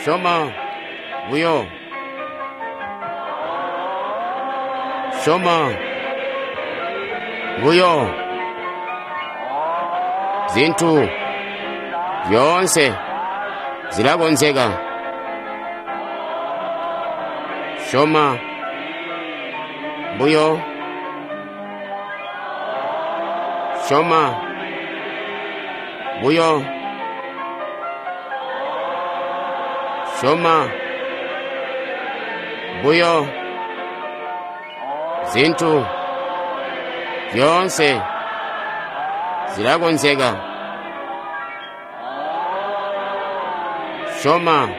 Syoma buyo. Syoma buyo. Zintu zyoonse zilakonzeka. Syoma buyo. Syoma buyo. Syoma buyo. Zintu zyoonse zilakonzeka. Syoma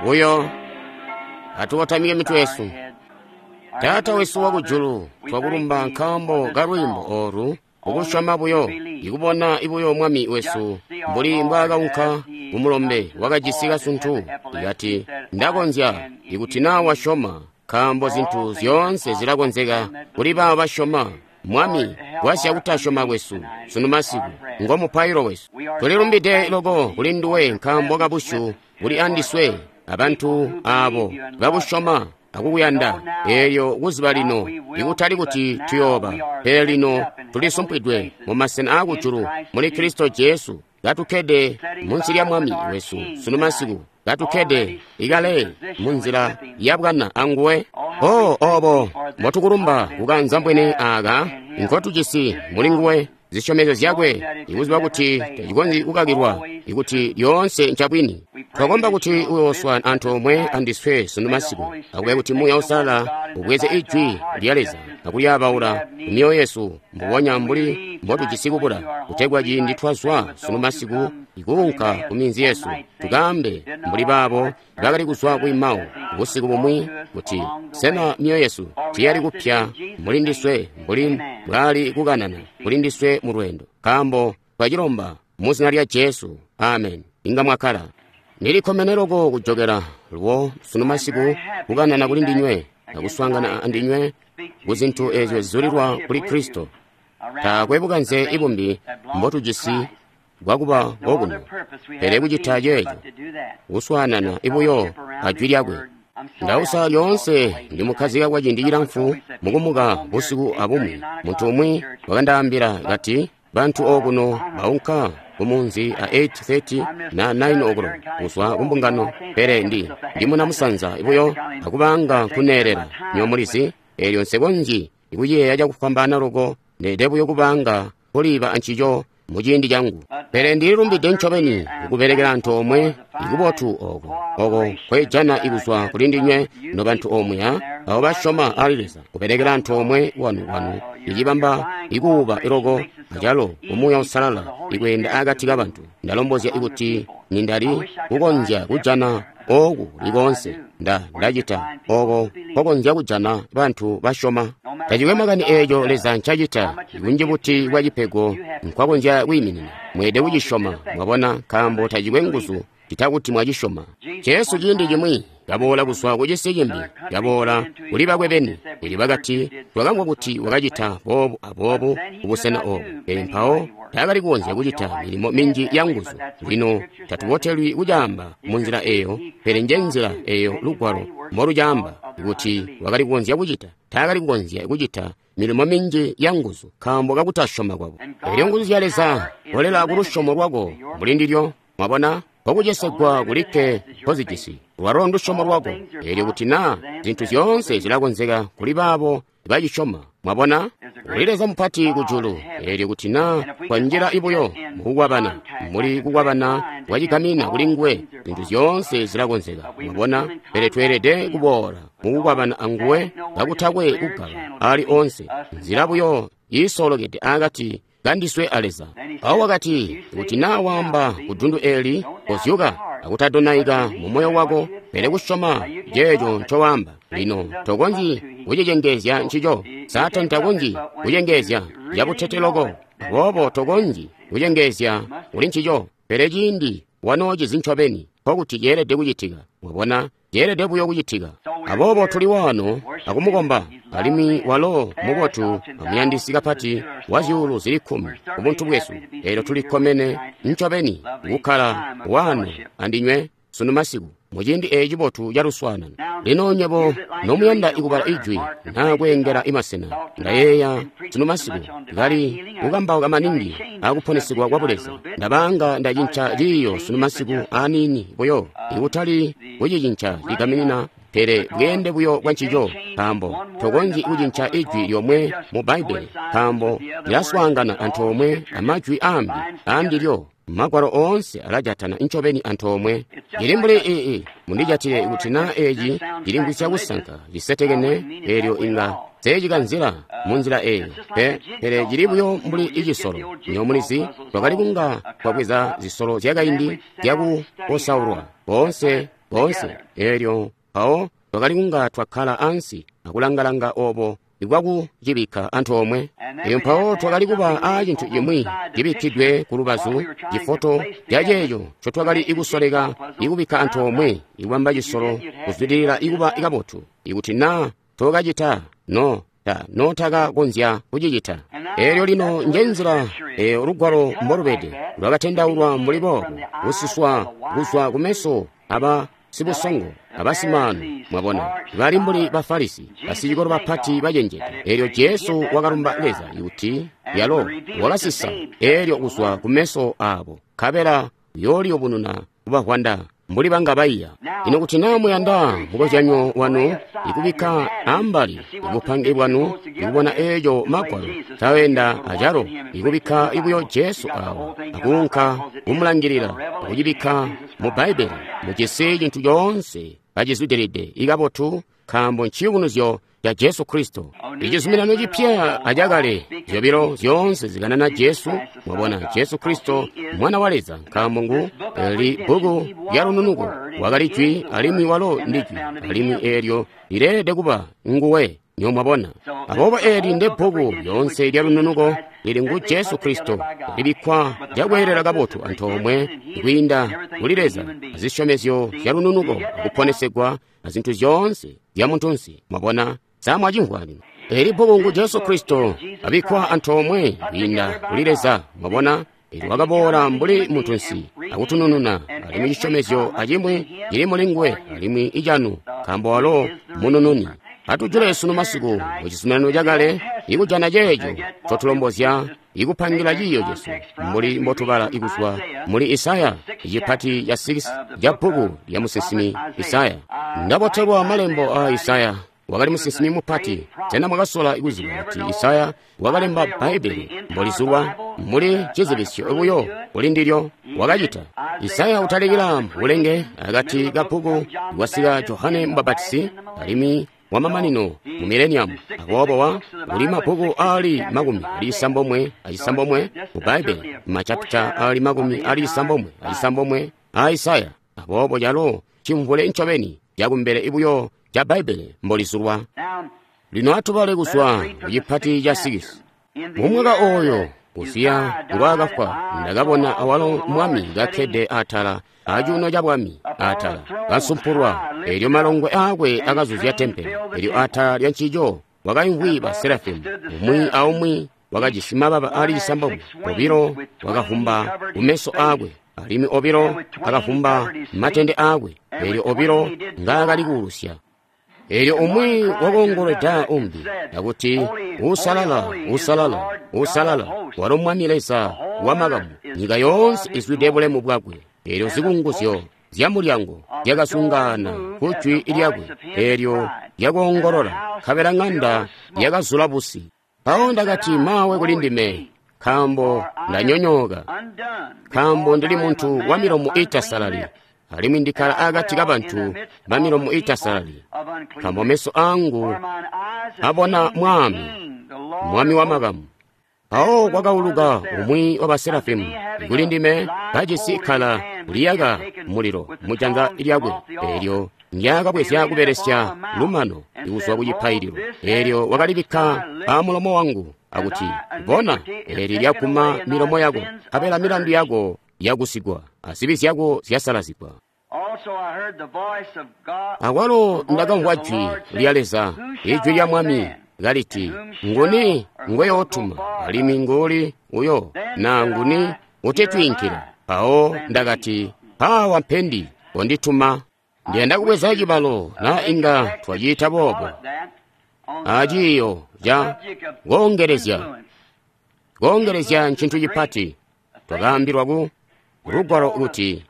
buyo. Atukotamike mitwe yesu. Taata wesu wakujulu, twakulumba nkaambo ka lwiimbo oolu, kukusyoma buyo, ikubona ibuyo Mwami wesu mbuli mbwaakaunka kumulombe wakajisi kasuntu, ikati, Ndakonzya, ikuti naa wasyoma, nkaambo zintu zyoonse zilakonzeka kuli baabo basyoma. Mwami, gwasya kutasyoma kwesu sunu masiku, ngo mupailo wesu. Tulilumbide loko kuli nduwe nkaambo kabusyu buli andiswe, abantu aabo bakusyoma akukuyanda. Eelyo kuziba lino, ikutali kuti tuyooba, pele lino tulisumpwidwe mumasena aakujulu muli Kristo Jesu, katukkede munsi lya Mwami wesu sunu masiku, katukkede ikale munzila yabwana anguwe. O obo mbotukulumba kukanzambwene aaka nkotujisi muli nguwe, zisyomezyo zyakwe, ikuziba kuti tacikonzyi kukakilwa, ikuti lyoonse ncabwini. Twakomba kuti uyooswa antoomwe andiswe sunu masiku, akube kuti Muuya Uusalala ubweze Ijwi lya Leza akulyabaula kumyoyo yesu mbubonya mbuli mbotujisi kubula, kutegwa ciindi twazwa sunu masiku ikuunka ku minzi yesu, tukaambe mbuli baabo bakali kuzwa ku Emau busiku bumwi kuti, sena myoyo yesu tiyali kupya muli ndiswe mbuli mbwali kukanana kuli ndiswe mu lweendo? Nkaambo twacilomba mu zina lya Jesu. Amen. Inga mwakkala. Ndilikkomene loko kujokela lwo sunu masiku kukanana kuli ndinywe akuswaangana andinywe ku zintu eezyo zizulilwa kuli Kristo. Taakwe bukanze ibumbi mbotujisi bwakuba kokuno, pele kucita ceeco, kuswaanana ibuyo ajwi lyakwe. Ndausa lyoonse ndimukkazika kwa ciindi cilamfu mukumuka busiku abumwi. Muntu umwi wakandaambila kati, bantu okuno baunka kumunzi a 8:30 na 9 o'clock kuzwa kumbungano, pele ndimuna musanza buyo akubanga nkuneelela. Nyomulizi, eelyo nsekonzyi ikuyeeya cakufwambaana loko, ndeede buyo kubanga kuliiba ancico muciindi cangu. Pele ndililumbide ncobeni kukubelekela antoomwe ikubotu oko oko kwejana ikuzwa kuli ndinywe nobantu omuya abo basyoma ali Leza, kubelekela antoomwe wanu wanu icibamba ikuuba iloko acalo Muuya Uusalala ikweenda akati kabantu. Ndalombozya ikuti nindali kukonzya kujana oku likoonse ndacita oko kokonzya kujana bantu basyoma. Tacikwe makani eeco Leza ncacita, ikunji buti bwa cipego nkwakonzya kwiiminina, mweede kucisyoma, mwabona, nkaambo tacikwe nguzu cita kuti mwacisyoma. Jesu ciindi cimwi kaboola kuzwa kucisi cimbi, kaboola kuli bakwe beni, eelyo bakati, twakamvwa kuti wakacita boobu aboobu kubusena oobu, pele mpawo taakali kukonzya kucita milimo minji ya nguzu. Lino tatubotelwi kucaamba munzila eeyo, pele njenzila eeyo Lugwalo mbolucaamba kuti wakali kukonzya kucita. Taakali kukonzya kucita milimo minji ya nguzu nkaambo kakutasyoma kwabo. Eelyo nguzu zya Leza kolela kulusyomo lwako mbuli ndilyo, mwabona, kokucesegwa kulikke kozijisi lwalo ndusyomo lwako. Eelyo kuti naa zintu zyoonse zilakonzeka kuli baabo bacisyoma, mwabona, kuli Leza mupati kujulu. Eelyo kuti naa kwanjila ibuyo mukukwabana, muli kukwabana kwacigamina kuli nguwe, zintu zyoonse zilakonzeka, mwabona. Pele tweelede kuboola mukukwabana anguwe kakutakwe kugaba ali onse, nzila buyo iisolokede akati kandiswe a Leza. Awo wakati, kuti naa waamba kudundu eli, kozyuka akutadonaika mu moyo wako, pele kusyoma ceeco ncowaamba. Lino tokonzyi kucicengezya ncico. Saatani takonzyi kucengezya cabutete loko, aboobo tokonzyi kucengezya kuli ncico. Pele ciindi wanoocizi ncobeni, nkokuti ceelede kucitika. Mwabona, ceelede buyo kucitika. Aboobo tuli waano akumukomba, alimwi walo mubotu amuyandisi kapati wa zyuulu zili 10 kubuntu bwesu. Elyo tuli kkomene ncobeni kukkala waano andinywe sunu masiku muciindi eeci cibotu ca luswaanano. Lino nywebo nomuyanda ikubala ijwi naa kweengela imasena, ndayeeya sunu masiku kali kukambauka maningi akuponesigwa kwa Buleza. Ndabaanga ndacinca ciiyo sunu masiku aniini buyo, ikutali kucicinca cigaminina, pele bweende buyo bwa ncico, nkaambo tokonzyi kucinca ijwi lyomwe mu Bbaibbele, nkaambo lilaswaangana antoomwe amajwi aambi aandilyo. Magwalo oonse alajatana ncobeni antoomwe. Cili mbuli ii, mundijatile kuti naa eci cilimvwisya kusanka cisetekene, eelyo inga seecikanzila munzila eeyo. Pele cili buyo mbuli icisolo. Nywebo mulizi, twakali kunga twabweza zisolo zyakaindi zyakukosaulwa boonse boonse, eelyo mpawo twakali kunga twakkala ansi akulangalanga obo ikwakucibikka antoomwe. Elyo mpawo twakali kuba aa cintu cimwi cibikkidwe ku lubazu, cifoto ca ceeco ncotwakali ikusoleka ikubikka antoomwe, ikubamba cisolo kuzwidilila ikuba kabotu. Ikuti naa tookacita, nootakakonzya kucicita. Elyo lino njenzila eyo lugwalo mbolubede, lwakatendaulwa mbuli boobo, kusiswa kuzwa kumeso aba sibusongo abasimaanu, mwabona, bali mbuli Bafarisi, basicikolo bapati bacenjede. Elyo Jesu wakalumba Leza kuti yalo wakasisa elyo kuzwa kumeso aabo, nkabela uyooliyubununa kubavwanda mbuli banga baiya. Ino kuti naa muyanda mukozyanyo wanu ikubikka ambali ibupange bwanu, ikubona eeco magwalo taenda acalo, ikubikka buyo Jesu awo akuunka kumulangilila akucibikka mu Bbaibbele, mujisi cintu coonse kacizwidilide ikabotu, nkaambo nciyubunuzyo ca Jesu Kristo. Icizuminano cipya acakale zyobilo zyoonse zikanana Jesu, mwabona, Jesu Kristo mwana wa Leza, nkaambo ngu li bbuku lya lununuko, wakali jwi alimwi walo ndi jwi, alimwi eelyo lileelede kuba nguwe. Nyo mwabona. Aboobo eeli nde bbuku lyoonse lya lununuko lili ngu Jesu Kristo, libikkwa cakweelela kabotu antoomwe kwiinda kuli Leza azisyomezyo zya lununuko akuponesegwa azintu zyoonse zya muntunsi. Mwabona, samwacimvwa lino. Eeli bbuku ngu Jesu Kristo abikkwa antoomwe kwiinda kuli Leza. Mwabona, eelyo wakaboola mbuli muntunsi akutunununa, alimwi cisyomezyo acimwi cili muli nguwe alimwi icanu, nkaambo walo munununi. Atujule sunu masiku mu cizuminano cakale ikujana ceeco ncotulombozya ikupangila ciiyo cesu mbuli mbotubala ikuzwa muli Isaya icipati ca 6 ca bbuku lya musinsimi Isaya. Ndabotelwa malembo a Isaya. Wakali musinsimi mupati. Sena mwakasola ikuziba kuti Isaya wakalemba Bbaibbele mbolizulwa muli cizibisyo buyo kuli ndilyo? Wakacita. Isaya utalikila bulenge akati ka bbuku kwasika Johane Mubapatisi alimwi wamamanino mu mileniamu. Aboobo wa kuli mabbuku aali 96 mu Bbaibbele, machapita aali 96 a Isaya. Aboobo calo cimvule ncobeni cakumbele ibuyo ca Bbaibbele mbolizulwa. Lino atubale kuzwa kucipati ca 6. Mumwaka ooyo Uziya ngwaakafwa, ndakabona awalo mwami kakkede atala acuuno ca bwami atala kasumpulwa, eelyo malongwe aakwe akazuzya tempele. Eelyo atala lya ncico wakaimvwi ba Serafimu, umwi aumwi wakajisi mababa aali 9, obilo wakavumba kumeso aakwe, alimwi obilo akavumba matende aakwe, eelyo obilo ngaakali kuulusya. Eelyo umwi wakoongolweda umbi akuti, "Uusalala, uusalala, uusalala, walo Mwami Leza wamakamu, nyika yoonse izwide bulemu bwakwe." Eelyo zikunguzyo zyamulyango zyakazungaana kujwi lyakwe, eelyo lyakoongolola, nkabela ŋanda yakazula busi. Mpawo ndakati, "Mawe kuli ndime, nkaambo ndanyonyooka, nkaambo ndili muntu wa milomo iitasalali, alimwi ndikkala akati kabantu ba milomo iitasalali, nkaambo meso aangu abona Mwami, Mwami wamakamu." Mpawo kwakauluka umwi wa baserafimu kuli ndime kajisi ikkala liyaka mulilo mujanza lyakwe, eelyo ndyaakabweza kubelesya lumano kuzwa ku cipaililo. Eelyo wakalibikka amulomo wangu akuti, "Bona, eeli lyaguma milomo yako, nkabela milandu yako yagusigwa, azibi zyako zyasalazigwa." Akwalo ndakamvwa jwi lya Leza, ijwi lya Mwami kaliti, nguni ngweyootuma, alimwi nguli uyo, na nguni utetwiinkila? Mpawo ndakati, mpaawa mpendi, kondituma. Ndiyanda kubweza cibalo na inga twaciita boobo, aciiyo ca koongelezya. Koongelezya ncintu cipati. Twakaambilwa ku lugwalo kuti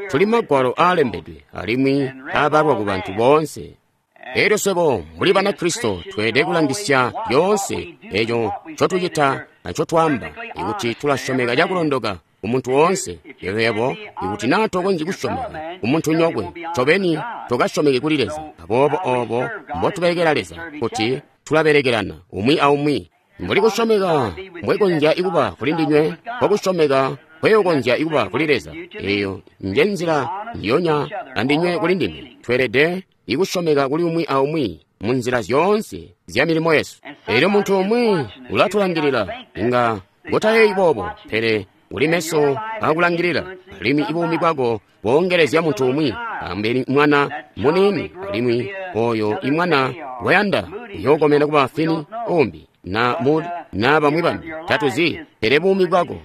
tuli magwalo aalembedwe alimwi aabalwa ku bantu boonse. Elyo swebo mbuli Banakristo tweelede kulangisya lyoonse eco ncotucita ancotwaamba, ikuti tulasyomeka cakulondoka kumuntu woonse. Yebo, ikuti naa tokonzyi kusyomeka kumuntu nyokwe, ncobeni tokasyomeki kuli Leza. Aboobo oobo mbotubelekela Leza, kuti tulabelekelana umwi aumwi. Mbuli kusyomeka mbwekonzya kuba kuli ndinywe, mbokusyomeka nkweyokonzya kuba kuli Leza. Eeyo nje nzila njiyonya andinywe kuli ndime. Tweelede ikusyomeka kuli umwi aumwi munzila zyoonse zya milimo yesu. Elyo muntu umwi ulatulangilila, inga ngotayeeyi boobo, pele uli meso akulangilila, alimwi ibuumi bwako boongelezya muntu umwi, ambeni mwana muniini, alimwi oyo imwana wayanda uyookomena kuba fini umbi na muli na bamwi bambi tatuzi, pele buumi bwako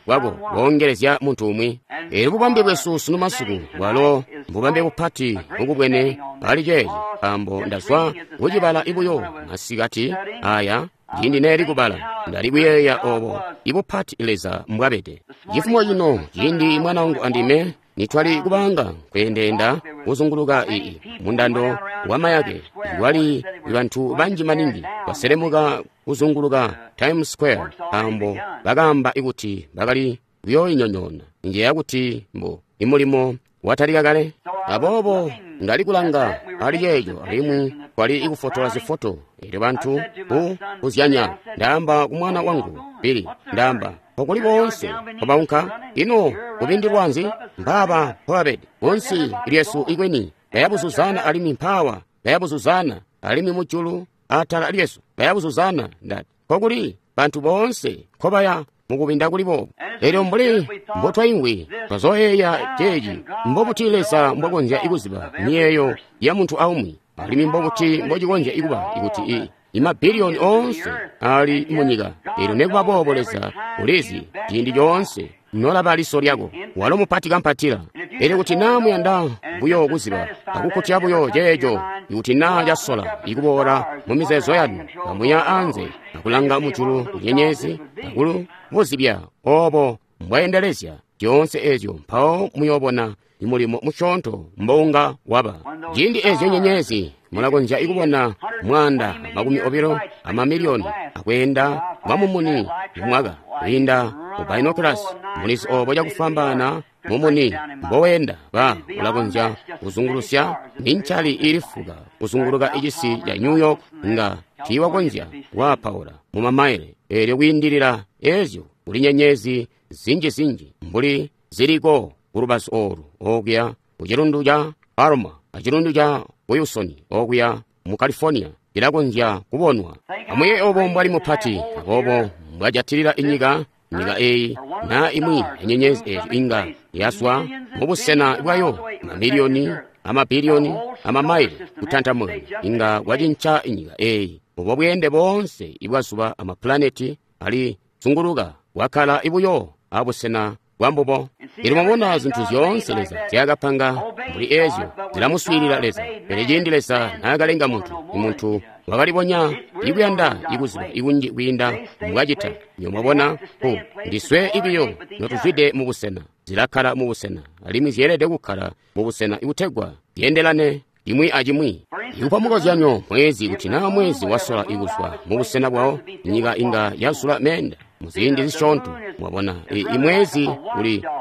boongelezya muntu umwi. Elyo bubambe bwesu sunu masiku bwalo mbubambe bupati bukubwene ali ceeci, nkaambo ndazwa kucibala ibuyo masikati aya. Ciindi neeli kubala, ndali kuyeeya obo ibupati Leza mbwabede. Cifumo cino, ciindi mwana wangu andime nitwali kubanga kweendeenda kuzunguluka ii mundando wa mayake, kwali bantu banji maningi baselemuka kuzunguluka Times Square, nkaambo bakaamba ikuti bakali kuyooyinyonyoona. Njeeya kuti mbo imulimo watalika kale. Aboobo ndali kulanga ali ceeco, alimwi kwali ikufotola zifoto. Elyo bantu ku kuzyanya, ndaamba ku mwana wangu Billy, ndaamba nkokuli boonse nkobaunka, ino kubindilwa nzi? Mbaaba mpobabede kunsi lyesu ikweni, bayabuzuzana alimwi mpaawa bayabuzuzana, alimwi mujulu atala lyesu bayabuzuzana. Ndati nkokuli bantu boonse nkobaya mukubinda kuli boobu. Elyo mbuli mbotwaimvwi twazoyeeya ceeci, mbobuti Leza mbwakonzya kuziba miyeeyo ya muntu aumwi, alimwi mbobuti mbocikonzya kuba ikuti imabiliyoni oonse ali munyika. Elyo nekuba boobo Leza ulizi ciindi coonse nolaba liso lyako, walo mupati kampatila. Elyo kuti naa muyanda buyo kuziba akukkutya buyo ceeco, ikuti naa casola ikuboola mu mizeezo yanu, kamuya anze akulanga mujulu kunyenyezi akulubuzibya obo mbwayendelezya zyoonse ezyo, mpawo muyoobona imulimo musyoonto mbounga waba. Ciindi ezyo nyenyezi mulakonzya ikubona 120 amamiliyoni akweenda kwa mumuni mumwaka kwiinda mu binoculars. Mulizi obo cakufwambaana mumuni mboweenda ba ulakonzya kuzungulusya mincali ili fuka kuzunguluka icisi ca New York, nga tiiwakonzya waapaula mu mamaile. Elyo kwiindilila ezyo kuli nyenyezi zinji-zinji mbuli ziliko kulubazu oolu okuya ku cilundu ca Palomar acilundu ca Wilson okuya mu California cilakonzya kubonwa. Amuyeeye obo mbwali mupati, aboobo mbwajatilila inyika, nyika eyi na imwi enyenyezi eyo inga yazwa mubusena bwayo mamiliyoni amabiliyoni amamaile kutantamuka, inga kwacinca inyika eyi. Obo bweende boonse ibwazuba amapulaneti ali zunguluka bwakkala ibuyo abusena bwambubo. Elyo mwabona zintu zyoonse Leza nzyaakapanga mbuli ezyo zilamuswiilila Leza. Pele ciindi Leza naakalenga muntu, imuntu wakalibonya ikuyanda ikuziba ikunji kwiinda mbwacita. Nyo mwabona ku ndiswe ibiyo notuzwide mubusena, zilakkala mubusena, alimwi zyeelede kukkala mubusena ikutegwa zyeendelane cimwi acimwi. Ikupa mukozyanyo, mwezi, kuti naa mwezi wasola ikuzwa mubusena bwawo, nyika inga yazula meenda muziindi zisyoonto. Mwabona, imwezi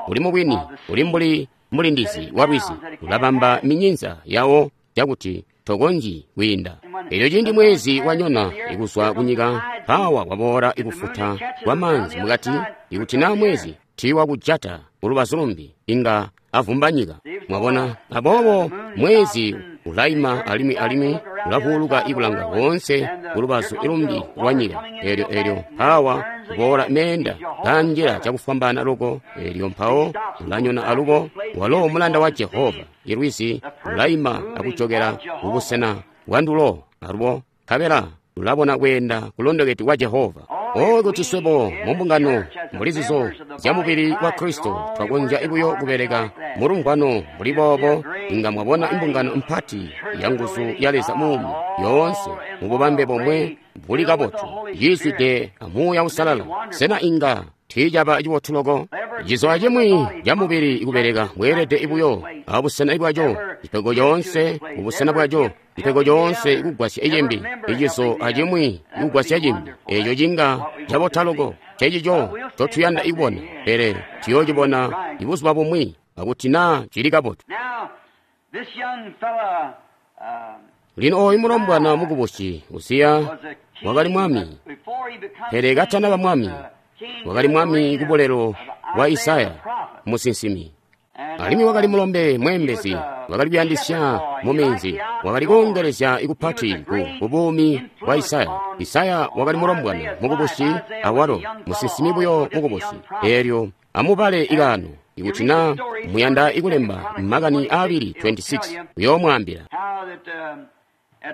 uli mubwini, uli mbuli mulindizi wa lwizi, ulabamba minyinza yawo cakuti tokonzyi kwiinda. Elyo ciindi mwezi wanyona ikuzwa kunyika, mpawa waboola ikufuta kwa maanzi mukati. Ikuti naa mwezi tiiwakujata kulubazu lumbi, inga avumba nyika. Mwabona, aboobo mwezi ulaima alimwi alimwi lulavuuluka ikulanga koonse kulubazu lumbi lwa nyika. Elyo mpaawa kuboola meenda kanjila cakufwambaana loko, elyo mpawo lulanyona alubo. Walo mulanda wa Jehova. Ilwizi lulaima akujokela kubusena bwandulo alubo, nkabela lulabona kweenda kulondokede kwa Jehova. O kuti swebo mumbungano mbuli zizo zya mubili wa Kristo twakonzya buyo kubeleka mulumvwano mbuli boobo, inga mwabona imbungano mpati ya nguzu ya Leza muumi yoonse mububambe bomwe buli kabotu, yizwide a Muuya Uusalala. Sena inga tiicaba cibotu loko? Cizo acimwi ca mubili kubeleka bweelede buyo abusena bwaco, cipego coonse kubusena bwaco, cipego coonse kugwasya icimbi, icizo acimwi kugwasya cimbi. Eco cinga cabota loko. Ncencico ncotuyanda kubona, pele tuyoocibona ibuzuba bumwi akuti naa cili kabotu. Lino ooyu mulombwana mukubusi Uziya wakali mwami, pele katanaba mwami, wakali mwami kubulelo bwa Isaya musinsimi. Alimwi wakali mulombe mweembezi, wakali kuyandisya muminzi, wakali koongelezya ikupati ku buumi bwa Isaya. Isaya wakali mulombwana mukubusi awalo musinsimi buyo mukubusi. Eelyo amubale ikaano, ikuti naa muyanda ikulemba makani 2:26 uyoomwaambila.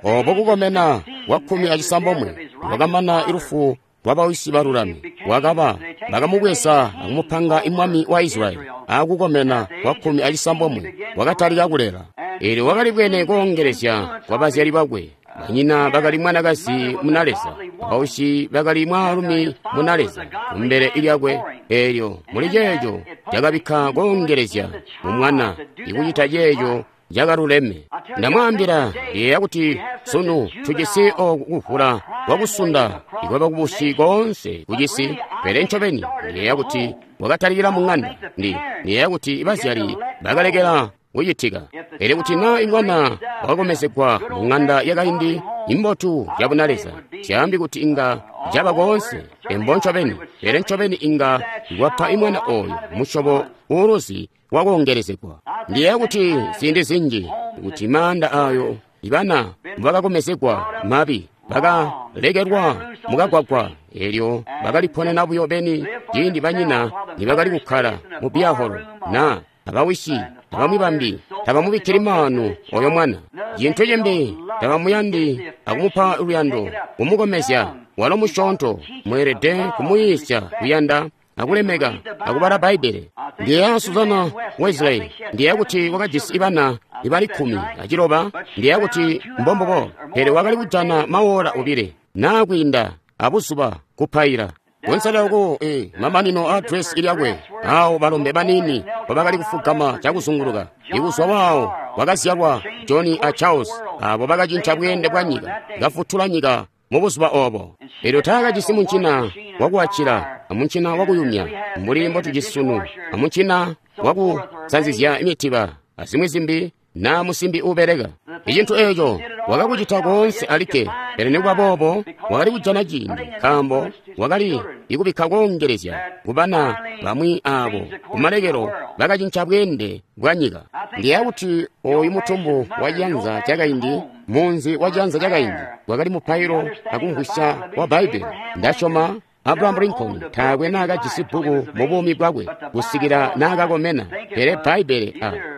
Obo kukomena kwa 16 lwakamana ilufu lwabawisi balulami, wakaba bakamubweza akumupanga imwami wa Israyeli. Akukomena kwa 16 wakatalika kulela. Eelyo wakali bwene koongelezya kwa bazyali bakwe. Banyina bakali mwanakazi munaleza, bawisi bakali mwaalumi munaleza kumbele lyakwe. Eelyo muli ceeco cakabikka koongelezya mumwana ikucita ceeco cakaluleme. Ndamwaambila, ndiyeeya kuti sunu tujisi oku kuvula kwakusunda ikwabakubusi koonse kucisi, pele ncobeni ndiyeeya kuti wakatalikila mung'anda. Ndiyeeya kuti bazyali bakalekela kucitika. Pele kuti naa imwana wakakomezegwa mung'anda yakaindi imbotu yabunaleza, syaambi kuti inga caba koonse embo ncobeni, pele ncobeni inga wapa imwana oyo musyobo uuluzi wakoongelezegwa. Ndiyeeya kuti ziindi zinji kuti maanda ayo ibana bakakomezegwa mabi, bakalekelwa mukagwagwa, elyo bakaliponena buyo beni ciindi banyina nibakali kukkala mu biyaholo na abawisi abamwi bambi tabamubikkili maanu oyo mwana. Cintu cimbi tabamuyandi akumupa luyando kumukomezya. Walo musyoonto mweelede kumuyiisya kuyanda akulemeka akubala Bbaibbele. Ndiyeeya Susanna Wesley, ndiyeeya kuti wakajisi ibana ibali 16, ndiyeeya kuti mbombubo, pele wakali kujana mawola 2 naa kwiinda abuzuba kupaila. Kunselelo ku mamanino a dresi lyakwe, awo balombe banini bakali kufugama cakuzunguluka. Ikuzwa waawo wakazyalwa John a Charles, abo bakacinca bweende bwa nyika, kafutula nyika mubuzuba obo. Elyo taakajisi muncina wakuwacila, amuncina wakuyumya mbuli mbotujisi sunu, amuncina wakusanzizya mitiba azimwi zimbi, naa musimbi uubeleka. Icintu eeco wakakucita koonse alikke, pele nikuba boobo wakali kujana ciindi, nkaambo wakali ikubikka koongelezya kubana bamwi aabo kumalekelo bakacinca bweende bwa nyika. Ndiyeeya kuti ooyu mutumbu wa ciyanza cakaindi, munzi wa ciyanza cakaindi, wakali mupailo akumvwisya wa Bbaibbele. Ndasyoma Abraham Lincoln taakwe naakajisi bbuku mubuumi bwakwe kusikila naakakomena, pele Bbaibbele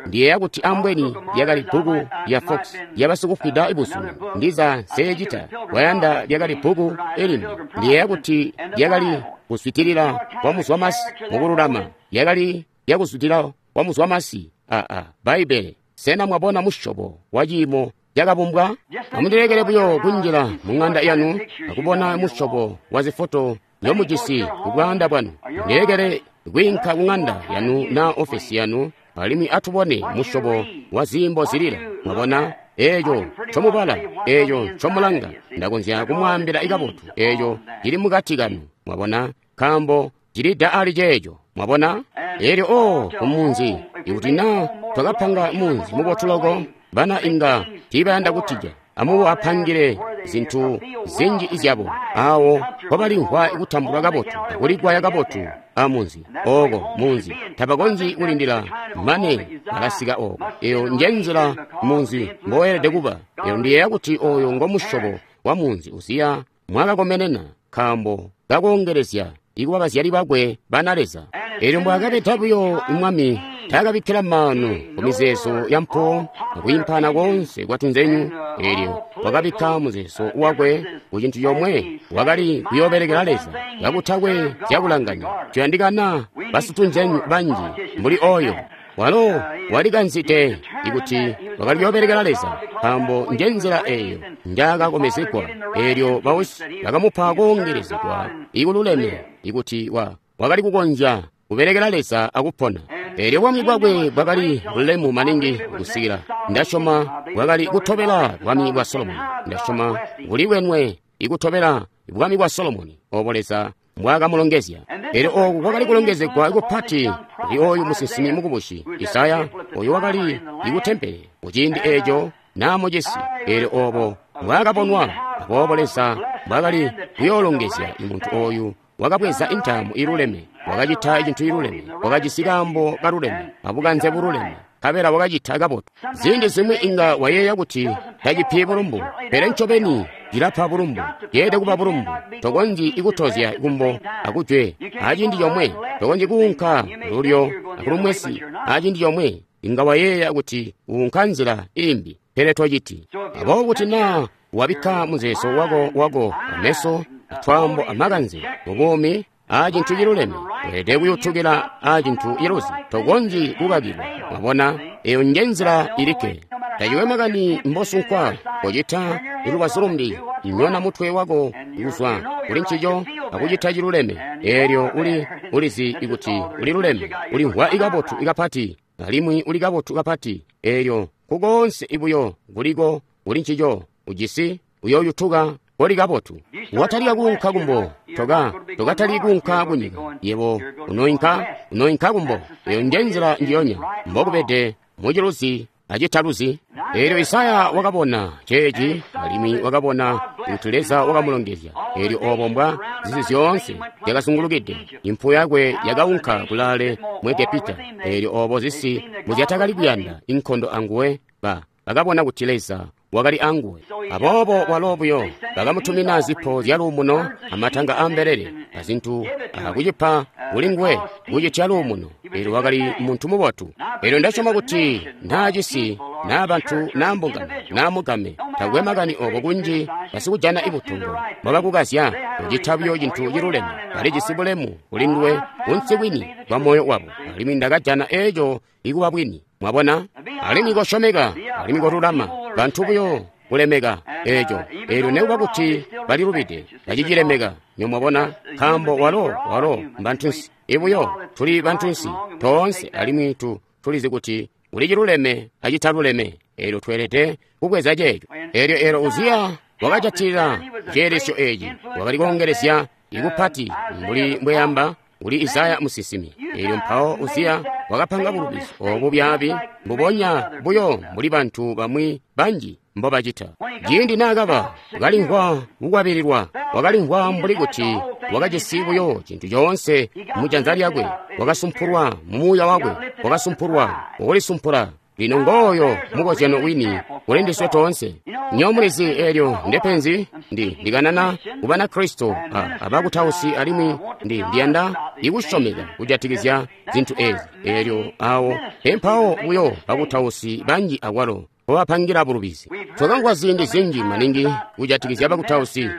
ndiyeeya kuti ambweni lyakali bbuku lya Fox lyabasikufwida ibusunu, ndiza nseecita kwayanda lyakali bbuku elimbi. Ndiyeeya kuti lyakali kuzwidilila kwa muzwamasi mukululama, lyakali lyakuzwidilila kwa muzwamasi Bbaibbele. Sena mwabona musyobo wa ciimo cakabumbwa? Amundilekele buyo kunjila mung'anda yanu akubona musyobo wa zifoto yomujisi kubwaanda bwanu. Ndilekele kwiinka kung'anda yanu naa ofesi yanu, alimwi atubone musyobo wa ziimbo zilila. Mwabona eeco ncomubala, eeco ncomulanga. Ndakonzya kumwaambila ikabotu eeco cili mukati kanu. Mwabona, nkaambo cilida ali ceeco. Mwabona, eelyo kumunzi, ikuti naa twakapanga munzi mubotu loko, bana inga tiibayanda kutija. Amubapangile zintu zinji zyabo awo mpobalimvwa kutambulwa kabotu akuligwaya kabotu amunzi ooko munzi tabakonzyi kulindila mane bakasika ooko. Eyo nje nzila munzi mboelede kuba. Eyo ndiyeeya kuti oyo ngomusyobo wa munzi Uziya mwakakomenena nkaambo kakoongelezya ikuba bazyali bakwe bana Leza. Elyo mbwaakabeda buyo mwami taakabikkila maanu ku mizeezo ya mpuwo akwiimpana koonse kwa tunzenyu. Elyo wakabikka muzeezo wakwe ku cintu comwe, wakali kuyoobelekela Leza kakutakwe zyakulanganya. Tuyandikana basitunzenyu banji mbuli oyo. Walo walikanzide ikuti wakali kuyoobelekela Leza, nkaambo nje nzila eyo njaakakomezegwa. Elyo bawisi bakamupa koongelezegwa ikululeme ikuti wakali kukonzya kubelekela Leza akupona. Elyo bwami bwakwe bwakali bulemu maningi kusikila ndasyoma bwakali kutobela bwami bwa Solomoni. Ndasyoma buli bwenwe ikutobela bwami bwa Solomoni obo Leza mbwaakamulongezya. Elyo ooku kwakali kulongezegwa kupati kuli oyu musinsimi mukubusi Isaya, oyu wakali ikutempele kuciindi eeco naa mucisi. Elyo obo mbwaakabonwa, aboobo Leza mbwaakali kuyoolongezya muntu oyu wakabweza intaamu iluleme, wakacita cintu iluleme, wakajisi kaambo kaluleme, abukanze bululeme, nkabela wakacita kabotu. Ziindi zimwi inga wayeeya kuti tacipi bulumbu, pele ncobeni cilapa bulumbu, ceelede kuba bulumbu. Tokonzyi ikutozya kumbo akujwe aciindi comwe, tokonzyi kuunka lulyo akulumwesi aciindi comwe. Inga wayeeya kuti uunka nzila imbi, pele tociti. Aboobo kuti naa wabikka muzeezo wako ameso, atwaambo amakanze mubuumi aacintu ciluleme, weelede kuyutukila aacintu ciluzi. Tokonzyi kukakilwa. Mwabona, eyo nje nzila ilikke. Taciwe makani mbosunkwa kocita lubazu lumbi, nyona mutwe wako kuzwa kuli ncico akucita ciluleme. Eelyo ulizi kuti uliluleme, ulimvwa ikabotu kapati, alimwi uli kabotu kapati. Eelyo kukoonse ibuyo kuliko kuli ncico ujisi uyoyutuka koli kabotu. Watalika kuunka kumbo, tokatalika kuunka kunyika. Yebo unoinka kumbo. Eyo nje nzila njiyonya mbokubede muciluzi acitaluzi. Elyo Isaya wakabona ceeci, alimwi wakabona kuti Leza wakamulongezya. Elyo obo mbwa zisi zyoonse zyakazungulukide, impu yakwe yakaunka kulaale mu Egepita. Elyo obo zisi muzyatakali kuyanda inkondo anguwe, bakabona kuti Leza wakali anguwe. Aboobo walo buyo bakamutumina zipo zyaluumuno amatanga ambelele azintu akucipa kuli nguwe kucitya luumuno. Elyo wakali muntu mubotu. Elyo ndasyoma kuti naa cisi naa bantu naa mbungano naa mugame takwe makani obo kunji basikujana ibutongo mbwabakukazya kucita buyo cintu ciluleme, balijisi bulemu kuli nduwe kunsi kwini kwa moyo wabo. Alimwi ndakajana eeco ikuba bwini. Mwabona? Alimwi kosyomeka, alimwi kolulama, bantu buyo kulemeka eeco. Eelyo nekuba kuti balilubide, bacicilemeka. Nyomwabona? Nkaambo walo mbantunsi. Ibuyo tuli bantunsi toonse, alimwi tulizi kuti kuli ciluleme acitaluleme. Eelyo tweelede kubweza ceeco. Eelyo Uziya wakajatilila ceelesyo eeci, wakali koongelezya ikupati mbuli mbweyamba kuli Isaya musinsimi. Eelyo mpawo Uziya wakapanga bulubizi obu bubyaabi mbubonya buyo mbuli bantu bamwi banji mbobacita. Ciindi naakaba wakalimvwa kukwabililwa, wakalimvwa mbuli kuti wakajisi buyo cintu coonse mujanza lyakwe, wakasumpulwa mumuuya wakwe, wakasumpulwa ukulisumpula. Lino ngooyo mukozyano wini kuli ndiswe toonse. Nyo mulizi eelyo ndepenzi ndikanana ku Banakristo abakutausi, alimwi ndiyanda ikusyomeka kujatikizya zintu ezi. Eelyo awo empawo buyo bakutausi banji akwalo mpobapangira bulubizi. Twakamvwa ziindi zinji maningi kujatikizya bakutausi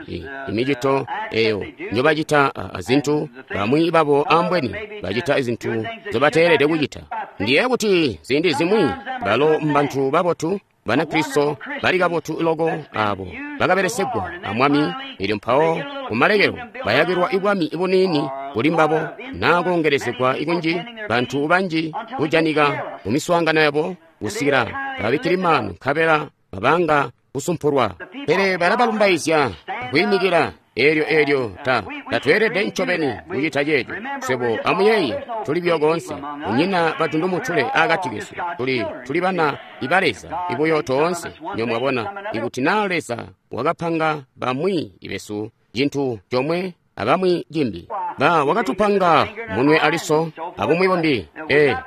imicito eyo njobacita azintu bamwi babo ambweni bacita zintu nzobateelede kucita. Ndiye kuti ziindi zimwi balo mbantu babotu Banakristo bali kabotu loko abo bakabelesegwa amwami. Elyo mpawo kumalekelo bayakilwa ibwami buniini kuli mbabo naa koongelezegwa ikunji bantu banji kujanika mumiswaangano yabo kusikila babikkili maanu nkabela babanga kusumpulwa. Pele balabalumbaizya akwiimikila Eelyo eelyo ta tatweelede ncobeni kucita ceeco. Swebo amuyeeye, tuli buyo koonse. Kunyina batundumutule akati kesu. Tuli bana iba Leza, ibuyo toonse. Nyo mwabona, ikuti na Leza wakapanga bamwi besu cintu comwe abamwi cimbi. Ba wakatupanga munwe aliso abumwi bumbi.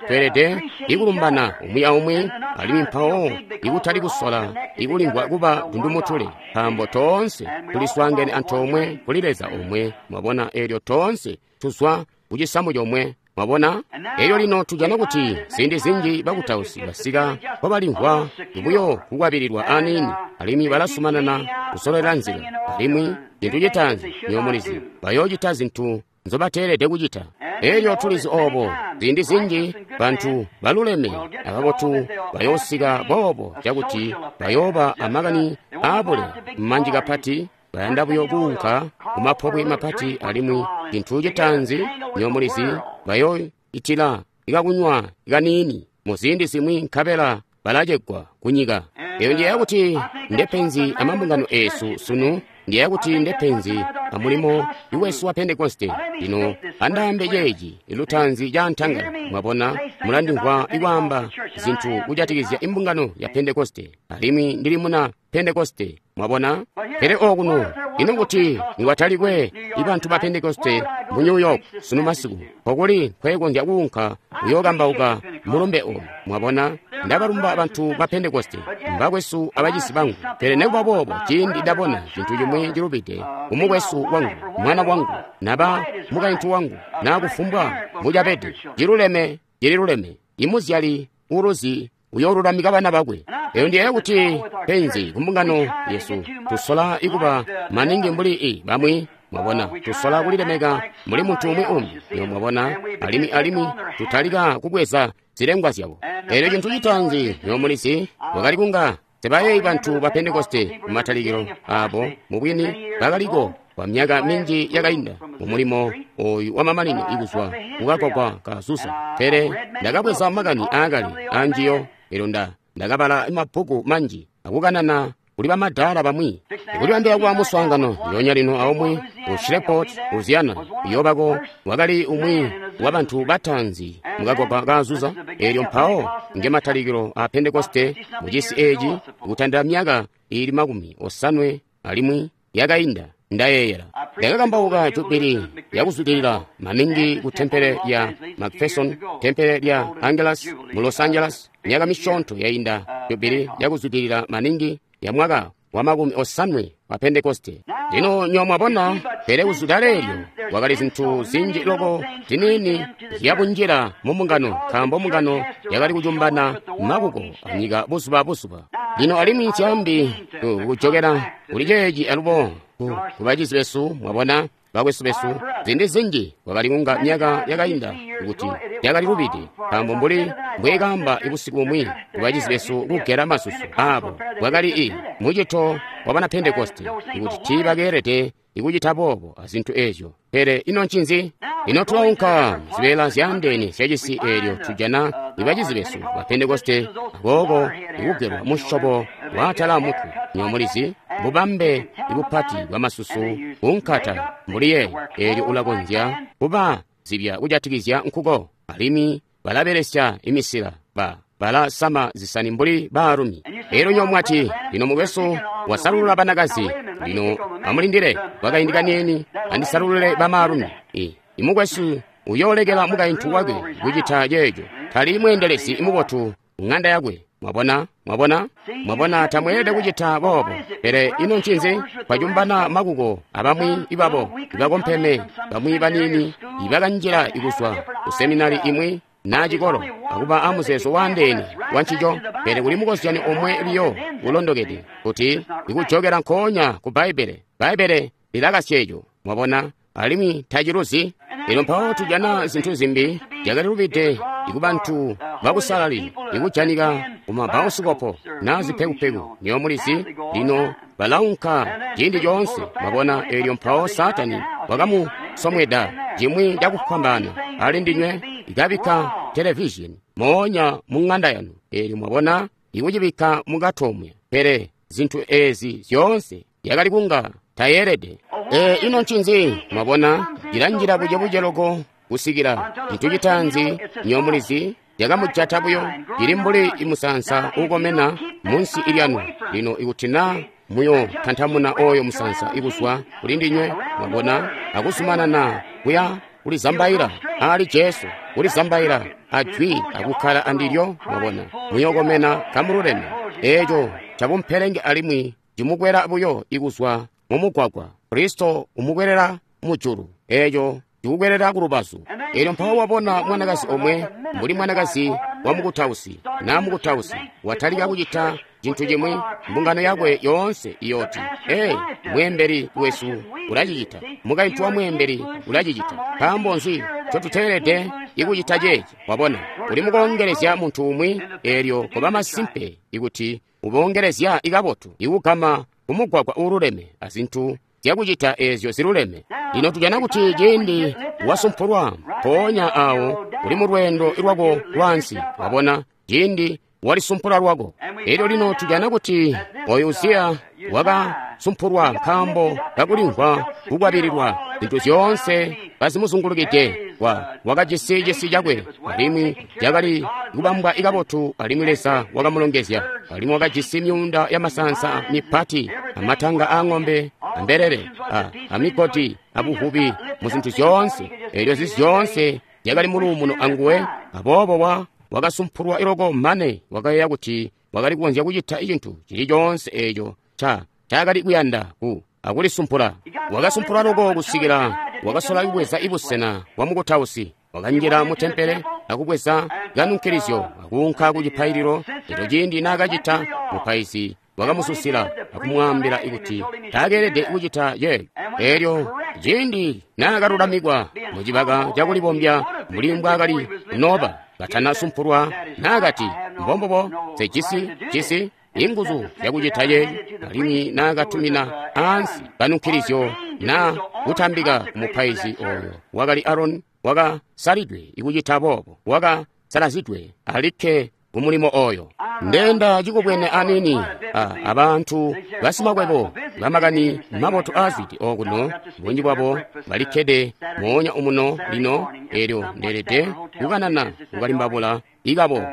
Tweelede ikulumbana umwi aumwi, alimwi mpawo ikutali kusola ikulimvwa kuba dundumutule, nkaambo toonse tuliswaangene antoomwe kuli Leza omwe. Mwabona, eelyo toonse tuzwa kucisamu comwe. Mwabona? Elyo lino tujana kuti ziindi zinji bakutausi basika mpobalimvwa buyo kukwabililwa aniini, alimwi balasumanana kusolera nzila, alimwi cintu citaanzi nyomulizi bayoocita zintu nzobateelede kucita. Elyo tulizi obo ziindi zinji bantu baluleme ababotu bayoosika boobo cakuti bayooba amakani aabule manji kapati, bayanda buyo kuunka kumapobwe mapati, alimwi cintu citaanzi nyomulizi bayoitila ikakunywa ikaniini muziindi zimwi nkabela balacegwa kunyika. Eyo ndiyeeya kuti ndepenzi amambungano eesu sunu. Ndiyeeya kuti ndepenzi amulimo iwesu wa Pentekoste. Lino andaambe ceeci lutaanzi ca ntangala. Mwabona, mulandimvwa ikwaamba zintu kujatikizya imbungano ya Pentekoste, alimwi ndili muna Pentekoste. Mwabona? Pele okuno, ino kuti nikwatalikwe ibantu ba Pentekoste mu New York sunu masiku, nkokuli nkwekonzya kuunka kuyookambauka mulumbe oyu. Mwabona, ndabalumba bantu ba Pentekoste, mbakwesu abacisi bangu. Pele nekuba boobo, ciindi ndabona cintu cimwi cilubide kumukwesu wangu, mwana wangu, naba mukaintu wangu, na kufumbwa mbucabede, ciluleme, cililuleme. Imuzyali uluzi uyoolulamika bana bakwe. Eyo ndiyeeya kuti penzi kumbungano yesu, tusola ikuba maningi mbuli i bamwi. Mwabona, tusola kulilemeka mbuli muntu umwi umbi. Yo mwabona, alimwi tutalika kubweza zilengwa zyabo. Elyo cintu citaanzi nyomulizi wakali kunga tebayeeyi bantu ba Pentekoste mumatalikilo abo, mubwini bakaliko kwa myaka minji yakainda mumulimo oyu wamamanino ikuzwa kukagwagwa ka Susa. Pele ndakabweza makani aakale anjiyo, elyo ndakabala mabbuku manji akukanana kuli bamadaala bamwi. Ikulibambila kuba muswaangano lyoonya lino aumwi ku Shreveport, Louisiana, uyoobako wakali umwi wa bantu bataanzi mukagwagwa ka Azusa. Eelyo mpawo nge matalikilo a Pentekoste mucisi eeci kutandila myaka iili 50 alimwi yakainda. Ndayeeyela ndakakambauka jubbili yakuzwidilila maningi ku tempele lya McPherson, tempele lya Angeles mu Los Angeles, myaka misyoonto yainda, jubbili yakuzwidilila maningi ya mwaka wa 50 wa Pentekoste. Lino nyo mwabona, pele kuzwida leelyo wakali zintu zinji loko ziniini zyabunjila mu mbungano, nkaambo mbungano yakali kucumbana makuko anyika buzuba buzuba. Lino alimwi nsyambi kujokela kuli ceeci alubo kubacizi besu, mwabona, bakwesu besu, ziindi zinji kwakali kunga myaka yakainda kuti yakali lubide, nkaambo mbuli mbweekaamba ibusiku bumwi kubacizi besu kugela masusu aabo bwakali i mucito wa bana Pentekoste, ikuti tiibakeelede ikucita boobo azintu eezyo. Pele ino ncinzi? Lino tulaunka zibeela zyaandeene zyacisi eelyo tujana ibacizi besu ba Pentekoste akooko ikugelwa musyobo waatala mutwe. Nyomulizi bubambe ibupati bwa masusu kunkata mbuli yeeyo, eelyo ulakonzya kuba zibya kujatikizya nkuko, alimwi balabelesya imisila balasama zisani mbuli baalumi. Eelyo nyomwati, lino mukwesu wasalulula banakazi, lino amulindile kwakaindi kaniini andisalulule bamaalumi. Imukwesu uyoolekela mukaintu wakwe kucita ceeco, tali mweendelezi mubotu ŋanda yakwe. Mwabona, mwabona, mwabona, tamweelede kucita boobo. Pele ino ncinzi? Kwacumbana makuko abamwi ibabo ibakompeme, bamwi baniini ibakanjila ikuzwa ku seminari imwi na cikolo akuba amuzeezo waandeene wancico. Pele kuli mukozyani omwe biyo ulondokede, kuti ikujokela nkoonya ku Bbaibbele. Bbaibbele lilakasya eco, mwabona, alimwi taciluzi. Elyo mpawo tujana zintu zimbi zyakalilubide ikubantu bakusalali ikujanika kumabausukopo na zipekupeku. Niyo mulizi lino balaunka ciindi coonse, mwabona. Elyo mpawo Saatani wakamusomweda cimwi cakufwambaana ali ndinywe, ikabikka televizhini moonya mu ŋanda yanu. Elyo mwabona, ikucibikka mukatomwe. Pele zintu eezi zyoonse yakali kunga tayeelede. Ino ncinzi? Mwabona, cilanjila bucebuce loko kusikila cintu citaanzi nyomulizi yakamujata buyo, cili mbuli musansa uukomena munsi ilyanu. Lino ikuti na muyo tantamuna oyo musansa ikuzwa kuli ndinywe, mwabona, akuzumanana kuya kulizambaila ali Jesu, kulizambaila ajwi akukkala andilyo, mwabona, muyokomena kamululeme. Eeco cabumpelenge alimwi cimukwela buyo ikuzwa mumugwagwa. Kristo umukwelela mujulu, eeco cikukwelela kulubazu. Elyo mpawo wabona mwanakazi omwe mbuli mwanakazi wa mukutausi na mukutausi watalika kucita cintu cimwi, mbungano yakwe yoonse iyooti, ee, mweembeli wesu ulacicita, mukaintu wa mweembeli ulacicita. Nkaambo nzi ncotuteelede ikucita ceeci? Wabona, uli mukoongelezya muntu umwi, eelyo koba masimpe ikuti uboongelezya ikabotu ikugama kumugwagwa uululeme azintu zyakucita eezyo ziluleme. Lino tujana kuti ciindi wasumpulwa, mpoonya awo uli mu lweendo lwako lwaansi. Wabona, ciindi walisumpula lwako. Elyo lino tujana kuti oyu Uziya wakasumpulwa nkaambo kakulimvwa kukwabililwa, zintu zyoonse kazimuzungulukide. Wakajisi cisi cakwe, alimwi cakali kubambwa ikabotu, alimwi Leza wakamulongezya. Alimwi wakajisi myuunda ya masansa mipati, amatanga a ng'ombe, ambelele, amigoti, abuvubi muzintu zyoonse. Elyo zisi zyoonse zyakali muluumuno anguwe. Aboobo wakasumpulwa iloko mane wakayeeya kuti wakali kukonzya kucita cintu cili coonse eeco ncaakali kuyanda akulisumpula. Wakasumpulwa loko kusikila wakasola kubweza ibusena bwa mukutausi. Wakanjila mu tempele akubweza kanunkilizyo akuunka ku cipaililo. Elyo ciindi naakacita, mupaizi wakamususila akumwaambila kuti taakeelede kucita ceeco. Elyo ciindi naakalulamikwa mucibaka cakulibombya mbuli mbwaakali noba katanasumpulwa, naakati, mbombubo sejisi jisi inguzu zyakucita ceeci. Alimwi naakatumina ansi kanunkilizyo na kutambika kumupaizi oyo wakali Aroni, wakasalidwe ikucita boobo, wakasalazidwe alikke kumulimo oyo. Ndenda cikubwene anini abantu basimakwebo bamakani mabotu aazwidi okuno, bunji bwabo balikkede moonya umuno lino. Elyo ndeelede kukanana kukalimbabula ikabo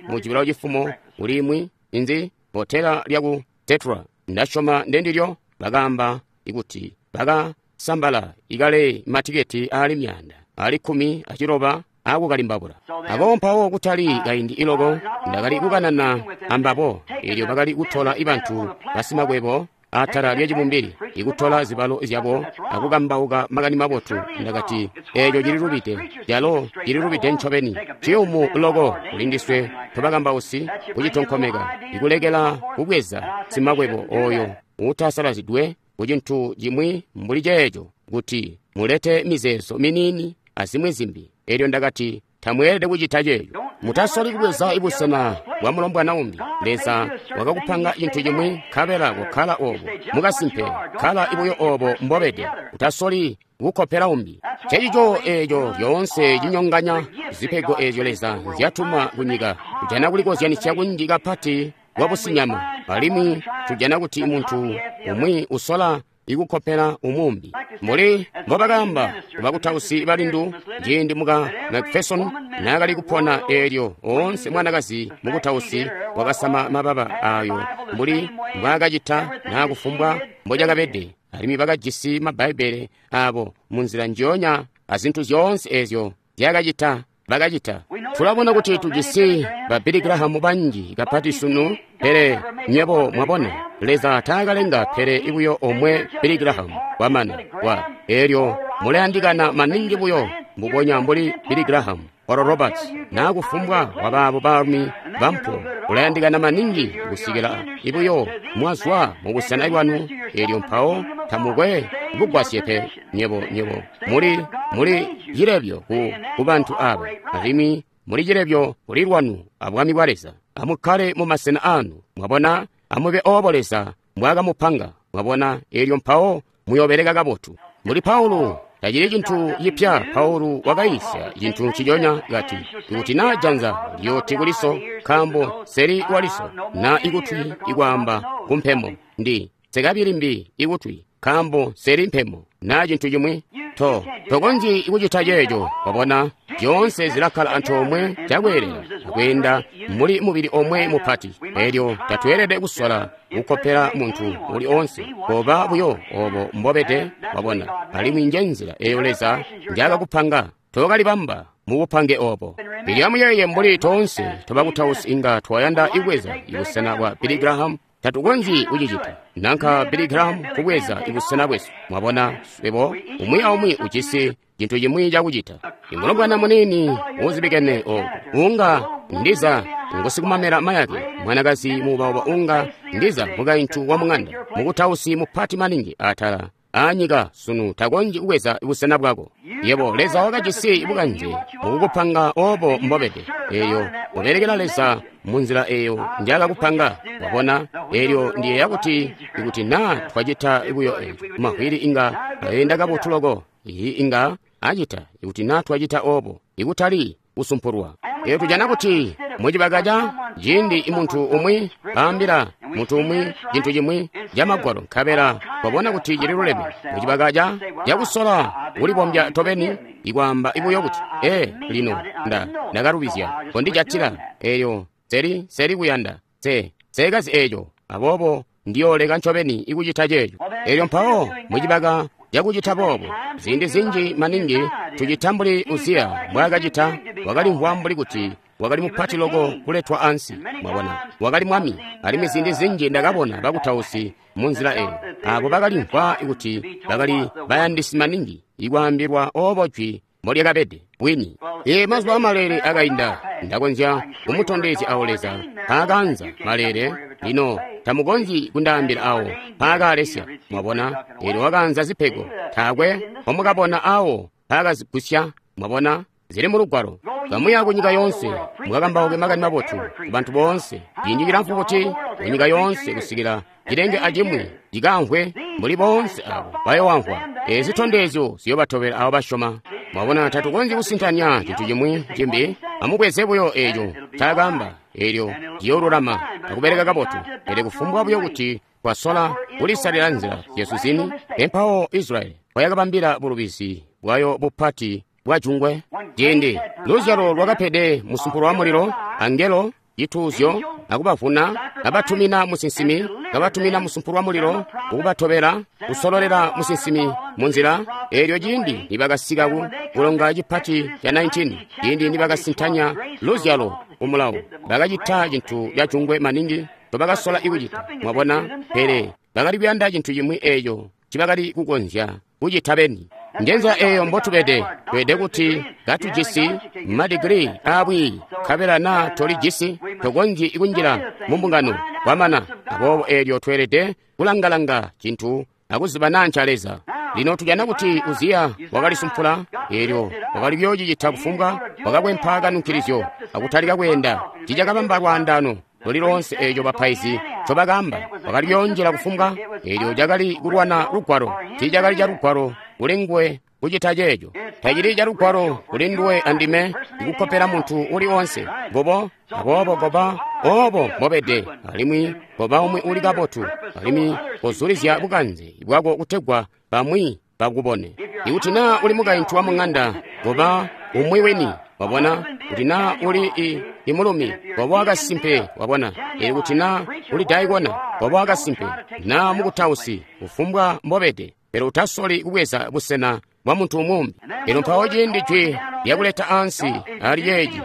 mujibelo cifumo kulimwi inzi hotela lyaku Tetra. Ndasyoma ndendilyo bakaamba ikuti bakasambala ikale matiketi aali 100 aali 16 akukalimbabula. Abo mpawo kutali kaindi iloko ndakali kukanana ambabo, elyo bakali kutola ibantu basimakwebo atala lyacibumbili ikutola zibalo zyabo akukambauka makani mabotu. Ndakati, eeco cililubide, calo cililubide ncobeni. Ciyumu loko kulindiswe tobakambausi kucitonkomeka, ikulekela kubweza simakwebo oyo uutasalazidwe kucintu cimwi mbuli ceeco, kuti mulete mizeezo miniini azimwi zimbi. Elyo ndakati, tamweelede kucita ceeco. Mutasoli kubweza ibusena bwa mulombwana umbi. Leza wakakupanga cintu cimwi, nkabela kukkala oobo mukasimpe, kkala ibuyo oobo mbobede. Utasoli kukkopela umbi. Ncencico eeco lyoonse cinyonganya zipego eezyo Leza nzyatuma kunyika. Tujana kulikozyanisya kunji kapati kwa businyama, alimwi tujana kuti muntu umwi usola ikukkopela umumbi. Mbuli mbobakaamba bakutausi balindu ciindi muka McPherson naakali kupona, eelyo oonse mwanakazi mukutausi wakasama mababa ayo mbuli mbwaakacita naa kufumbwa mbocakabede, alimwi bakajisi mabbaibele abo munzila njionya azintu zyoonse eezyo zyakacita bakacita. Tulabona kuti tujisi ba Billy Graham banji kapati sunu, pele nywebo mwabona, Leza taakalenga pele ibuyo omwe Billy Graham wamana wa. Elyo mulayandikana maningi buyo mbubonya mbuli Billy Graham, Oral Roberts, naa kufumbwa wabaabo baalumi bampo. Ulayandikana maningi kusikila ibuyo mwazwa mubusena bwanu, elyo mpawo tamukwe bugwasye pe. Nywebo muli cilebyo ku bantu aba, alimwi muli cilebyo kuli lwanu abwami bwa Leza. Amukkale mu masena anu, mwabona, amube oobo Leza mbwaakamupanga, mwabona, elyo mpawo muyobeleka kabotu. Mbuli Paulo, tacili cintu cipya. Paulo wakayiisya cintu nciconya kati, ikuti naa janza lyooti kuliso, nkaambo seli waliso, naa ikutwi ikwaamba kumpemo, ndi sekabili mbi ikutwi. nkaambo nseli mpemo na cintu cimwi. To tokonzyi kucita ceeco, wabona, zyoonse zilakkala antoomwe cakweelela akweenda muli mubili omwe mupati. Elyo tatweelede kusola kukkopela muntu uli oonse, koba buyo obo mbobede, wabona, alimwi nje nzila eyo Leza njakakupanga. Tokalibamba mubupange obo. Elyo amuyeeye, mbuli toonse tobakutausi inga twayanda kubweza ibusena bwa Billy Graham, tatukonzyi kucicita, nanka Billy Graham kubweza ibusena bwesu. Mwabona, swebo umwi aumwi ujisi cintu cimwi cakucita. Imulombwana muniini uzibikene oku unga ndiza ngusikumamela mayake, mwanakazi muubauba unga ndiza mukaintu wa mung'anda, mukutausi mupati maningi atala anyika sunu takonzyi kubweza busena bwako. Yebo, Leza wakajisi bukanze mukukupanga obo mbobede. Eyo ubelekela Leza munzila eyo njakakupanga, wabona. Elyo ndiyeeya kuti ikuti naa twacita buyo eco, mavwili inga ayenda kabotu loko. Iyi inga acita ikuti naa twacita obo, ikutali kusumpulwa. Eyo tujana kuti mucibaka ca ciindi muntu umwi aambila muntu umwi cintu cimwi ca Magwalo, nkabela twabona kuti cili luleme, mucibaka ca cakusola kulibombya tobeni, ikwaamba buyo kuti, ee, lino ndakalubizya, kondijatila, eyo nseli kuyanda, nsekazi eco, aboobo ndiyooleka ncobeni ikucita ceeco. Elyo mpawo mucibaka cakucita boobo, ziindi zinji maningi tucita mbuli Uziya mbwaakacita. Wakalimvwa mbuli kuti wakali mupati loko kuletwa ansi, mwabona, wakali mwami. Alimwi ziindi zinji ndakabona bakutausi munzila eyo, abo bakalimvwa kuti bakali bayandisi maningi ikwaambilwa obo jwi mbolyakabede bwini. Ee, mazuba amalele akainda. Ndakonzya kumutondezya awo Leza mpaakaanza malele. Lino tamukonzyi kundaambila awo mpaakaalesya, mwabona. Elyo wakaanza zipego, taakwe mpomukabona awo mpaakazigusya, mwabona, zili mu Lugwalo. Kamuya kunyika yoonse, mukakambauke makani mabotu kubantu boonse. Ciindi cilamfu buti? Kunyika yoonse kusikila cilenge acimwi cikamvwe, mbuli boonse abo bayowamvwa. Ezi zitondezyo ziyobatobela abo basyoma. Mwabona, tatukonzyi kusintanya cintu cimwi cimbi. Amubweze buyo eco ncaakaamba, elyo ciyoolulama akubeleka kabotu. Pele kufumbwa buyo kuti twasola kulisalila nzila zyesu zini, empawo Israyeli wayakabambila bulubizi bwayo bupati bwajungwe. Ciindi luzyalo lwakapede musumpulo wa mulilo, angelo, cituuzyo, akubavuna, kabatumina musinsimi, kabatumina musumpulo wa mulilo, ukubatobela, kusololela musinsimi munzila. Elyo ciindi nibakasika ku kulonga cipati ca 19, ciindi nibakasintanya luzyalo kumulawo, bakacita cintu cajungwe maningi tobakasola ikucita, mwabona. Pele bakali kuyanda cintu cimwi eco cibakali kukonzya kucita beni. Njenza eyo mbotubede. Tweede kuti katujisi madigiri aabwiiyi, nkabela naa tolijisi tokonzyi kunjila mu mbungano kwamana. Aboobo eelyo tweelede kulangalanga cintu akuziba naa nca Leza. Lino tujana kuti Uziya wakalisumpula, eelyo wakali kuyoocicita kufumbwa wakakwempa kanunkilizyo akutalika kweenda. Cicakabamba lwaandaano luli loonse eeco bapaizi ncobakaamba. Wakali kuyoonjila kufumbwa, eelyo cakali kulwana Lugwalo. Tiicakali ca Lugwalo kuli nguwe kucita ceeco. Tacili ca Lugwalo kuli nduwe andime ikukkopela muntu uli oonse. Mbubo, aboobo koba obo mbobede, alimwi koba umwi uli kabotu, alimwi kozulizya bukanze bwako kutegwa bamwi bakubone. Ikuti naa uli mukaintu wa mung'anda, koba umwi wini, wabona. Kuti naa uli imulumi, koba wakasimpe, wabona. Elyo kuti naa uli daikona, koba wakasimpe, naa mukutausi, kufumbwa mbobede, pele utasoli kubweza busena bwa muntu umwi. Elyo mpawo ciindi jwi lyakuleta ansi ali ceeci,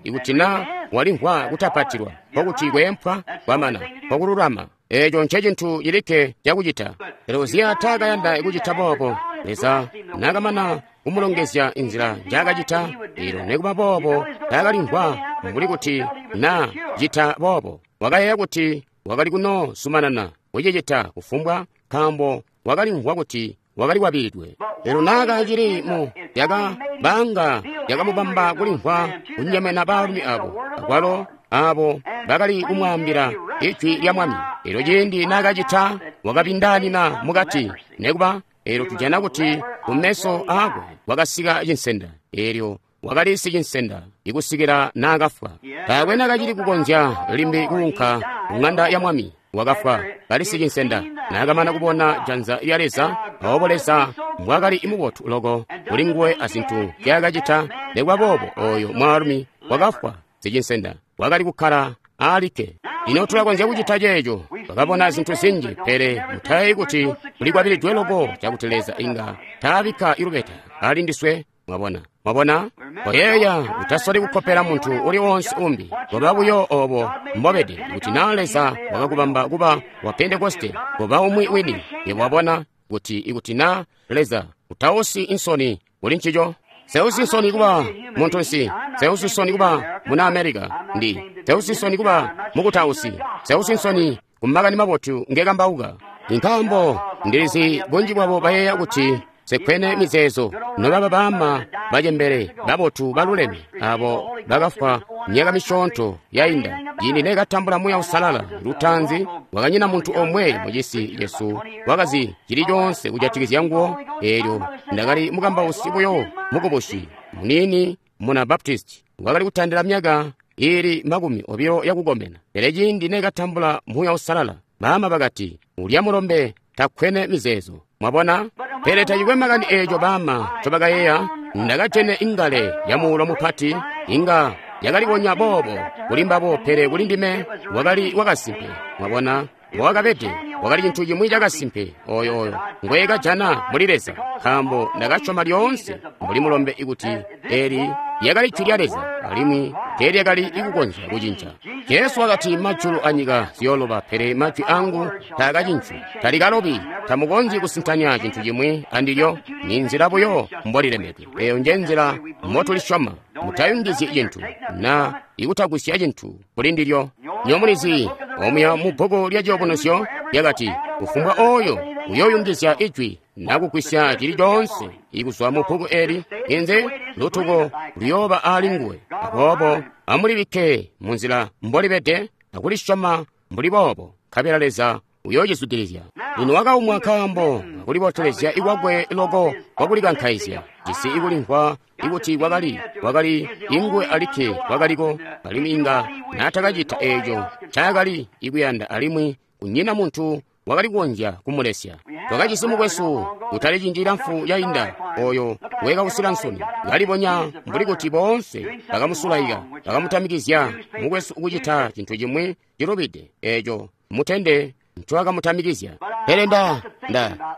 ikuti naa walimvwa kutapatilwa, nkokuti kweempwa kwamana, nkokululama. Eeco ncecintu cilikke cakucita. Pele Uziya taakayanda kucita boobo. Leza naakamana kumulongezya inzila njaakacita, elyo nikuba boobo taakalimvwa mbuli kuti naa cita boobo. Wakayeeya kuti wakali kunoozumanana kucicita kufumbwa, nkaambo wakalimvwa kuti wakali wabilidwe. Elyo naakacili mu yakabaanga yakamubamba kulimvwa kunyemena baalumi abo, akwalo abo bakali kumwaambila ijwi lya Mwami. Elyo ciindi naakacita, wakabindaanina mukati, nekuba elyo tujana kuti kumeso aakwe kwakasika cinsenda. Elyo wakali sicinsenda ikusikila naakafwa. Taakwe naakacili kukonzya limbi kuunka ku ŋanda ya Mwami. wakafwa kali sicinsenda. Naakamana kubona janza lya Leza, obo Leza mbwakali mubotu loko kuli nguwe azintu nzyaakacita, nekuba boobo oyo mwaalumi wakafwa sicinsenda, wakali kukkala alikke. Lino tulakonzya kucita ceeco. Twakabona zintu zinji, pele mutayeeyi kuti kulikwabilidwe loko cakuti Leza inga taabikka ilubeta ali ndiswe. Mwabona? Mwabona? Koyeeya, utasoli kukkopela muntu uli wonse umbi. Koba buyo obo mbobede. Kuti naa Leza wakakubamba kuba wa Pentekoste, koba umwi wini. Yebo wabona kuti ikuti naa Leza utausi insoni kuli ncico. Seusi nsoni kuba muntunsi, seusi nsoni kuba muna America, ndi seusi nsoni kuba mukutausi, seusi nsoni kumakani mabotu ngekambauka. Nkaambo ndilizi bunji bwabo bayeeya kuti sekwene mizeezo, nobaba baama bacembele babotu baluleme abo bakafwa myaka misyoonto yainda. Ciindi nekatambula Muuya Uusalala lutaanzi, wakanyina muntu omwe mucisi cesu wakazi cili coonse kujatikizya nguwo. Eelyo ndakali mukambausi buyo mukubusi muniini muna Baptisti, wakali kutandila myaka iili 20 yakukomena. Pele ciindi nekatambula Muuya Uusalala, baama bakati, ulya mulombe takwene mizeezo. Mwabona? Pele tacikwe makani eeco baama ncobakayeeya, ndakajene ingale ya muulo mupati, inga yakalibonya boobo kuli mbabo, pele kuli ndime wakali wakasimpe. Mwabona? Wakabede wakali cintu cimwi cakasimpe oyo ngwekajana muli Leza, nkaambo ndakasyoma lyoonse mbuli mulombe ikuti eli lyakali jwi lya Leza alimwi teelyakali ikukonzya kucinca. Jesu wakati, majulu anyika ziyooloba, pele majwi angu taakacincwi, talikalobi. Tamukonzyi kusintanya cintu cimwi andilyo, ni nzila buyo mbolilembedwe. Eyo nje nzila motulisyoma. Mutayungizyi cintu na ikutagwisya cintu kuli ndilyo. Nyomulizi omuya mu bbuku lya Ciyubunuzyo lyakati, kufumbwa oyo uyoyungizya ijwi nakugwisya cili coonse ikuzwa mu bbuku eli, inze lutuko luyooba ali nguwe. Aboobo amulibikke munzila mbolibede akulisyoma mbuli boobo, nkabela Leza uyoocizwidilizya. Lino wakaumwa nkaambo akulibotelezya ikwakwe loko kwakulikankaizya, cisi ikulimvwa ikuti wakali inguwe alikke wakaliko, alimwi inga naatakacita eeco ncaakali ikuyanda, alimwi kunyina muntu wakali kukonzya kumulesya. Twakajisi mukwesu kutali ciindi cilamfu yainda oyo wekausila nsoni, kalibonya mbuli kuti boonse bakamusulaika, bakamutamikizya mukwesu kucita cintu cimwi cilubide eeco mutende ncowakamutamikizya. Pele nda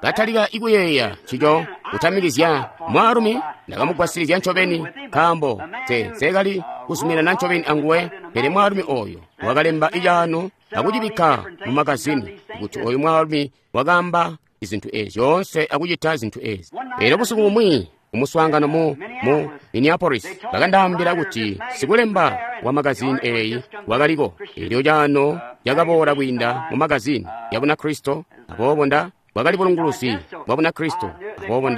katalika ikuyeeya ncico kutamikizya mwaalumi, ndakamugwasilizya ncobeni, nkaambo nseekali kuzuminana ncobeni anguwe. Pele mwaalumi oyo wakalemba icaano akucibikka mu magazini kuti oyu mwaalumi wakaamba zintu ezi zyoonse akucita zintu ezi. Elyo busiku bumwi kumuswaangano mu Minneapolis bakandaambila kuti sikulemba wa magazini eeyi wakaliko. Elyo caano cakaboola kwiinda mu magazini ya Bunakristo, aboobo bwakali bulunguluzi bwa Bunakristo. Aboobo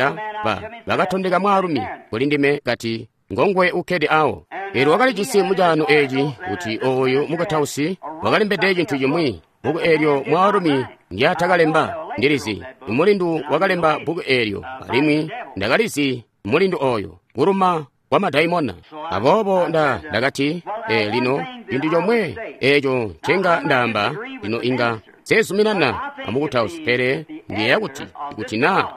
bakatondeka mwaalumi kuli ndime kati, ngongwe ukkede awo. Elyo wakalijisi mucaano eeci kuti oyu mukutausi wakalembede cintu cimwi bbuku eelyo mwaalumi ndyaatakalemba. Ndilizi mulindu wakalemba bbuku eelyo, alimwi ndakalizi mulindu oyo kuluma kwa madaimona. Aboobo ndakati, lino cintu comwe eeco ncenga ndaamba lino inga sezuminana amukutausi, pele ndiyeeya kuti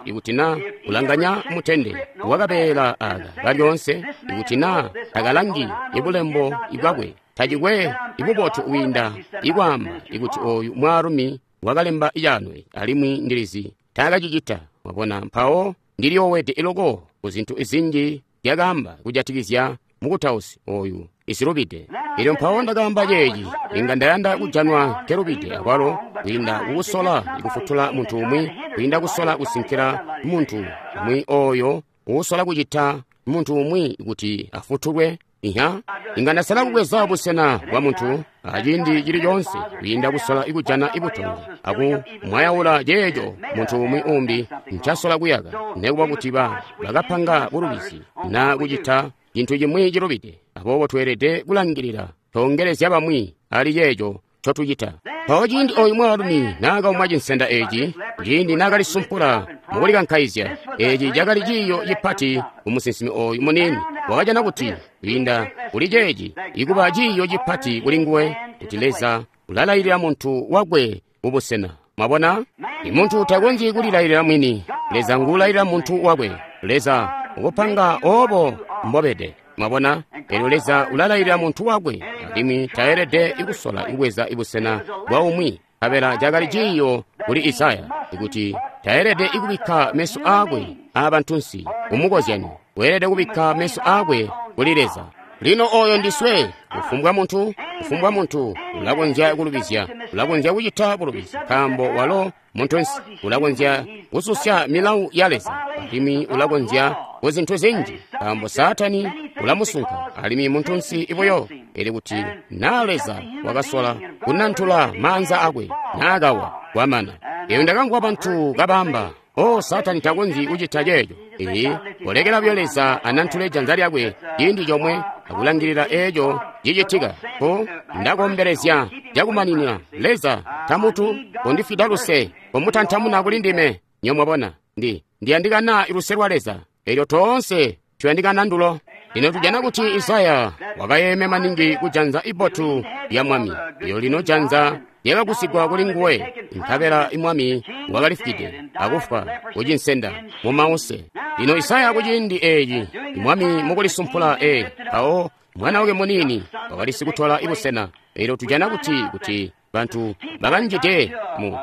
ikuti na kulanganya mutende wakabeela aka kalyoonse, ikuti na takalangi ibulembo ibwakwe, tacikwe ibubotu kwiinda ikwaamba ikuti oyu mwaalumi wakalemba icaano, alimwi ndilizi taakacicita. Mwabona? Mpawo ndiliyoowede loko ku zintu zinji zyakaamba kujatikizya mukutausi oyu izilubide. Elyo mpawo ndakaamba ceeci, inga ndayanda kujanwa nkelubide akwalo, kwiinda kukusola kufutula muntu umwi, kwiinda kusola kusinkila muntu umwi oyo uusola kucita muntu umwi kuti afutulwe. Inga ndasala kubweza busena bwa muntu aciindi cili coonse kwiinda kusola kujana ibutongo akumwayaula ceeco muntu umwi umbi ncasola kuyaka, nekuba kuti bakapanga bulubizi na kucita cintu cimwi cilubide. Aboobo tweelede kulangilila toongelezya bamwi ali ceeco ncotucita. Mpawo ciindi oyu mwaalumi naakaumwa cinsenda eeci, ciindi naakalisumpula mukulikankaizya, eeci cakali ciiyo cipati kumusinsimi oyu muniini. Wakajana kuti kwiinda kuli ceeci ikuba ciiyo cipati kuli nguwe, kuti Leza ulalailila muntu wakwe kubusena. Mwabona? I muntu takonzyi kulilailila mwini. Leza nguulailila muntu wakwe. Leza ukupanga obo mbobede. Mwabona? Elyo Leza ulalailila muntu wakwe, alimwi taelede kusola kubweza busena bwa umwi. Nkabela cakali ciiyo kuli Isaya kuti taelede kubikka meso aakwe aabantunsi kumukozyanyo, weelede kubikka meso aakwe kuli Leza. Lino oyo ndiswe, kufumbwa muntu, kufumbwa muntu ulakonzya kulubizya, ulakonzya kucita bulubizi, nkaambo walo muntunsi, ulakonzya kususya milawu ya Leza, alimwi ulakonzya ku zintu zinji, nkaambo Saatani ulamusunka, alimwi muntunsi buyo. Eli kuti naa Leza wakasola kunantula maanza akwe, naakawa kwamana. Eyo ndakamvwa bantu kabaamba, "Oh, Saatani takonzyi kucita ceeco." Ee, kolekela buyo Leza anantule janza lyakwe ciindi comwe akulangilila eeco cicitika. Ko ndakombelezya cakumaninina, Leza tamutu kondifwida luse, komutantamuna kuli ndime. Nyo mwabona, ndiyandikana luse lwa Leza. Elyo toonse tuyandikana ndulo. Lino tujana kuti Isaya wakayeeme maningi kujanza ibotu lya Mwami. Elyo lino janza lyakagusigwa kuli nguwe, nkabela Mwami wakalifwide akufwa kucinsenda mu mause. Lino Isaya kuciindi eeci, Mwami mukulisumpula mpawo mwana wake muniini wakali sikutola ibusena. Elyo tujana kuti bantu bakanjide mu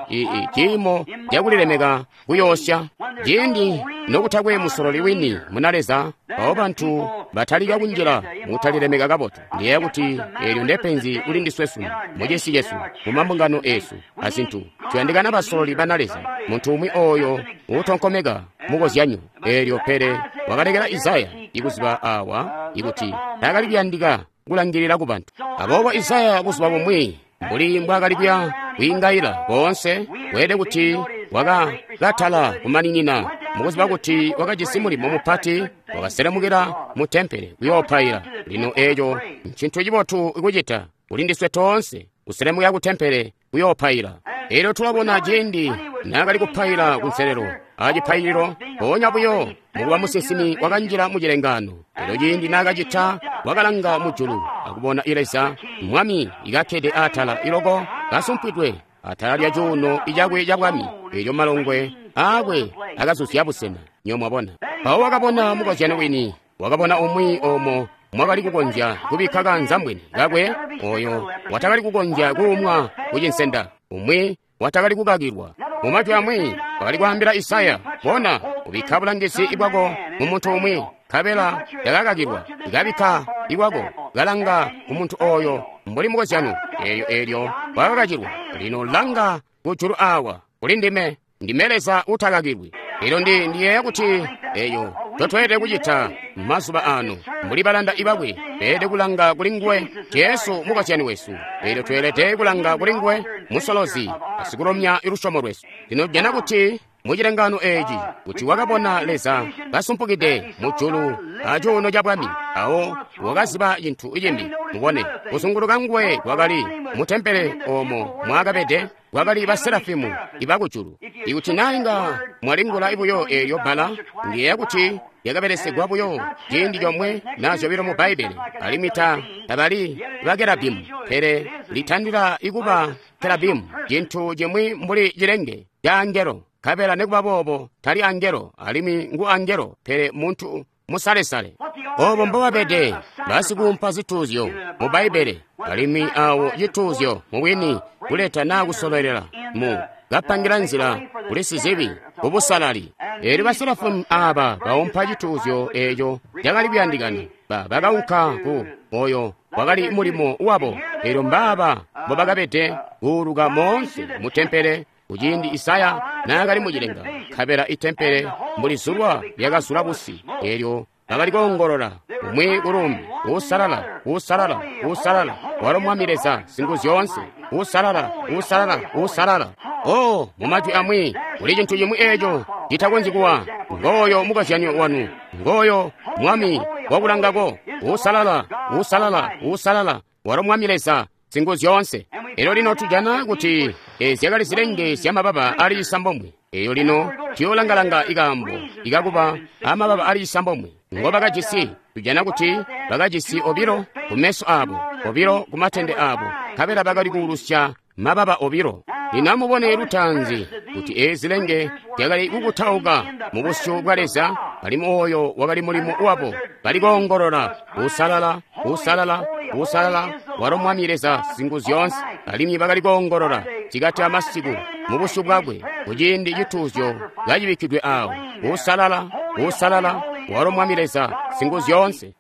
ciimo cakulilemeka kuyoosya. Ciindi nokutakwe musololi wini muna Leza, mpawo bantu batalika kunjila mukutalilemeka kabotu. Ndiyeeya kuti eelyo ndepenzi kuli ndiswe sunu, mucisi cesu, mu mambungano eesu azintu. Tuyandikana basololi bana Leza, muntu umwi oyo uutonkomeka mukozyanyo. Eelyo pele wakalekela Isaya ikuziba awa ikuti taakali kuyandika kulangilila ku bantu. Aboobo Isaya buzuba bumwi, mbuli mbwaakali kuya kwiingaila koonse, weelede kuti wakakatala kumaninina mukuziba kuti wakajisi mulimo mupati, wakaselemukila mu tempele kuyoopaila. Lino eeco ncintu cibotu kucita kuli ndiswe toonse, kuselemukila ku tempele kuyoopaila. Elyo tulabona ciindi naakali kupaila kunselelo acipaililo, mpoonya buyo mukuba musinsimi wakanjila mu cilengaano. Elyo ciindi naakacita, wakalanga mujulu akubona Leza Mwami ikakkede atala iloko kasumpwidwe atala lya cuuno icakwe ca bwami. Elyo malongwe aakwe akazuzya busena. Nyo mwabona. Mpawo wakabona mukozyano wini, wakabona umwi omo mwakali kukonzya kubikka kanzambwene kakwe, oyo watakali kukonzya kuumwa kucinsenda, umwi watakali kukakilwa. Mu majwi amwi wakali kwaambila Isaya, "Bona, ubikka bulangizi bwako mu muntu umwi, nkabela yakakakilwa. Ikabikka iwako kalanga ku muntu oyo mbuli mukozyano." Eelyo wakakakilwa. Lino langa kujulu awa kuli ndime, ndime Leza utakakilwi. Elyo ndiyeeya kuti eyo totweelede kucita mazuba ano, mbuli balanda ibakwe, tweelede kulanga kuli nguwe, Jesu mukozyani wesu. Elyo tweelede kulanga kuli nguwe, musolozi asikulomya lusyomo lwesu. Lino tujana kuti mu cilengaano eeci kuti wakabona Leza kasumpukide mujulu acuuno ca bwami, awo wakaziba cintu cimbi. Mubone, kuzunguluka nguwe kwakali mu tempele omo mwaakabede kwakali baserafimu ibakujulu. Ikuti naa inga mwalingula buyo eelyo bbala, ndiyeeya kuti lyakabelesegwa buyo ciindi comwe naa zyobilo mu Bbaibbele, alimwi tabali bakerabimu, pele litandila ikuba kerabimu, cintu cimwi mbuli cilenge ca angelo. Nkabela nikuba boobo tali angelo, alimwi ngu angelo, pele muntu musalesale. Obo mbobabede basikuumpa zituuzyo mu Bbaibbele, alimwi awo cituuzyo mubwini kuleta naa kusololela mu kapangila nzila kuli sizibi kubusalali. Eelyo baserafimu aaba baumpa cituuzyo eeco cakali kuyandikana, bakaunka ku oyo wakali mulimo wabo. Eelyo mbaaba mbobakabede kuuluka moonse mu tempele kuciindi Isaya naakali mucilenga, nkabela itempele mbulizulwa lyakazula busi. Eelyo bakali koongolola umwi kulumbi, "Uusalala, uusalala, uusalala, walo Mwami Leza Singuzyoonse, uusalala, uusalala, uusalala." Oh, mu majwi amwi, kuli cintu cimwi eeco citakonzyi kuwa. Ngooyo mukozyanyo wanu, ngooyo Mwami wakulangako, uusalala, uusalala, uusalala, walo Mwami Leza Singuzyoonse. Elyo lino tujana kuti ezi zyakali zilenge zyamababa ali cisambomwe. Elyo lino tuyoolanga-langa ikaambo ikakuba amababa ali cisambomwe ngobakajisi. Tujana kuti bakajisi obilo ku meso aabo, obilo ku matende aabo, nkabela bakali kuulusya mababa obilo. Lino amubone lutaanzi kuti ezi zilenge zyakali kukutauka mu busyu bwa Leza, alimwi oyo wakali mulimo wabo. Bali koongolola, "Usalala, usalala, usalala, walo Mwami Leza Singuzyoonse." Alimwi bakali koongolola cikati amasiku mu busyu bwakwe, kuciindi cituuzyo kacibikkidwe awo. "Usalala, usalala, walo Mwami Leza Singuzyoonse."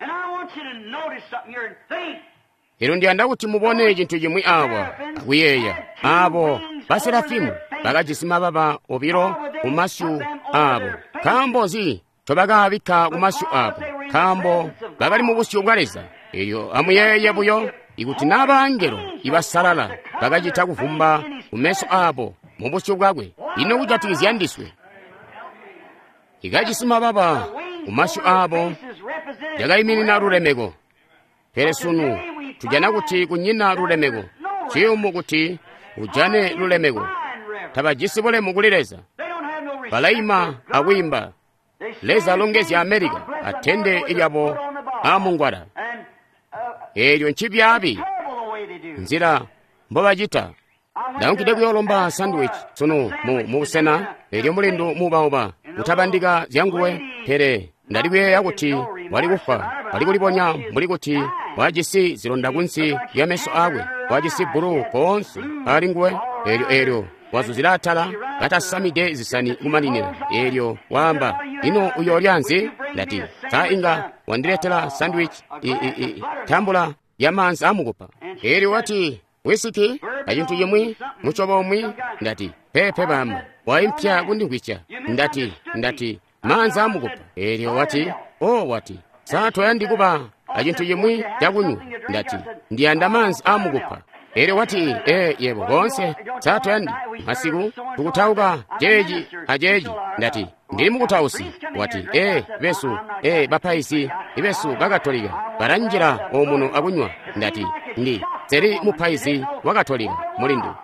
Elyo ndiyanda kuti mubone cintu cimwi awa, akuyeeya. Abo baserafimu bakajisi mababa obilo ku masyu abo. Nkaambo nzi ncobakaabikka ku masyu abo? Nkaambo bakali mu busyu bwa Leza. Elyo amuyeeye buyo, ikuti na bangelo ibasalala bakacita kuvumba ku meso abo mu busyu bwakwe, ino kujatikizya ndiswe? Ikajisi mababa ku masyu abo yakaiminina lulemeko. Pele sunu tujana kuti kunyina lulemeko. Ciyumu kuti ujane lulemeko. Tabajisi bulemu kuli Leza. Balaima akwiimba, "Leza longezya America," atende lyabo amungwala. Eelyo ncibyaabi nzila mbobacita. Ndaunkide kuyoolomba sandwich sunu mu busena, eelyo mulindu muubauba kutabandika zyanguwe, pele ndali kuyeeya kuti wali kufwa. Wali kulibonya mbuli kuti wajisi zilonda kunsi lya meso aakwe, wajisi bbulu koonse ali nguwe. Eelyo wazuzila atala katasamide zisani kumaninina. Eelyo waamba, "Ino uyoolya nzi?" Ndati, "Sa inga wandiletela sandwich tambula ya maanzi amukupa?" Eelyo wati, "Wisiki acintu cimwi musyobo umwi." Ndati, "Pepe bama, waimpya kundimvwisya." Ndati, "Maanzi amukupa." Eelyo wati, "O," wati, "sa toyandi kuba acintu cimwi cakunywa?" Ndati, "Ndiyanda maanzi amukupa." Eelyo wati, "Ee, yebo boonse, sa toyandi masiku tukutauka ceeci aceeci?" Ndati, "Ndili mukutausi." Wati, "Ee, besu, ee, bapaizi besu bakatolika balanjila omuno akunywa." Ndati, "Ndi seli mupaizi wa Katolika, mulindu.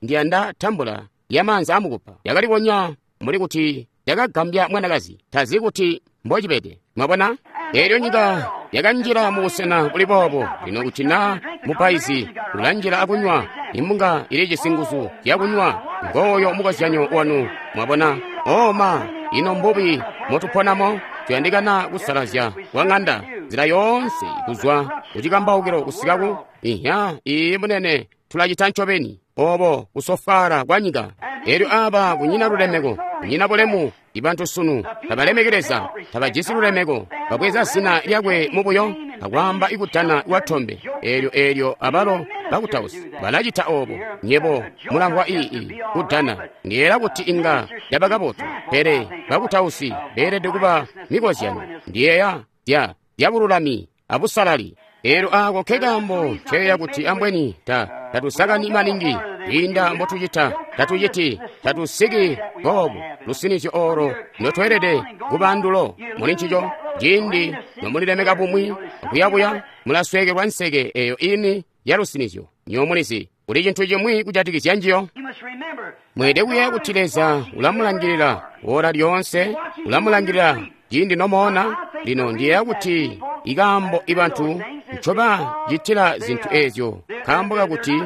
Ndiyanda tambula ya maanzi amukupa." Yakalibonya mbuli kuti yakagambya mwanakazi, tazi kuti mbocibede. Mwabona? Eelyo nyika yakanjila mu busena buli boobo. Lino kuti na mupaizi ulanjila akunywa, imbunga ilijisi nguzu zyakunywa, ngooyo mukozyanyo wanu. Mwabona? Oma, ino mbubi motuponamo. Tuyandikana kusalazya kwa ng'anda nzila yoonse kuzwa kucikambaukilo kusika ku ihya iyi munene. Tulacita ncobeni obo kusofwaala kwa nyika. Eelyo aba kunyina lulemeko, kunyina bulemu. Ibantu sunu tabalemeki Leza, tabajisi lulemeko, babweza zina lyakwe mubuyo akwaamba ikutana kwa tombe. Eelyo abalo bakutausi balacita obo. Nyebo mulamvwa kudana. Ndiyeera kuti inga yaba kabotu, pele bakutausi beelede kuba mikozyano. Ndiyeeya zyabululami abusalali. Eelyo aako nkekaambo nceeya kuti ambweni tatusakani maningi kwiinda mbotucita. Tatuciti, tatusiki boobu lusinizyo olo ndotweelede kubandulo muli ncico. Ciindi nomulilemeka bumwi kuyabuya, mulasweekelwa nseke eyo ini ya lusinizyo. Nyo mulizi kuli cintu cimwi kujatikizya njiyo. Mweelede kuyeeya kuti Leza ulamulangilila wora lyoonse, ulamulangilila ciindi nomoona. Lino ndiyeeya kuti ikaambo ibantu ncobacitila zintu ezyo nkaambo kakuti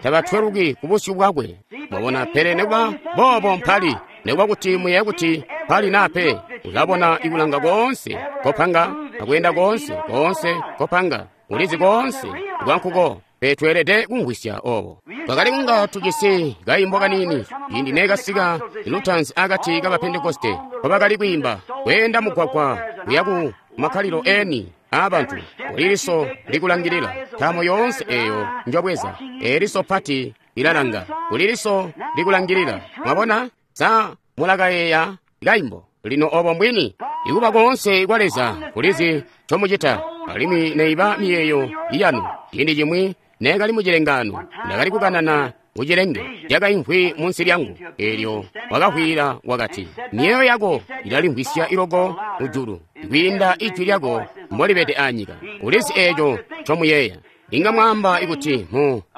tabatweluki ku busyu bwakwe. Mwabona? Pele nekuba boobo mpali, nekuba kuti muyeeya kuti mpali naa pe, ulabona ikulanga koonse kopanga akuyenda koonse kopanga, ulizi koonse kwankuko. Pe tweelede kumvwisya obo. Twakali kunga tujisi kaimbo kaniini ciindi nekasika lutanzi akati ka Bapentekoste, nkobakali kwiimba kweenda mugwagwa kuya ku makkalilo eni aabantu. Kuli liso likulangilila ntaamo yoonse eyo njobweza. Eliso pati lilalanga, kuli liso likulangilila. Mwabona? Sa mulakayeeya kaimbo? Lino obo mbwini. Ikuba koonse kwa Leza kulizi ncomucita, alimwi neiba miyeeyo yanu. Ciindi cimwi neekali mucilengano, ndakali kukanana kucilenge cakaimvwi munsi lyangu. Eelyo wakavwiila wakati, "Miyeeyo yako ilalimvwisya iloko kujulu kwiinda ijwi lyako mbolibede anyika. Ulizi eeco ncomuyeeya." Inga mwaamba ikuti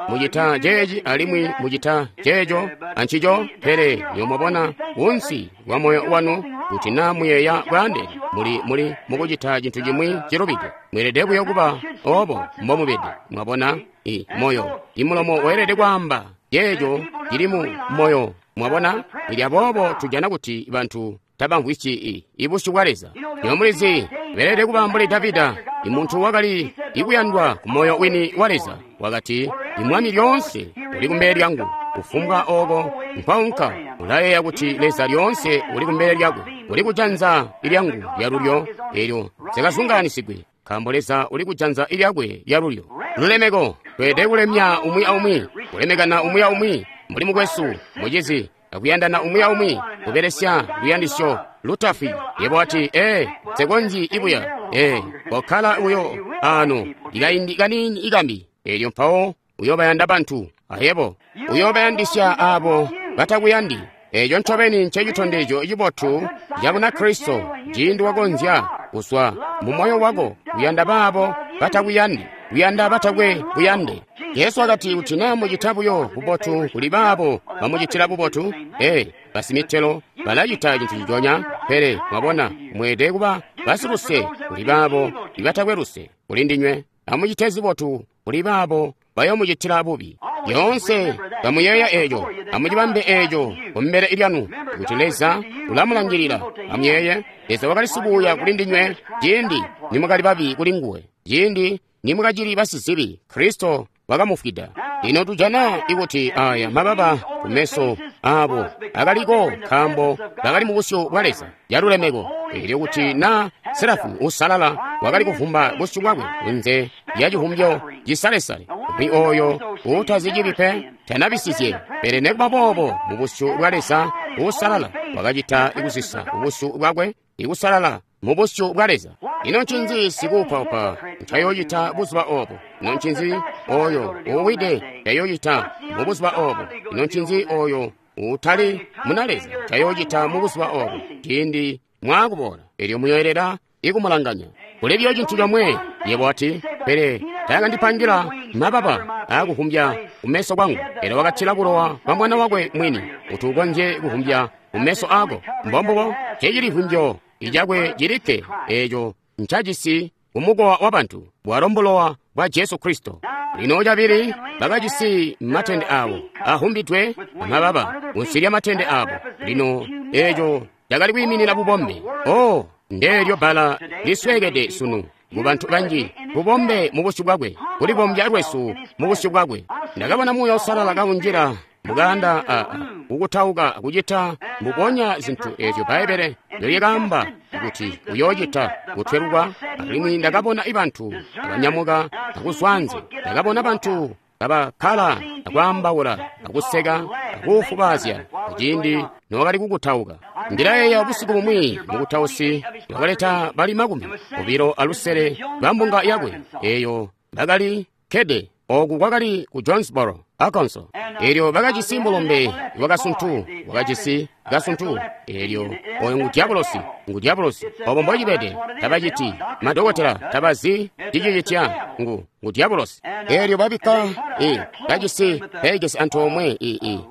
mucita ceeci alimwi mucita ceeco ancico, pele nyomwabona kunsi kwa moyo wanu kuti naa muyeeya bwaandeene, muli mukucita cintu cimwi cilubide. Mweelede buyo kuba obo mbomubede. Mwabona? Moyo imulomo weelede kwaamba. Ceeco cili mu moyo. Mwabona? Elyo aboobo tujana kuti bantu tabamvwisyi ibusyu bwa Leza. Nywebo mulizi, beelede kuba mbuli Davida, imuntu wakali ikuyandwa ku moyo wini wa Leza. Wakati, Imwami lyoonse uli kumbele lyangu, kufumbwa oko nkwaunka, ulayeeya kuti Leza lyoonse uli kumbele lyakwe, uli kujanza lyangu lyalulyo, elyo nsekazungaanisigwi, nkaambo Leza uli kujanza lyakwe lyalulyo. Lulemeko, tweelede kulemya umwi aumwi, kulemekana umwi aumwi, mbuli mukwesu, mucizi, akuyandana umwi aumwi, kubelesya luyandisyo lutafwi. Yebo wati, ee, nsekonzyi ibuya, ee, kokkala buyo ano ikaindi kaniini ikambi. Elyo mpawo uyobayanda bantu, ayebo uyobayandisya abo batakuyandi. Eco ncobeni ncecitondezyo cibotu ca Bunakristo, ciindi wakonzya kuzwa mu moyo wako kuyanda baabo batakuyandi, kuyanda batakwe buyande. Jesu wakati, kuti naa mucita buyo bubotu kuli baabo bamucitila bubotu, ee, basimitelo balacita cintu ciconya. Pele mwabona, mweelede kuba basiluse kuli baabo ibatakwe luse kuli ndinywe. Amucite zibotu kuli baabo bayomucitila bubi. Lyoonse kamuyeeya eco, amucibambe eco kumbele lyanu, kuti Leza ulamulangilila. Amuyeeye, Leza wakali sibuuya kuli ndinywe ciindi nimwakali babi kuli nguwe, ciindi nimwakacili basizibi, Kristo wakamufwida. Lino tujana ikuti aya mababa kumeso abo akaliko nkaambo bakali mu busyu bwa Leza yalulemeko. Elyo kuti na serafu usalala wakali kuvumba busyu bwakwe kunze lya civumbyo cisalesale, umwi oyo utazi cibi pe tanabisizye, pele nekuba boobo mu busyu bwa Leza usalala wakacita ikusisa ubusyu bwakwe ikusalala mu busyu bwa Leza. Ino ncinzi sikuupaupa ncayoocita buzuba obo? Ino ncinzi oyo uuwide ncayoocita mu buzuba obo? Ino ncinzi oyo uutali muna Leza ncayoocita mu buzuba obo? Ciindi mwaakuboola, elyo muyoelela ikumulanganya. Kuli buyo cintu comwe, yebo wati, pele taakandipangila mababa aakuvumbya kumeso kwangu. Elyo wakatila bulowa bwa mwana wakwe mwini kuti ukonzye kuvumbya kumeso aako. Mbombubo, ncecilivumbyo icakwe cilikke eco ncajisi kumukowa wa bantu, bwalo mbulowa bwa Jesu Kristo. Lino cabili, bakajisi matende abo ahumbidwe amababa kunsi lya matende abo. Lino eco cakali kwiiminina bubombe. Oh, ndeelyo bbala lisweekede sunu ku bantu banji, bubombe mu busyu bwakwe, kulibombya lwesu mu busyu bwakwe. Ndakabona Muuya Uusalala kaunjila mukaanda aa kukutauka kucita mbubonya zintu ezyo Bbaibbele ndolyakaamba kuti uyoocita kutweluka. Alimwi ndakabona bantu kabanyamuka akuzwaanze. Ndakabona bantu kabakkala akwaambaula akuseka akufubaazya kuciindi nowakali kukutauka. Ndilayeeya busiku bumwi mukutausi wakaleta bali 25 ba mbunga yakwe eeyo bakali kkede. Oku kwakali ku Jonesboro, Arkansas. Elyo bakajisi mulombe wakasuntu, wakajisi kasuntu. Elyo oyo ngu dyabulosi, ngu dyabulosi. Obo mbocibede, tabaciti madokotela tabazi cicicitya, ngu dyabulosi. Elyo babikka kajisi pegesi antoomwe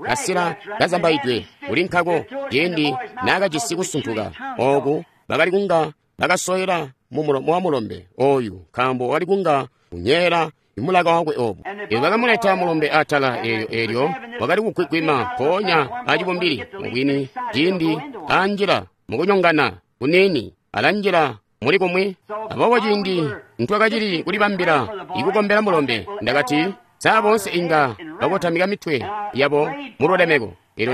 kasila kazambaidwe kuli nkako. Ciindi naakajisi kusuntuka oku, bakali kunga bakasoyela mumulomo wa mulombe oyu, nkaambo wakali kunga kunyeela imulaka wakwe obu. Elyo bakamuleta mulombe atala eelyo wakali kugwigwima mpoonya acibumbili. Mubwini, ciindi anjila mukunyongana kuniini, alanjila muli kumwi. Aboobo ciindi ntwakacili kulibambila ikukombela mulombe, ndakati, saa boonse inga bakotamika mitwe yabo mululemeko. Elyo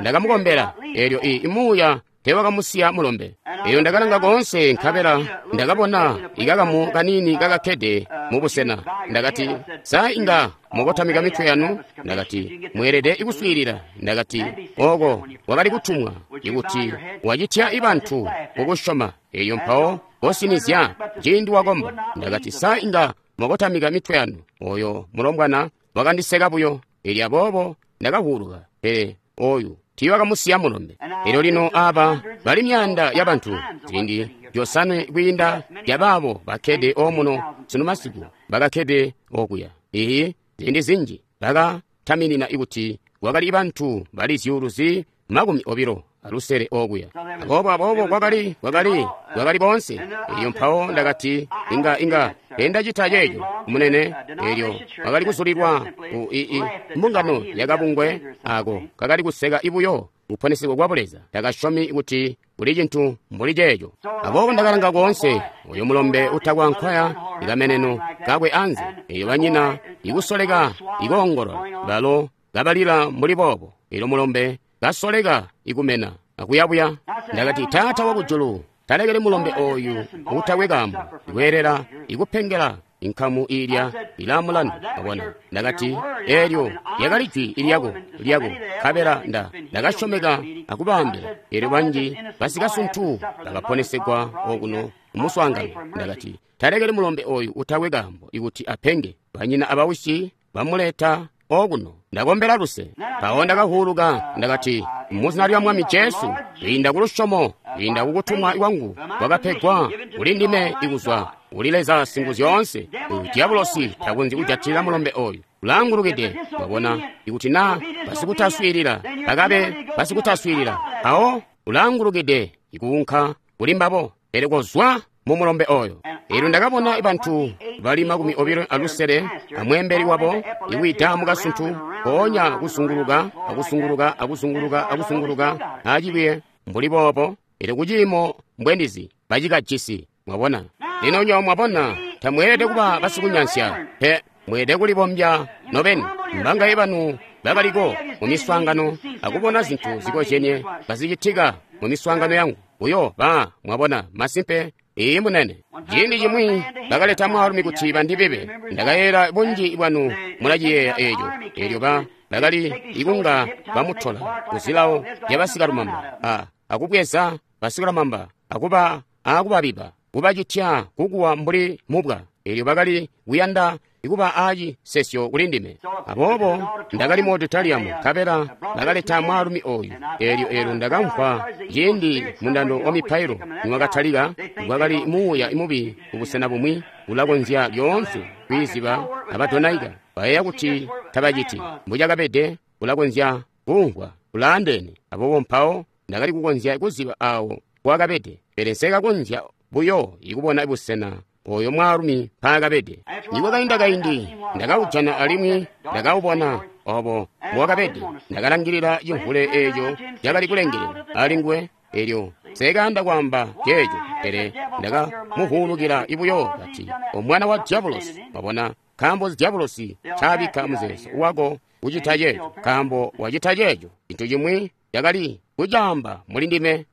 ndakamukombela. Elyo imuuya teewakamusiya mulombe. Elyo ndakalanga koonse, nkabela ndakabona ikakamu kaniini kakakkede mubusena. Ndakati, saa inga mukotamika mitwe yanu? Ndakati, mweelede kuswiilila. Ndakati, oko wakali kutumwa ikuti wacitya ibantu kukusyoma. Elyo mpawo kosinizya ciindi wakomba. Ndakati, saa inga mukotamika mitwe yanu? Oyo mulombwana wakandiseka buyo. Elyo aboobo ndakavuuluka, pele oyu tiiwakamusiya mulombe. Elyo lino aba bali myaanda ya bantu, ziindi 5 kwiinda yabaabo bakkede omuno sunu masiku bakakkede okuya. Ihi, ziindi zinji bakataminina kuti kwakali bantu bali 20,000. alusele okuya. Aboobo, aboobo kwakali, kwakali, kwakali boonse. Elyo mpawo ndakati, inga, inga teendacita ceeco, munene. Elyo kwakali kuzulilwa ku i, i mbungano yakabungwe ako kakali kuseka ibuyo kuponesegwa kwa Buleza. Ndakasyomi kuti kuli cintu mbuli ceeco. Aboobo ndakalanga koonse, oyo mulombe utakwankwaya ikameneno kakwe anze, elyo banyina ikusoleka ikoongolola, balo kabalila mbuli boobo. Elyo mulombe kasoleka ikumena akuyabuya. Ndakati, Taata wakujulu, talekeli mulombe oyu utakwe kaambo ikweelela ikupengela inkamu iilya ilaa mulandu. Wabona? Ndakati, eelyo lyakali jwi lyako, lyako, nkabela nda ndakasyomeka akubaambila. Elyo banji basikasuntu bakaponesegwa okuno muswaangano. Ndakati, talekeli mulombe oyu utakwe kaambo ikuti apenge. Banyina abawisi bamuleta okuno. Ndakombela luse. Mpawo ndakahuuluka, ndakati, muzina lya Mwami Jesu, kwiinda ku lusyomo, kwiinda ku kutumwa kwangu kwakapegwa kuli ndime ikuzwa kuli Leza Singuzyoonse, uyu dyabulosi takonzyi kujatilila mulombe oyu. Ulaangulukide, mwabona, ikuti na basikutaswiilila bakabe basikutaswiilila, mpawo ulaangulukide ikuunka kuli mbabo, pele kozwa mu mulombe oyo. Elyo ndakabona bantu bali 26 amweembeli wabo iwida mukasuntu, mpoonya kuzunguluka akuzunguluka akuzunguluka akuzunguluka acibuye mbuli boobo. Elyo kuciimo mbwendizi bacikajisi, mwabona. Lino nywebo mwabona, tamweelede kuba basikunyansya pe, mweelede kulibombya nobeni. Mbangaye banu bakaliko mu miswaangano akubona zintu zikozyenye kazicitika mu miswaangano yangu. Buyo ba, mwabona, masimpe. Iyi munene. Ciindi cimwi bakaleta mwaalumi kuti bandibibe. Ndakayeeyela bunji bwanu mulaciyeeya eeco. Eelyo ba bakali ikunga bamutola kuzilawo zyabasikalumamba a akubweza basikalumamba akuba akubabiba kubacitya kukuwa mbuli mubwa. Eelyo bakali kuyanda ikuba aacisesyo kuli ndime. Aboobo ndakali mu auditorium nkabela bakaleta mwaalumi oyu. Eelyo eelyo ndakamvwa ciindi mundando wa mipailo niwakatalika, kwakali muuya mubi kubusena bumwi ulakonzya lyoonse kwiiziba abadonaika. Bayeeya kuti tabaciti mbucakabede, ulakonzya kumvwa ulaandeene. Aboobo mpawo ndakali kukonzya kuziba aawo kwakabede, pele nsekakonzya buyo ikubona busena oyo mwaalumi mpaakabede. Nikwakainda kaindi ndakaujana alimwi ndakaubona obo mbwakabede. Ndakalangilila cimvule eeco cakali kulengelela ali nguwe. Elyo nsekayanda kwaamba ceeco, pele ndakamuvuulukila ibuyo kati, omwana wa dyabulosi. Wabona, nkaambo dyabulosi ncaabikka muzeezo wako kucita ceeco, nkaambo wacita ceeco. Cintu cimwi cakali kucaamba muli ndime,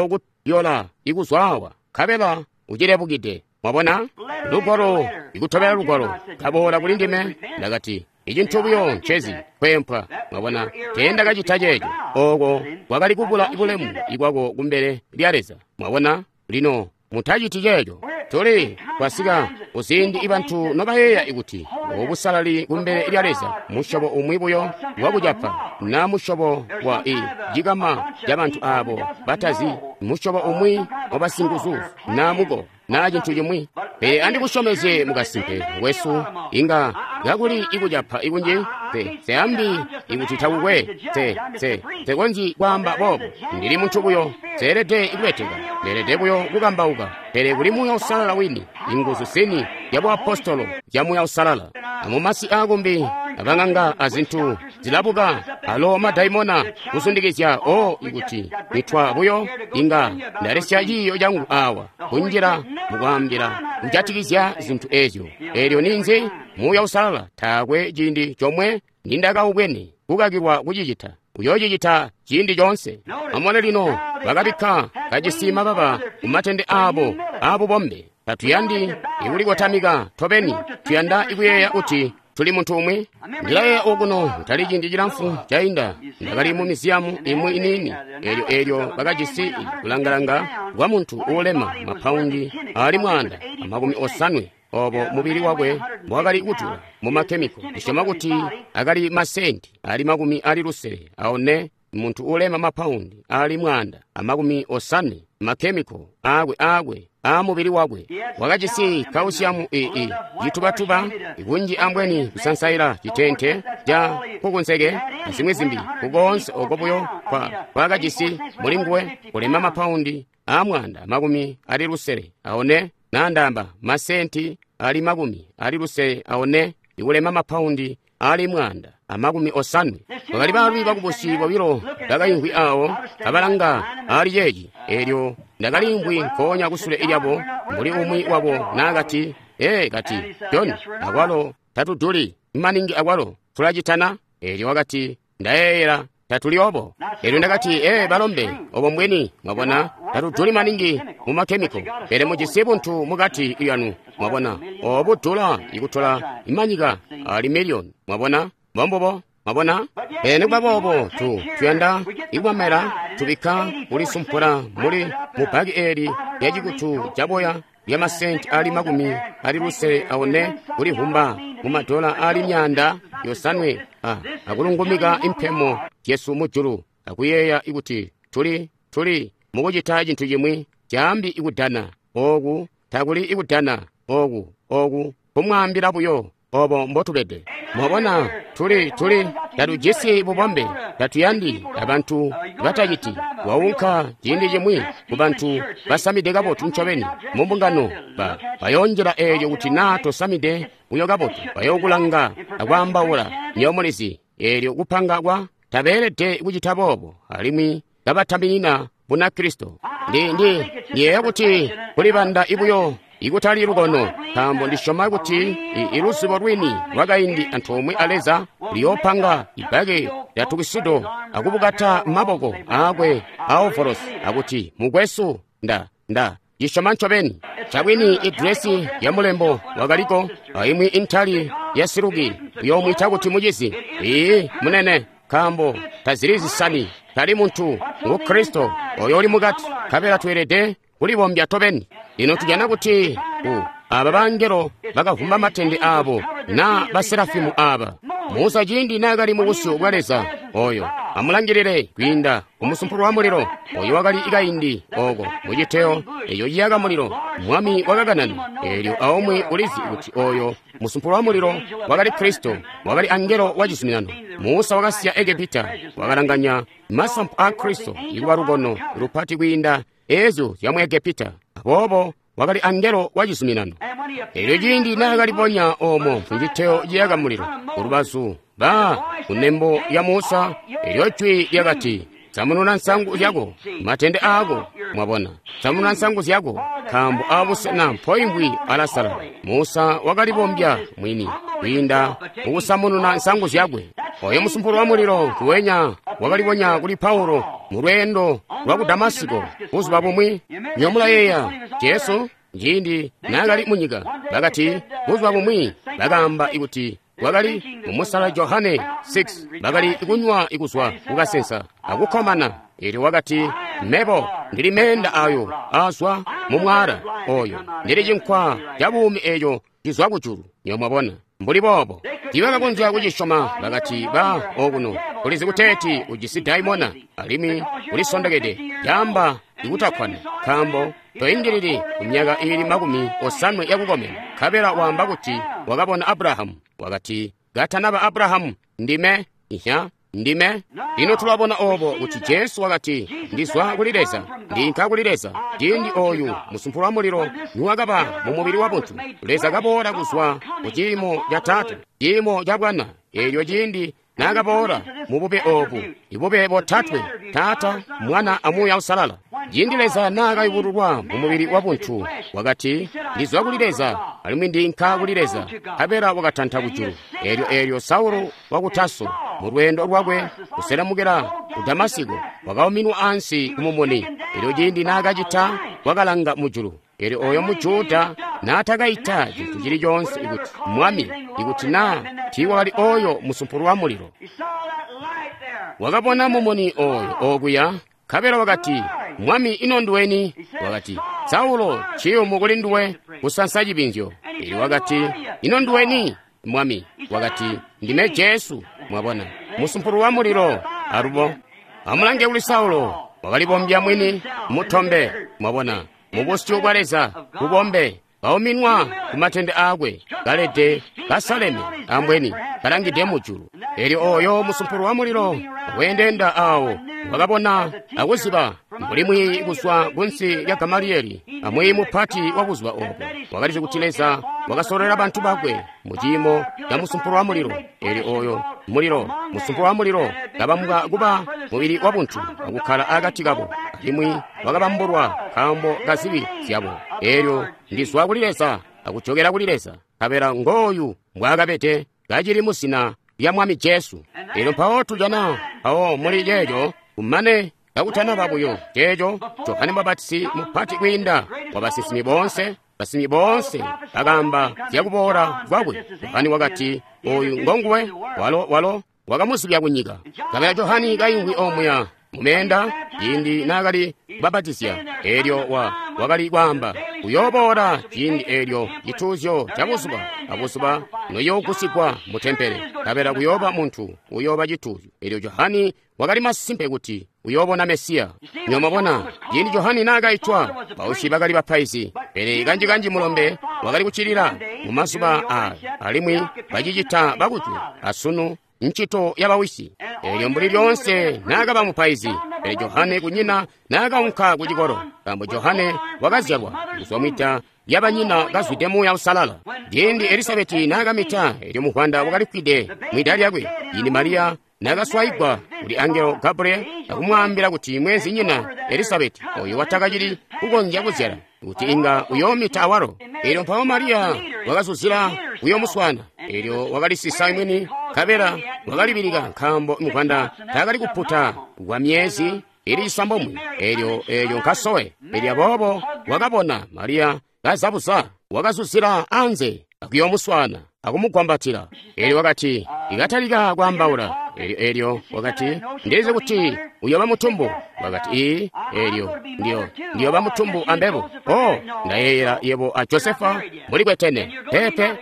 bayookutyola ikuzwa awa, nkabela ucilebukide. Mwabona? Lugwalo, ikutobela lugwalo, kaboola kuli ndime, ndakati, icintu buyo ncezi, kweempwa. Mwabona, teendakacita ceeco. Ooko kwakali kubula bulemu ikwako kumbele lya Leza. Mwabona? Lino, mutaciti ceeco. Tuli twasika kuziindi ibantu nobayeeya ikuti obusalali kumbele lya Leza musyobo umwi buyo wakucapa, na musyobo wa i cikama cabantu aabo batazi, musyobo umwi wabasinguzu, na muko, na cintu cimwi. Pele andikusyomezye mukasimpe wesu, inga kakuli ikucapa ikunji, te seambi ikuti takukwe, te te tekonzyi kwaamba boobo. Ndili muntu buyo, seelede ikubeteka, ndeelede buyo kukambauka. Pele kuli Muuya Uusalala wini, inguzu zini zya buapostolo zya Muuya Uusalala. Amumasi aakumbi abang'anga azintu zilabuka, alo madaimona kuzundikizya. O ikuti nitwa buyo inga ndalesya ciiyo cangu awa kunjila mukwaambila kujatikizya zintu ezyo. Elyo ninzi? Muuya Uusalala taakwe ciindi comwe nindakaubwene kukakilwa kucicita. Uyoocicita ciindi coonse. Amubone lino, bakabikka kajisi mababa kumatende aabo aabubombe. Tatuyandi ikulikotamika tobeni, tuyanda ikuyeeya kuti tuli muntu umwi. Ndilayeeya okuno kutali ciindi cilamfu cainda, ndakali mu miziyamu imwi iniini. Eelyo eelyo bakajisi kulangalanga kwa muntu uulema mapaundi aali 150. Obo mubili wakwe mbwakali kutula mu makemiko. Ndisyoma kuti akali masenti ali 64, muntu uulema mapaundi ali 150, makemiko aakwe aakwe aa mubili wakwe. Wakajisi kausiamu citubatuba kunji ambweni kusansaila citente ca nkukunseke azimwi zimbi kukoonse oko buyo kwakajisi muli nguwe kulema mapaundi aa 164 nandamba masenti ali 64 ikulema mapaundi ali 150. Bakali baalumi bakubusi bobilo bakaimvwi awo kabalanga ali ceeci. Eelyo ndakaliimvwi nkoonya kusule lyabo mbuli umwi wabo naakati, ee kati, John, akwalo tatuduli maningi akwalo tulacitana. Eelyo wakati, ndayeeyela tatuli obo. Eelyo ndakati, ee balombe, obo mbweni, mwabona, tatuduli maningi mu makemiko, pele mujisi buntu mukati lyanu, mwabona, obu dula ikutola imanyika ali miliyoni, mwabona, mbombubo, mwabona. Pele nikuba boobo tuyanda ikwamela tubikka kulisumpula muli mubhaki eeli lya cikutu caboya lya masenti ali 64 kulivumba mu madola ali 500 akulungumika impemo zyesu mujulu akuyeeya kuti tuli mukucita cintu cimwi caambi ikudana. Ooku takuli ikudana, ooku kumwaambila buyo obo mbotubede. Mwabona, tuli tatujisi bubombe, tatuyandi abantu bataciti. Waunka ciindi cimwi ku bantu basamide kabotu ncobeni mu mbungano, bayoonjila eelyo kuti naa tosamide buyo kabotu, bayookulanga akwaambaula nyomulizi. Eelyo kupanga kwa tabeelede kucita boobo, alimwi kabataminina Bunakristo. Ndiyeeya kuti kulibanda ibuyo ikutali lukono, nkaambo ndisyoma kuti iluzibo lwini lwakaindi antoomwe a Leza liyoopanga ibbaki lya tukisido akubukata maboko aakwe a ovolosi akuti, mukwesu, nda cisyoma ncobeni. Cabwini idresi ya mulembo wakaliko aimwi intali ya siluki uyoomwita kuti mucizi. Ii munene, nkaambo tazili zisani, tali muntu, ngu Kristo oyo uli mukati, nkabela tweelede kulibombya tobeni. Lino tujana kuti aba bangelo bakavumba matende aabo na baserafimu aba. Musa ciindi naakali mu busyu bwa Leza oyo, amulangilile kwiinda kumusumpulu wa mulilo oyo wakali ikaindi oko muciteyo eyo ciyaka mulilo, mwami wakakanana. Eelyo aumwi ulizi kuti oyo musumpulu wa mulilo wakali Kristo, wakali angelo wa cizuminano. Musa wakasiya Egepita, wakalanganya masampu a Kristo ikuba lukono lupati kwiinda eezyo zya mu Egepita. Aboobo wakali angelo wa cizuminano. Eelyo ciindi naakalibonya oomo muciteyo ciyaka mulilo kulubazu kunembo lya Musa, eelyo jwi lyakati, samununa nsangu zyako matende aako. Mwabona, samununa nsangu zyako, nkaambo abusena mpoimvwi alasalala. Musa wakalibombya mwini kwiinda mukusamununa nsangu zyakwe. Oyo musumpulu wa mulilo nguwenya wakalibonya kuli Paulo mu lweendo lwa ku Damasiko buzuba bumwi. Nyomulayeeya Jesu ciindi naakali munyika, bakati buzuba bumwi bakaamba kuti wakali mumusala Johane 6, bakali kunywa ikuzwa kukasensa akukkomana. Eelyo wakati, mebo ndili meenda ayo azwa mu mwaala oyo, ndili cinkwa ca buumi eeco cizwa kujulu. Nyomwabona mbuli boobo tiibakakonzya kucisyoma. Bakati, ba okuno ulizi kuteeti ujisi daimona alimwi ulisondokede, caamba ikutakkwana, nkaambo toindilili kumyaka iili 80 yakukomena, nkabela waamba kuti wakabona Abrahamu. Wakati, katanaba Abrahamu, ndime. Ihya, ndime. Lino tulabona obo kuti Jesu wakati, ndizwa kuli Leza, ndinka kuli Leza. Ciindi oyu musumpulu wa mulilo niwakaba mu mubili wa buntu, Leza kaboola kuzwa ku ciimo ca Taata, ciimo ca Bwana. Eelyo ciindi naakaboola mu bube obu, ibube botatwe, Taata, Mwana a Muuya Uusalala. Ciindi Leza naakayubululwa mu mubili wa buntu, wakati, ndizwa kuli Leza, alimwi ndinka kuli Leza. Nkabela wakatanta kujulu. Eelyo Saulo wa ku Taso, mu lweendo lwakwe kuselamukila ku Damasiko, wakauminwa ansi kumumuni. Eelyo ciindi naakacita, wakalanga mujulu. Eelyo oyo Mujuda naatakaita cintu cili coonse ikuti mwami, ikuti naa tiiwakali oyo musumpulu wa mulilo. Wakabona mumuni oyo okuya, nkabela wakati, Mwami, ino nduweni? Wakati, Saulo, ciyumu kuli nduwe kusansa cibinzyo. Eelyo wakati, ino nduweni, Mwami? Wakati, ndime Jesu. Mwabona, musumpulu wa mulilo. Alubo amulange kuli Saulo, wakalibombya mwini mutombe. Mwabona, mu busyu bwa Leza, bubombe, kauminwa ku matende aakwe, kalede kasaleme, ambweni kalangide mujulu. Elyo oyo musumpulu wa mulilo weendeenda awo wakabona akuziba mbuli mwiiyi kuzwa kunsi lya Gamaliyeli, amwiiyi mupati wa buzuba obo. Wakalizi kuti Leza wakasololela bantu bakwe mu ciimo ca musumpulu wa mulilo. Elyo oyo mulilo, musumpulu wa mulilo, kabambwa kuba mubili wa buntu akukkala akati kabo, alimwi wakabambulwa nkaambo ka zibi zyabo. Elyo ndizwa kuli Leza akujokela kuli Leza, nkabela ngooyu mbwaakabede kacili mu zina lya Mwami Jesu. Elyo mpawo tujana mpawo muli ceeco, kumane kakutanaba buyo ceeco, Johane Mubapatizi mupati kwiinda wa basinsimi boonse, basinsimi boonse bakaamba zya kuboola kwakwe. Johane wakati, oyu ngonguwe, walo wakamuzibya kunyika. Nkabela Johane kaimvwi omuya mumeenda ciindi naakali kubapatizya, elyo wakali kwaamba, uyooboola ciindi elyo cituuzyo ca buzuba abuzuba noyoogusigwa mu tempele, nkabela kuyooba muntu uyooba cituuzyo. Elyo Johane wakali masimpe kuti uyoobona Mesiya. Nyo mwabona, ciindi Johane naakaitwa, bausyi bakali bapaizi, pele kanji-kanji mulombe wakali kuccilila mu mazuba aayo, alimwi bacicita bakujwe asunu ncito ya bawisi. Elyo mbuli lyoonse naakaba mupaizi, pele Johane kunyina naakaunka ku cikolo, nkaambo Johane wakazyalwa kuzwa mwida lya banyina kazwide Muuya Uusalala. Ciindi Elisabeti naakamita, elyo muvwanda wakali fwide mwida lyakwe, ciindi Mariya naakaswaigwa kuli angelo Gabriel akumwaambila kuti mweenzinyina Elisabeti oyo watakacili kukonzya kuzyala, kuti inga uyoomita awalo. Elyo mpawo Mariya wakazuzila kuyoomuswaana, elyo wakalisisa mwini, nkabela wakalibilika nkaambo muvwanda taakali kuputa kwa myezi ili 9. Elyo nkasowe. Elyo aboobo wakabona Mariya kazabuza, wakazuzila anze akuyoomuswaana akumugwambatila. Elyo wakati, ikatalika kwaambaula. Elyo wakati, ndilizi kuti uyooba mutumbu. Wakati, ii, elyo ndiyooba mutumbu ambebo. Oh, ndayeeyela yebo a Josefa mulikwetene.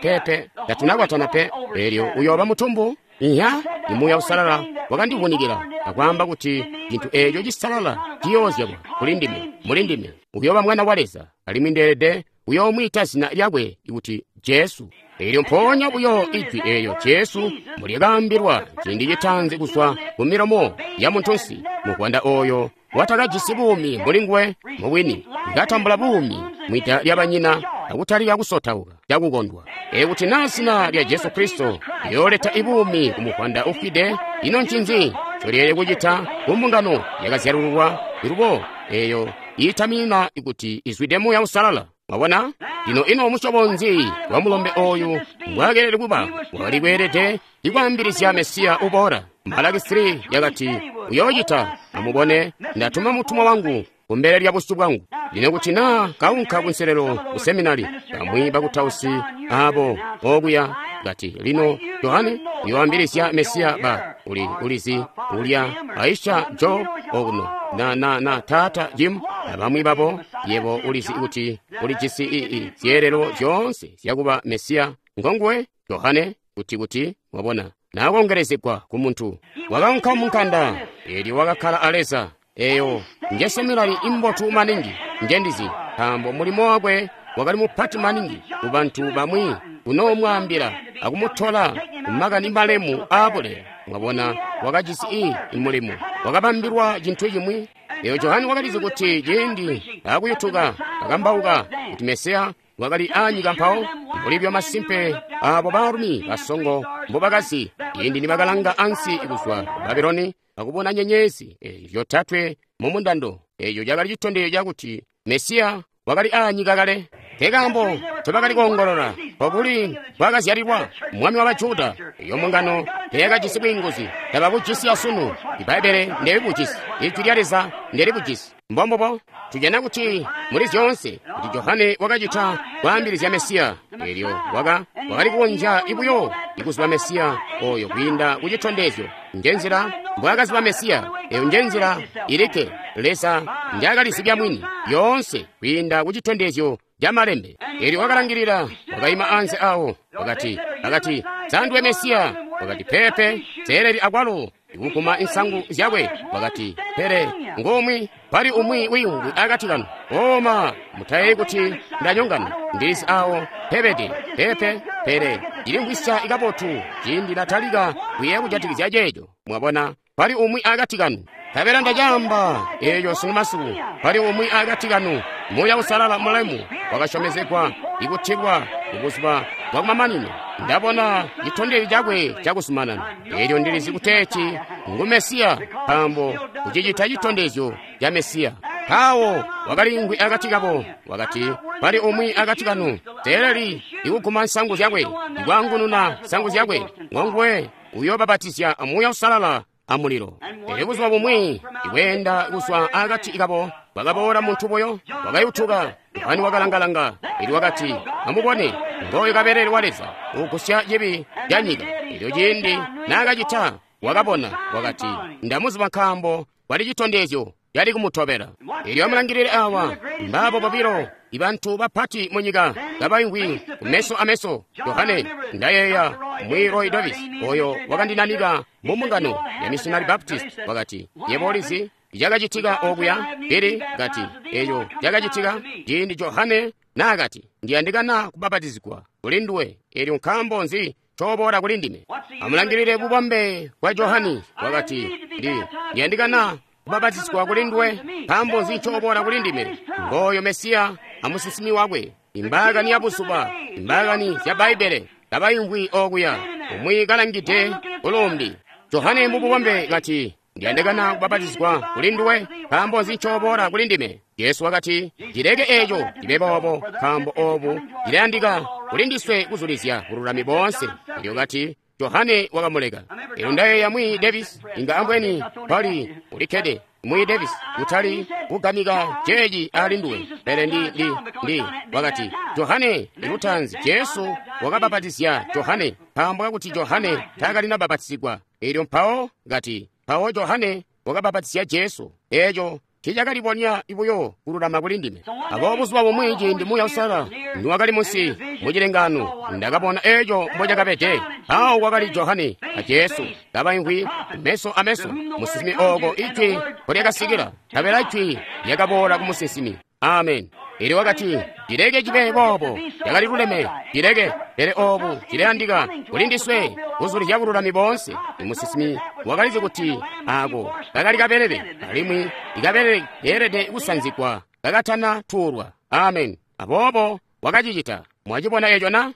Pepe, tatunakwatana pe. Elyo uyooba mutumbu. Iya, Muuya Uusalala wakandivunikila akwaamba kuti cintu eeco cisalala ciyoozyalwa kuli ndime, muli ndime. Uyooba mwana wa Leza, alimwi ndeelede uyoomwiita zina lyakwe kuti Jesu. Elyo mpoonya buyo ijwi eelyo Jesu mulyakaambilwa ciindi citaanzi kuzwa ku milomo ya muntunsi, muvwanda oyo watakajisi buumi mulinguwe mubwini, katambula buumi mwida lya banyina akutalika kusotauka cakukondwa. Kuti naa zina lya Jesu Kristo liyooleta ibuumi ku muvwanda ufwide, ino ncinzi ncolyeelede kucita ku mbungano yakazyalululwa ilubo eeyo iitaminina kuti izwide Muuya Uusalala? Mwabona? Lino ino musyobo nzi wa mulombe oyu mbwaakeelede kuba? Wakali kweelede ikwaambilizya Mesiya uboola. Malaki 3 yakati, uyoocita, amubone, ndatuma mutumwa wangu kumbele lya busyu bwangu. Lino kuti naa kaunka kunselelo ku seminari, bamwi bakutausi abo okuya kati, lino Johane uyoambilizya Mesiya ba ulizi ulya Aisha Jo okuno na taata Jim abamwi babo, yebo ulizi kuti ulijisi zyeelelo zyoonse zyakuba Mesiya ngonguwe Johane, kuti mwabona naakongelezegwa ku muntu. Wakaunka munkanda, elyo wakakkala a Leza. Eyo nje seminari imbotu maningi njendizi, nkaambo mulimo wakwe wakali mupati maningi ku bantu bamwi kunoomwaambila akumutola kumakani malemu aabuleya. Mwabona, wakajisi mulimo, wakabambilwa cintu cimwi. Eyo Johane wakalizi kuti ciindi akuyutuka akambauka kuti Mesiya wakali aanyika mpawo, mbuli bya masimpe abo baalumi basongo mbobakazi ciindi nibakalanga ansi kuzwa ku Babuloni akubona nyenyezi zyotatwe mu mundando. Eeco cakali citondezyo cakuti Mesiya wakali aanyika kale. Nkekaambo ncobakali koongolola, nkokuli kwakazyalilwa mwami wa Bajuda. Eyo mbungano teyakajisi bwiinguzi, tababujisi asunu. Ibbaibbele ndelibujisi, Ijwi lya Leza ndelibujisi. Mbombubo tujana kuti muli zyoonse kuti Johane wakacita kwaambilizya Mesiya. Elyo wakali kukonzya buyo ikuziba Mesiya oyo kwiinda ku citondezyo. Njenzila mbwaakaziba Mesiya, eyo njenzila ilikke Leza njaakalizibya mwini yoonse kwiinda ku citondezyo ca malembe. Elyo wakalangilila, wakaima anze awo, wakati, Sandwe Mesiya. Wakati, pepe, seeleli akwalo Kuguma insangu zyakwe. Wakati, pele ngomwi pali umwi wiimvwi akati kanu. Oma, mutayeeyi kuti ndanyongana. Ndilizi awo pebede pepe, pele ndilimvwisya kabotu ciindi natalika kuyeeya kujatikizya ceeco. Mwabona, pali umwi akati kanu. Kabela ndacaamba eeco sunu masiku, pali umwi akati kanu. Muuya Uusalala mulemu wakasyomezegwa ikutilwa mubuzuba bwakumamanino. Ndabona citondezyo cakwe cakuzumanana. Eelyo ndilizi kuteeti ngu Mesiya, nkaambo kucicita citondezyo ca Mesiya. Mpawo wakaliimvwi akati kabo, wakati, pali umwi akati kanu teeleli ikuguma nsangu zyakwe, ikwaangununa nsangu zyakwe, ngonguwe uyoobapatizya Muuya Uusalala amulilo. Pele buzuba bumwi ikweenda kuzwa akati kabo kwakaboola muntu buyo, wakayutuka. Yohane wakalangalanga, elyo wakati, amubone, ngooyu kabelele wa Leza ugusya cibi ca nyika. Elyo ciindi naakacita, wakabona, wakati, ndamuziba nkaambo kwali citondezyo cali kumutobela. Elyo amulangilile awa, mbaabo bobilo ibantu bapati mu nyika kabaimvwi kumeso ameso. Yohane, ndayeeya mwi Roy Davis oyo wakandinanika mu mbungano ya Missionary Baptist, wakati, yebo ulizi cakacitika okuya? Pili kati, eyo cakacitika ciindi Johane naakati, ndiyandikana kubapatizigwa kuli nduwe, elyo nkaambo nzi ncoboola kuli ndime? Amulangilile bubombe bwa Johane, wakati, ndiyandikana kubapatizigwa kuli nduwe, nkaambo nzi ncoboola kuli ndime? Ngooyo Mesiya amusinsimi wakwe, imbaakani ya buzuba, imbaakani zya Bbaibbele, kabaimvwi okuya, umwi kalangide kulumbi. Johane mububombe kati, ndiyandikana kubapatizigwa kuli nduwe, nkaambo nzi ncoboola kuli ndime? Jesu wakati, cileke eeco cibe boobo, nkaambo oobu cilayandika kuli ndiswe kuzulizya bululami boonse. Elyo kati, Johane wakamuleka. Elyo ndayeeya Mwi Davis, inga ambweni pali ulikkede. Mwi Davis, kutali kugamika ceeci ali nduwe, pele ndi wakati, Johane lutaanzi Jesu wakabapatizya Johane, nkaambo kakuti Johane taakalina bapatizigwa. Elyo mpawo kati, mpawo Johane wakabapatizya Jesu. Eeco ticakalibonya buyo kululama kuli ndime. Aboobo buzuba bumwi ciindi Muuya Uusalala niwakali munsi mucilengaano, ndakabona eeco mbocakabede. Awo kwakali Johane a Jesu kabaimvwi meso ameso, musinsimi ooko ijwi mpolyakasikila, nkabela ijwi lyakaboola ku musinsimi. Amen. Elyo wakati, cileke cibe boobo, cakali luleme, cileke, pele oobu cilayandika kuli ndiswe kuzulizya bululami boonse. Musinsimi wakalizi kuti aako kakali kabelele, alimwi ikabelele keelede kusanzigwa kakatana tuulwa. Amen. Aboobo wakacicita. Mwacibona eeco na?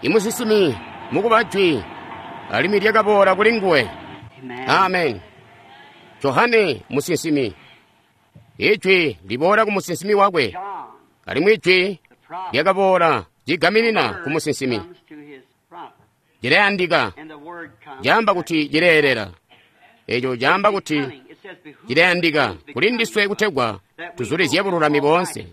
Imusinsimi mukuba jwi alimwi lyakaboola kuli nguwe. Amen. Johane musinsimi. Ijwi liboola ku musinsimi wakwe, alimwi ijwi lyakaboola cigaminina ku musinsimi. Cilayandika, caamba kuti cileelela. Eco caamba kuti cilayandika kuli ndiswe kutegwa tuzulizye bululami boonse.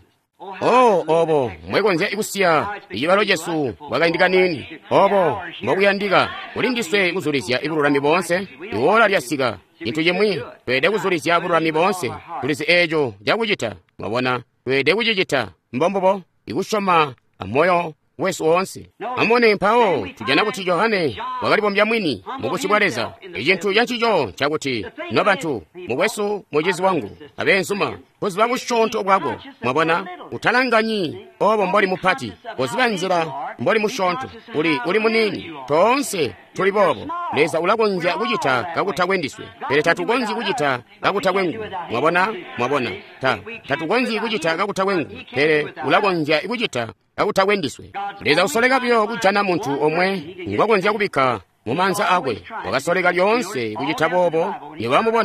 Oh, obo mwekonzya kusiya icibalo cesu kwakaindi kaniini. Obo mbokuyandika kuli ndiswe kuzulizya bululami boonse. Iwoola lyasika. Cintu cimwi, tweelede kuzulizya bululami boonse. Tulizi eeco cakucita. Mwabona, tweelede kucicita. Mbombubo, ikusyoma amoyo wesu woonse. Amubone mpawo tujana kuti Johane wakalibombya mwini mubusyu bwa Leza. Icintu cancico ncakuti nobantu, mukwesu, mucizi wangu, abeenzuma, kuziba busyoonto bwako. Mwabona, utalanganyi obo mboli mupati, kuziba nzila mboli musyoonto, uli muniini. Toonse tuli boobo. Leza ulakonzya kucita kakutakwe ndiswe, pele tatukonzyi kucita kakutakwe nguwe. Mwabona, mwabona, tatukonzyi kucita kakutakwe nguwe, pele ulakonzya kucita kakutakwe ndiswe. Leza usoleka buyo kujana muntu omwe ngwakonzya kubikka mumaanza akwe. Wakasoleka lyoonse kucita boobo. Nywebo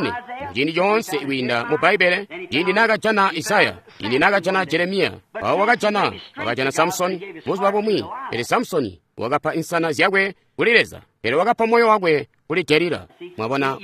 ciindi coonse kwiinda mu Bbaibbele, ciindi naakajana Isaya, ciindi naakajana Jeremiya, mpawo wakajana Samusoni buzuba bumwi. Pele Samusoni wakapa insana zyakwe kuli Leza, pele wakapa moyo wakwe kuli Delila. Mwabona,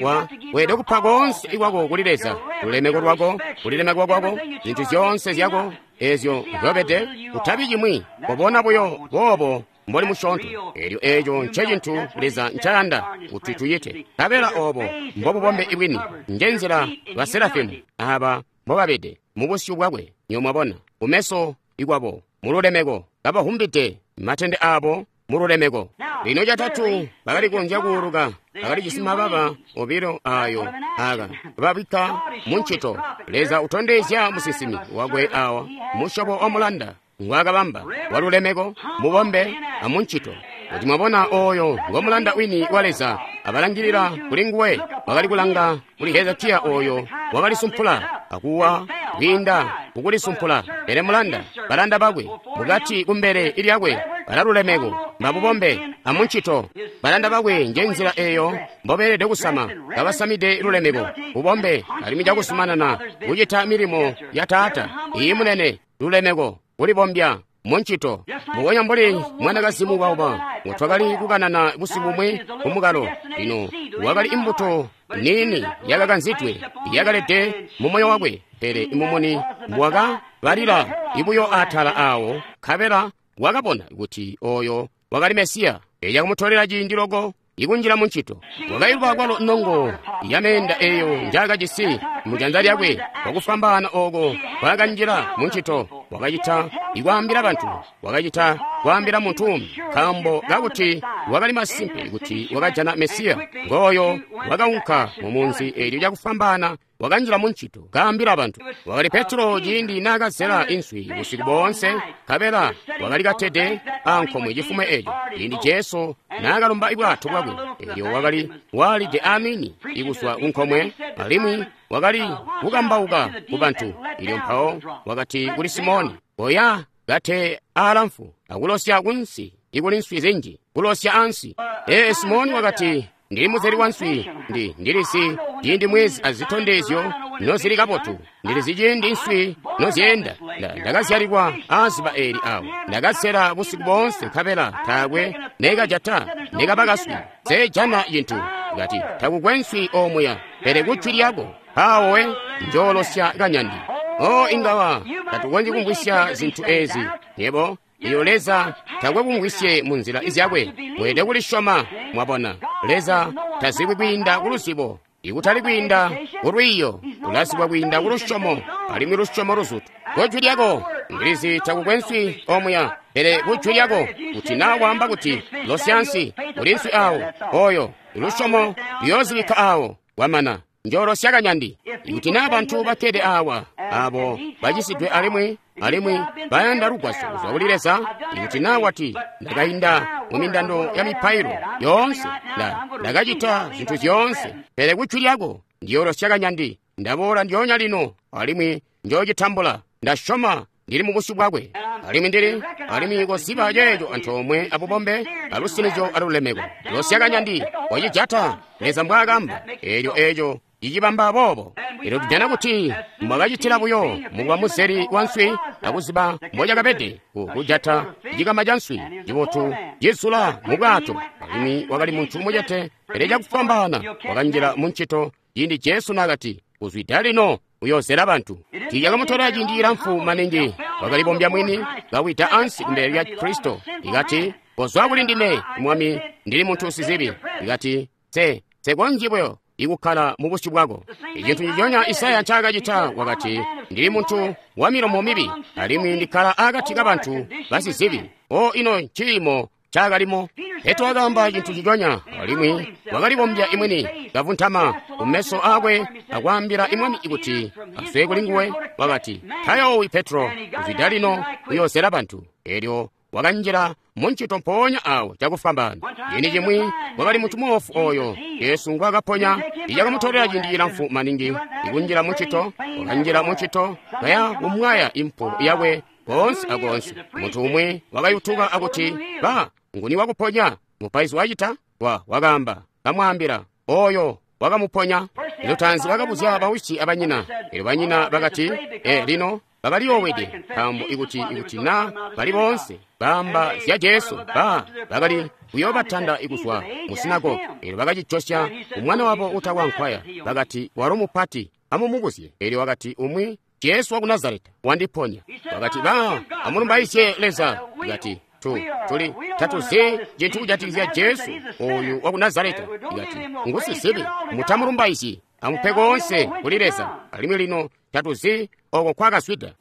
weelede kupa koonse kwako kuli Leza, lulemeko lwako, kulilemekwa kwako, zintu zyoonse zyako ezyo nzyobede, kutabi cimwi, kobona buyo boobo mboli musyoonto. Elyo eeco ncecintu Leza ncayanda kuti tuyite. Nkabela obo mbobubombe bwini, njenzila ba Serafimu aba mbobabede mubusyu bwakwe. Nywebo mwabona, kumeso ikwabo mululemeko, kabahumbide matende abo mululemeko. Lino catatu, bakali kukonzya kuuluka, bakalijisi mababa obilo ayo aka babikka muncito. Leza utondezya musinsimi wakwe awa musyobo wa mulanda ngwaakabamba walulemeko, mubombe amuncito. Kuti mwabona oyo ngomulanda wini wa Leza, abalangilila kuli nguwe. Wakali kulanga kuli Hezekiya oyo wakalisumpula akuwa kwiinda kukulisumpula, pele mulanda, balanda bakwe mukati kumbele lyakwe balalulemeko, mbabubombe amuncito. Balanda bakwe njenzila eyo mbobeelede kusama, kabasamide lulemeko, bubombe, alimwi cakusumanana kucita milimo ya Taata. Iyi munene, lulemeko, kulibombya muncito. Mbubonya mbuli mwanakazi mubauba ngotwakali kukanana busiku bumwi kumukalo. Lino wakali imbuto niini yakakanzidwe yakalede mumoyo wakwe, pele imumuni mbwakabalila ibuyo atala awo, nkabela wakabona kuti oyo wakali Mesiya. Eya kumutolela ciindi loko ikunjila muncito. Wakailuba kwalo nongo yameenda eyo njaakajisi mujanza lyakwe. Wakufwambaana oko kwakanjila muncito, wakacita ikwaambila bantu, wakacita kwaambila muntu umbi, nkaambo kakuti wakali masimpe kuti wakajana Mesiya. Ngoyo wakaunka mumunzi eelyo cakufwambaana wakanjila muncito kaambila bantu. Wakali Petro ciindi naakazela inswi busiku boonse, nkabela wakali katede ankomwe cifumo eco ciindi Jesu naakalumba ibwato bwakwe. Elyo wakali walide amini ikuzwa kunkomwe, alimwi wakali kukambauka ku bantu. Elyo mpawo wakati kuli Simoni, koya kate aalamfu akulosya kunsi ikuli nswi zinji, kulosya ansi. Simoni wakati, ndili muzeli wa nswi, ndilizi ciindi mwezi azitondezyo nozili kabotu, ndilizi ciindi nswi nozyenda. Ndakazyalilwa aaziba eli awo, ndakazela busiku boonse, nkabela taakwe nekajata nekaba kaswi, sejana cintu. Kati takukwe nswi omuya, pele kujwi lyako mpawo njoolosya kanyandi. O ingawa tatukonzyi kumvwisya zintu ezi, yebo iyo Leza takwe kumvwisye mu nzila zyakwe. Mweelede kulisyoma. Mwabona, Leza tazibwi kwiinda kuluzibo, ikutali kwiinda kulwiiyo, ulazibwa kwiinda kulusyomo, alimwi lusyomo luzutu. Kujwi lyako, ndilizi takukwe nswi omuya, pele kujwi lyako, kuti naa waamba kuti losya nsi, kuli nswi awo, oyo lusyomo luyoozibikka awo, kwamana njoolosya kanyandi. Ikuti naa bantu bakkede awa abo bacisidwe alimwi bayanda lugwasyo kuzwa kuli Leza, ikuti naa wati ndakainda mu mindando ya mipailo yoonse, ndakacita zintu zyoonse, pele kujwi lyako ndiyoolosya kanyandi, ndaboola ndyoonya lino alimwi njoocitambula, ndasyoma ndili mubusyu bwakwe, alimwi alimwi koziba ceeco antoomwe abubombe alusinizyo alulemeko. Losya kanyandi, wacijata Leza mbwaakamba, eelyo eeco cicibamba boobo. Elyo tujana kuti mwakacitila buyo mukuba muzeli wa nswi akuziba mbocakabede kujata cikama ca nswi cibotu cizula mu bwato, alimwi wakali muntu mucete, pele cakufwambaana wakanjila muncito ciindi Jesu naakati, kuzwida lino uyoozela bantu. Tiicakamutola ciindi cilamfu maningi. Wakalibombya mwini, kawida ansi kumbele lya Kristo. Ikati, kozwa kuli ndime, Mwami, ndili muntu sizibi. Ikati, Nse konzyi buyo ikukkala mu busyu bwako. Icintu nciconya Isaya ncaakacita, wakati, ndili muntu wa milomo mibi, alimwi ndikkala akati kabantu basizibi. O, ino nciimo ncakalimo. Petro wakaamba cintu nciconya, alimwi wakalibombya imwini, kavuntama kumeso aakwe akwaambila imwami kuti azwe kuli nguwe. Wakati, tayoowi Petro, kuzwida lino uyoozela bantu. Eelyo wakanjila muncito mpoonya awo cakufwambaana. Ciindi cimwi wakali muntu moofu oyo Jesu ngwaakaponya, icakamutolela ciindi cilamfu maningi ikunjila muncito. Wakanjila muncito kaya kumwaya impu yakwe koonse akoonse. Muntu umwi wakayutuka akuti, ba, nguni wakuponya? Mupaizi wacita? Wakaamba, kamwaambila oyo wakamuponya. Lutaanzi bakabuzya bawisi abanyina. Elyo banyina bakati, lino bakaliyoowede, nkaambo ikuti na bali boonse baamba zya Jesu, bakali kuyoobatanda kuzwa mu sinagogi. Elyo bakacijosya umwana wabo utakwankwaya, bakati, walo mupati, amumubuzye. Elyo wakati, umwi Jesu waku Nazareta wandiponya. Wakati, amulumbaisye Leza. Ikati, tuli tatuzi cintu kujatikizya Jesu oyu waku Nazareta. Ikati, ngusizibi, mutamulumbaisyi, amupe koonse kuli Leza. Alimwi lino tatuzi oko nkwakazwida.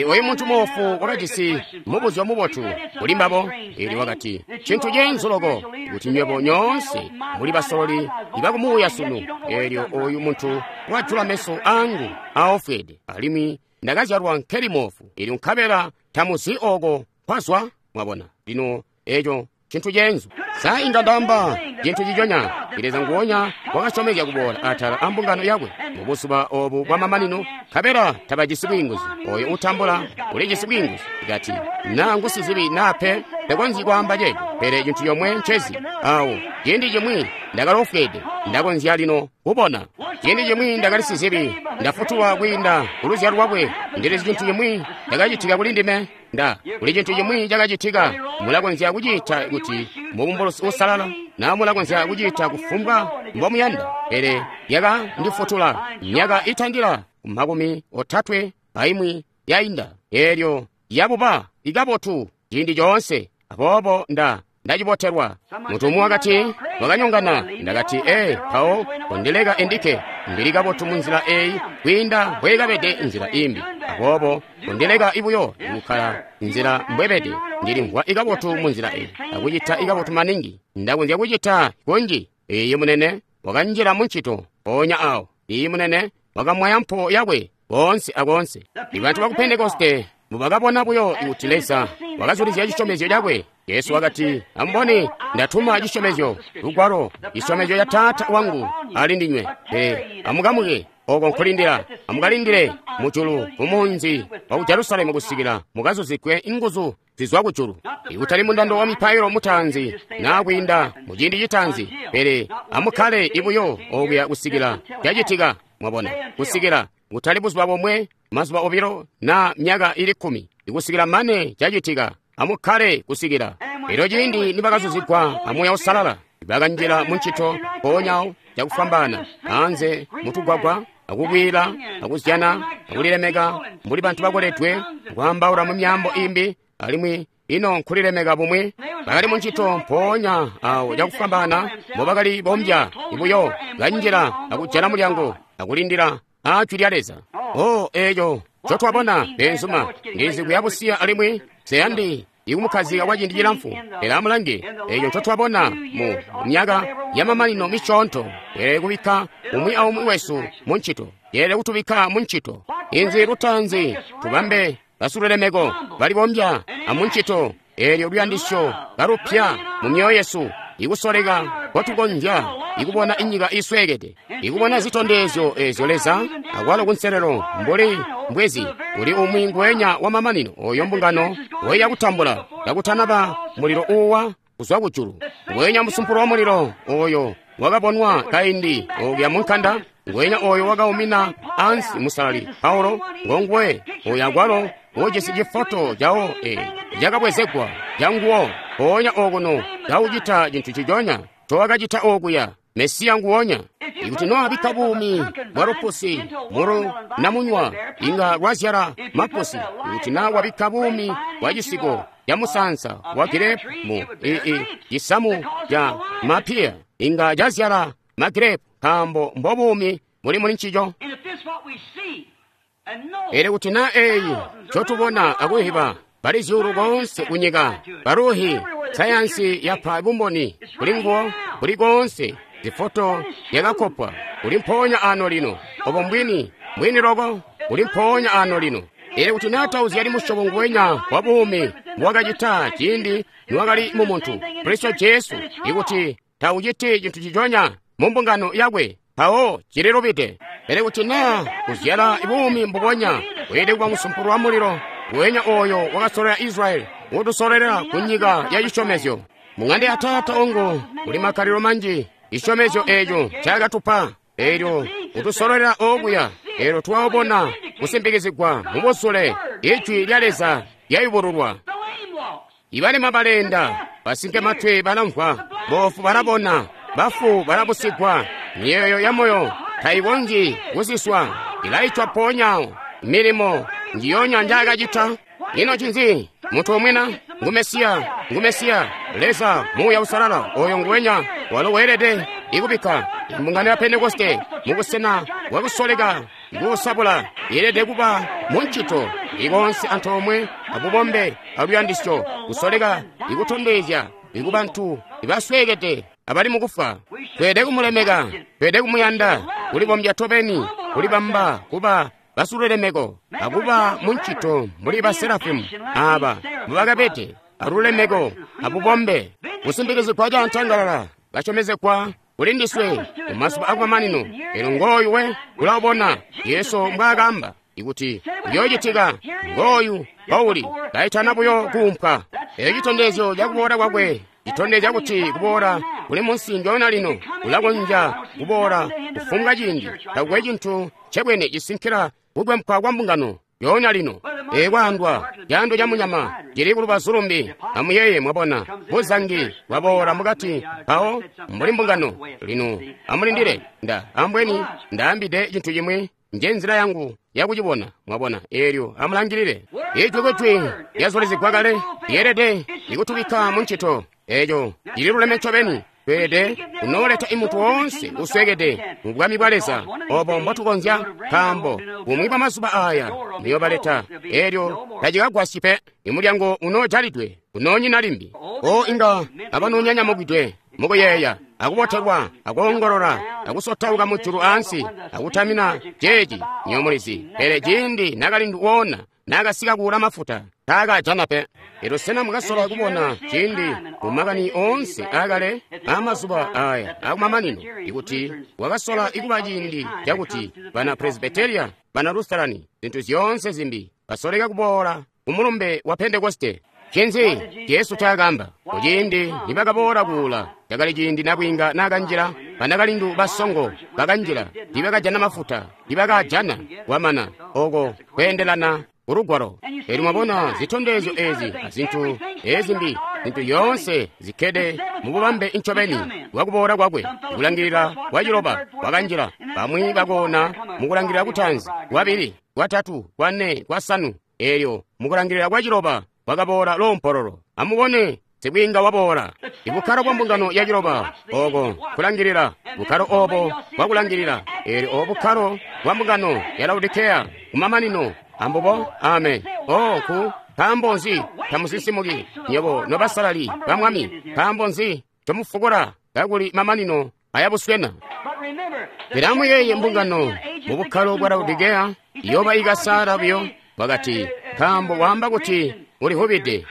Oyu muntu moofu wakajisi mubuzyo mubotu kuli mbabo. Elyo wakati, cintu ceenzu loko kuti nywebo nyoonse muli basololi ibakumuuya sunu. Elyo oyu muntu wajula meso angu aofweede, alimwi ndakazyalwa nkeli moofu. Elyo nkabela tamuzi oko nkwazwa. Mwabona, lino eco cintu ceenzu. Sa inga ndaamba cintu ciconya? Leza nguonya wakasyomezya kuboola atala ambungano yakwe mubuzuba obu bwamamanino, nkabela tabajisi bwiinguzi. Oyo utambula ulijisi bwiinguzi. Ikati, naa ngusizibi naa pe, takonzyi kwaamba ceeco. Pele cintu comwe ncezi awo, ciindi cimwi ndakalofweede, ndakonzya lino kubona. Ciindi cimwi ndakali sizibi, ndafutulwa kwiinda kuluzyalo lwakwe. Ndilizi cintu cimwi ndakacitika kuli ndime. Kuli cintu cimwi cakacitika. Mulakonzya kuciita kuti mubumbulusi uusalala, na mulakonzya kuciita kufumbwa mbomuyanda, pele yakandifutula myaka itandila 31 yainda. Eelyo yabuba ikabotu ciindi coonse. Aboobo ndacibotelwa. Muntu umwi wakati, wakanyongana. Ndakati, mpawo kondileka endike. Ndili kabotu munzila eyi kwiinda mbwekabede nzila imbi. Aboobo kondileka ibuyo kukkala nzila mbwebede. Ndilimvwa ikabotu munzila eyi akucita ikabotu maningi. Ndakonzya kucita kunji. Iyi munene wakanjila muncito mpoonya awo. Iyi munene wakamwaya mpo yakwe koonse akoonse. Ibantu baku Pentekoste mubakabona buyo kuti Leza wakazulizya cisyomezyo cakwe. Yesu wakati, amubone, ndatuma cisyomezyo, lugwalo, cisyomezyo ca Taata wangu ali ndinywe. Pele amukamuke oko nkulindila, amukalindile mujulu kumunzi waku Jerusalemu kusikila mukazuzikwe inguzu zizwa kujulu. Ikutali mundando wa mipailo mutaanzi naa kwiinda muciindi citaanzi, pele amukkale ibuyo okuya kusikila cacitika. Mwabona, kusikila kutali buzuba bomwe, mazuba obilo, na myaka ili 10, ikusikila mane cacitika. Amukkale kusikila. Elyo ciindi nibakazuzigwa amuuya usalala, bakanjila muncito mpoonya cakufwambaana, anze mutugwagwa, akukwiila, akuzyana, akulilemeka mbuli bantu bakoledwe, akwaambaula mu myaambo imbi, alimwi ino nkulilemeka bumwi. Bakali muncito mpoonya awo cakufwambaana, mbobakali bombya ibuyo, kanjila akujala mulyango, akulindila ajwi lya Leza. O, eeco ncotwabona, beenzuma, ndizi kuyabusiya alimwi seyandi ikumukhazika kwa ciindi cilamfu. Pele amulange eeco ncotwabona mu myaka yamamanino misyoonto. Yeelede kubikka umwi aumwi wesu muncito. Yeelede kutubikka muncito. Inzi lutaanzi tubambe basilulemeko balibombya amuncito. Eelyo luyandisyo kalupya mu myoyo yesu, ikusoleka kotukonzya ikubona inyika isweekede, ikubona zitondezyo eezyo Leza akwalo kunselelo mbuli mbwezi kuli umwi ngwenya wamamanino oyo mbungano weya kutambula kakutanaba mulilo uwa kuzwa kujulu. Ngwenya musumpulo wa mulilo oyo wakabonwa kaindi okuya munkanda, ngwenya oyo wakaumina ansi musalali Paulo, ngonguwe oyo akwalo ujisi cifoto cawo cakabwezegwa canguwo mpoonya okuno kaucita cintu ciconya ncowakacita okuya. Mesiya nguwonya. Ikuti noabikka buumi bwa lupusi muru namunywa, inga lwazyala mapusi. Ikuti na wabikka buumi bwa cisiko ca musaansa wa girepu mu cisamu ca mapia, inga cazyala magirepu, nkaambo mbobuumi buli muli ncico. Pele kuti na eyi ncotubona akuhiba bali zyuulu koonse kunyika, baluhi sayansi yapa bumboni kuli nguwo kuli koonse, zifoto zyakakopwa kuli mpoonya ano lino. Obo mbwini, mbwini loko, kuli mpoonya ano lino. Pele kuti na tauzyali musyobo nguwenya wa buumi mbowakacita ciindi niwakali mu muntu Kristo Jesu, ikuti tauciti cintu ciconya mu mbungano yakwe, mpawo cililubide. Pele kuti na kuzyala buumi mbubonya, weelede kuba musumpulu wa mulilo nguwenya ooyo wakasololela Israyeli, utusololera ku nyika ya cisyomezyo. Mu ŋanda ya Taata ongo kuli makkalilo manji, cisyomezyo eeco ncaakatupa, eelyo utusololela okuya, eelyo twaobona kusimpikizigwa mubusule, Ijwi lya Leza lyayubululwa. Ibalema baleenda, basinke matwi balamvwa, boofu balabona, bafu balabusigwa, miyeeyo ya moyo taikonzyi kusiswa, ilaitwa mpoonya milimo njiyonya njaakacita. Ino ncinzi? Muntu omwena ngu Mesiya, ngu Mesiya, Leza Muuya Uusalala oyo nguwenya walo weelede ikubikka mbungano ya Pentekoste mubusena bwakusoleka kuusabula, yeelede kuba mu ncito ikonse antoomwe abubombe aluyandisyo, kusoleka ikutondezya ikubantu ibasweekede abali mukufa. Tweelede kumulemeka, tweelede kumuyanda, kulibombya tobeni, kulibamba kuba basilulemeko, akuba mu ncito mbuli ba Serafimu aaba mbubakabede, alulemeko abubombe, kusimpikizigwa cantangalala, basyomezegwa kuli ndiswe mumazuba akumamanino. Elyo ngooyu we ulaubona Jesu mbwaakaamba ikuti kuyoocitika. Ngooyu Pauli kaitana buyo kuumpwa. Eeyo citondezyo cakuboola kwakwe citondezya kuti kuboola kuli munsi ndyoonya lino, ulakonzya kuboola kufumbwa ciindi. Takukwe cintu ncebwene cisinkila kukwempwa kwa mbungano lyoonya lino. Ee, kwaandwa caando ca munyama cili kulubazu lumbi. Amuyeeye, mwabona buzangi bwaboola mukati mpawo mbuli mbungano lino. Amulindile, nda ambweni ndaambide cintu cimwi, nje nzila yangu yakucibona, mwabona. Eelyo amulangilile, ijwi kujwi lyazulizigwa kale, lyeelede ikutubikka mu ncito. Eeco cililuleme ncobeni. Tweelede kunooleta imuntu woonse usweekede mu bwami bwa Leza obo mbotukonzya, nkaambo bumwi bwa mazuba aaya muyoobaleta. Eelyo tacikagwasyi pe, imulyango unoojalidwe, unoonyina limbi. O inga abanoonyanyamukidwe mukuyeeya, akubotelwa, akoongolola, akusotauka mujulu aansi, akutamina ceeci, nyomulizi. Pele ciindi nakalindu woona naakasika kuula mafuta, taakajana pe. Elyo sena mwakasola kubona ciindi mumakani oonse aakale aamazuba aaya akumamanino, ikuti wakasola ikuba ciindi cakuti bana Presbyteria, bana Lutherani, zintu zyoonse zimbi basoleka kuboola kumulumbe wa Pentekoste? Ncinzi Jesu ncaakaamba? Kuciindi nibakaboola kuula, cakali ciindi nabwiinga naakanjila, banakalindu basongo bakanjila, tiibakajana mafuta, tiibakaajana. Kwamana oko kweendelana kulugwalo. Elyo mwabona zitondezyo ezi azintu ezimbi, zintu zyoonse zikkede mububambe ncobeni bwakuboola kwakwe. Kulangilila kwaciloba kwakanjila, bamwi bakoona mukulangilila kutaanzi, kwabili, kwatatu, kwane, kwasanu. Elyo mukulangilila kwaciloba kwakaboola loompololo. Amubone, sibwiinga waboola. Ibukkalo bwa mbungano ya ciloba oko kulangilila, bukkalo obo bwakulangilila. Elyo obo bukkalo bwa mbungano ya Laodikeya kumamanino ambubo. Amen. O ku nkaambo nzi tamusinsimuki nywebo nobasalali ba Mwami? Nkaambo nzi comufukula kakuli mamanino ayabuswena? Pele amuyeeye mbungano mu bukkalo bwa Laodikeya iyooba ikasaala buyo. Wakati, nkaambo waamba kuti ulihubide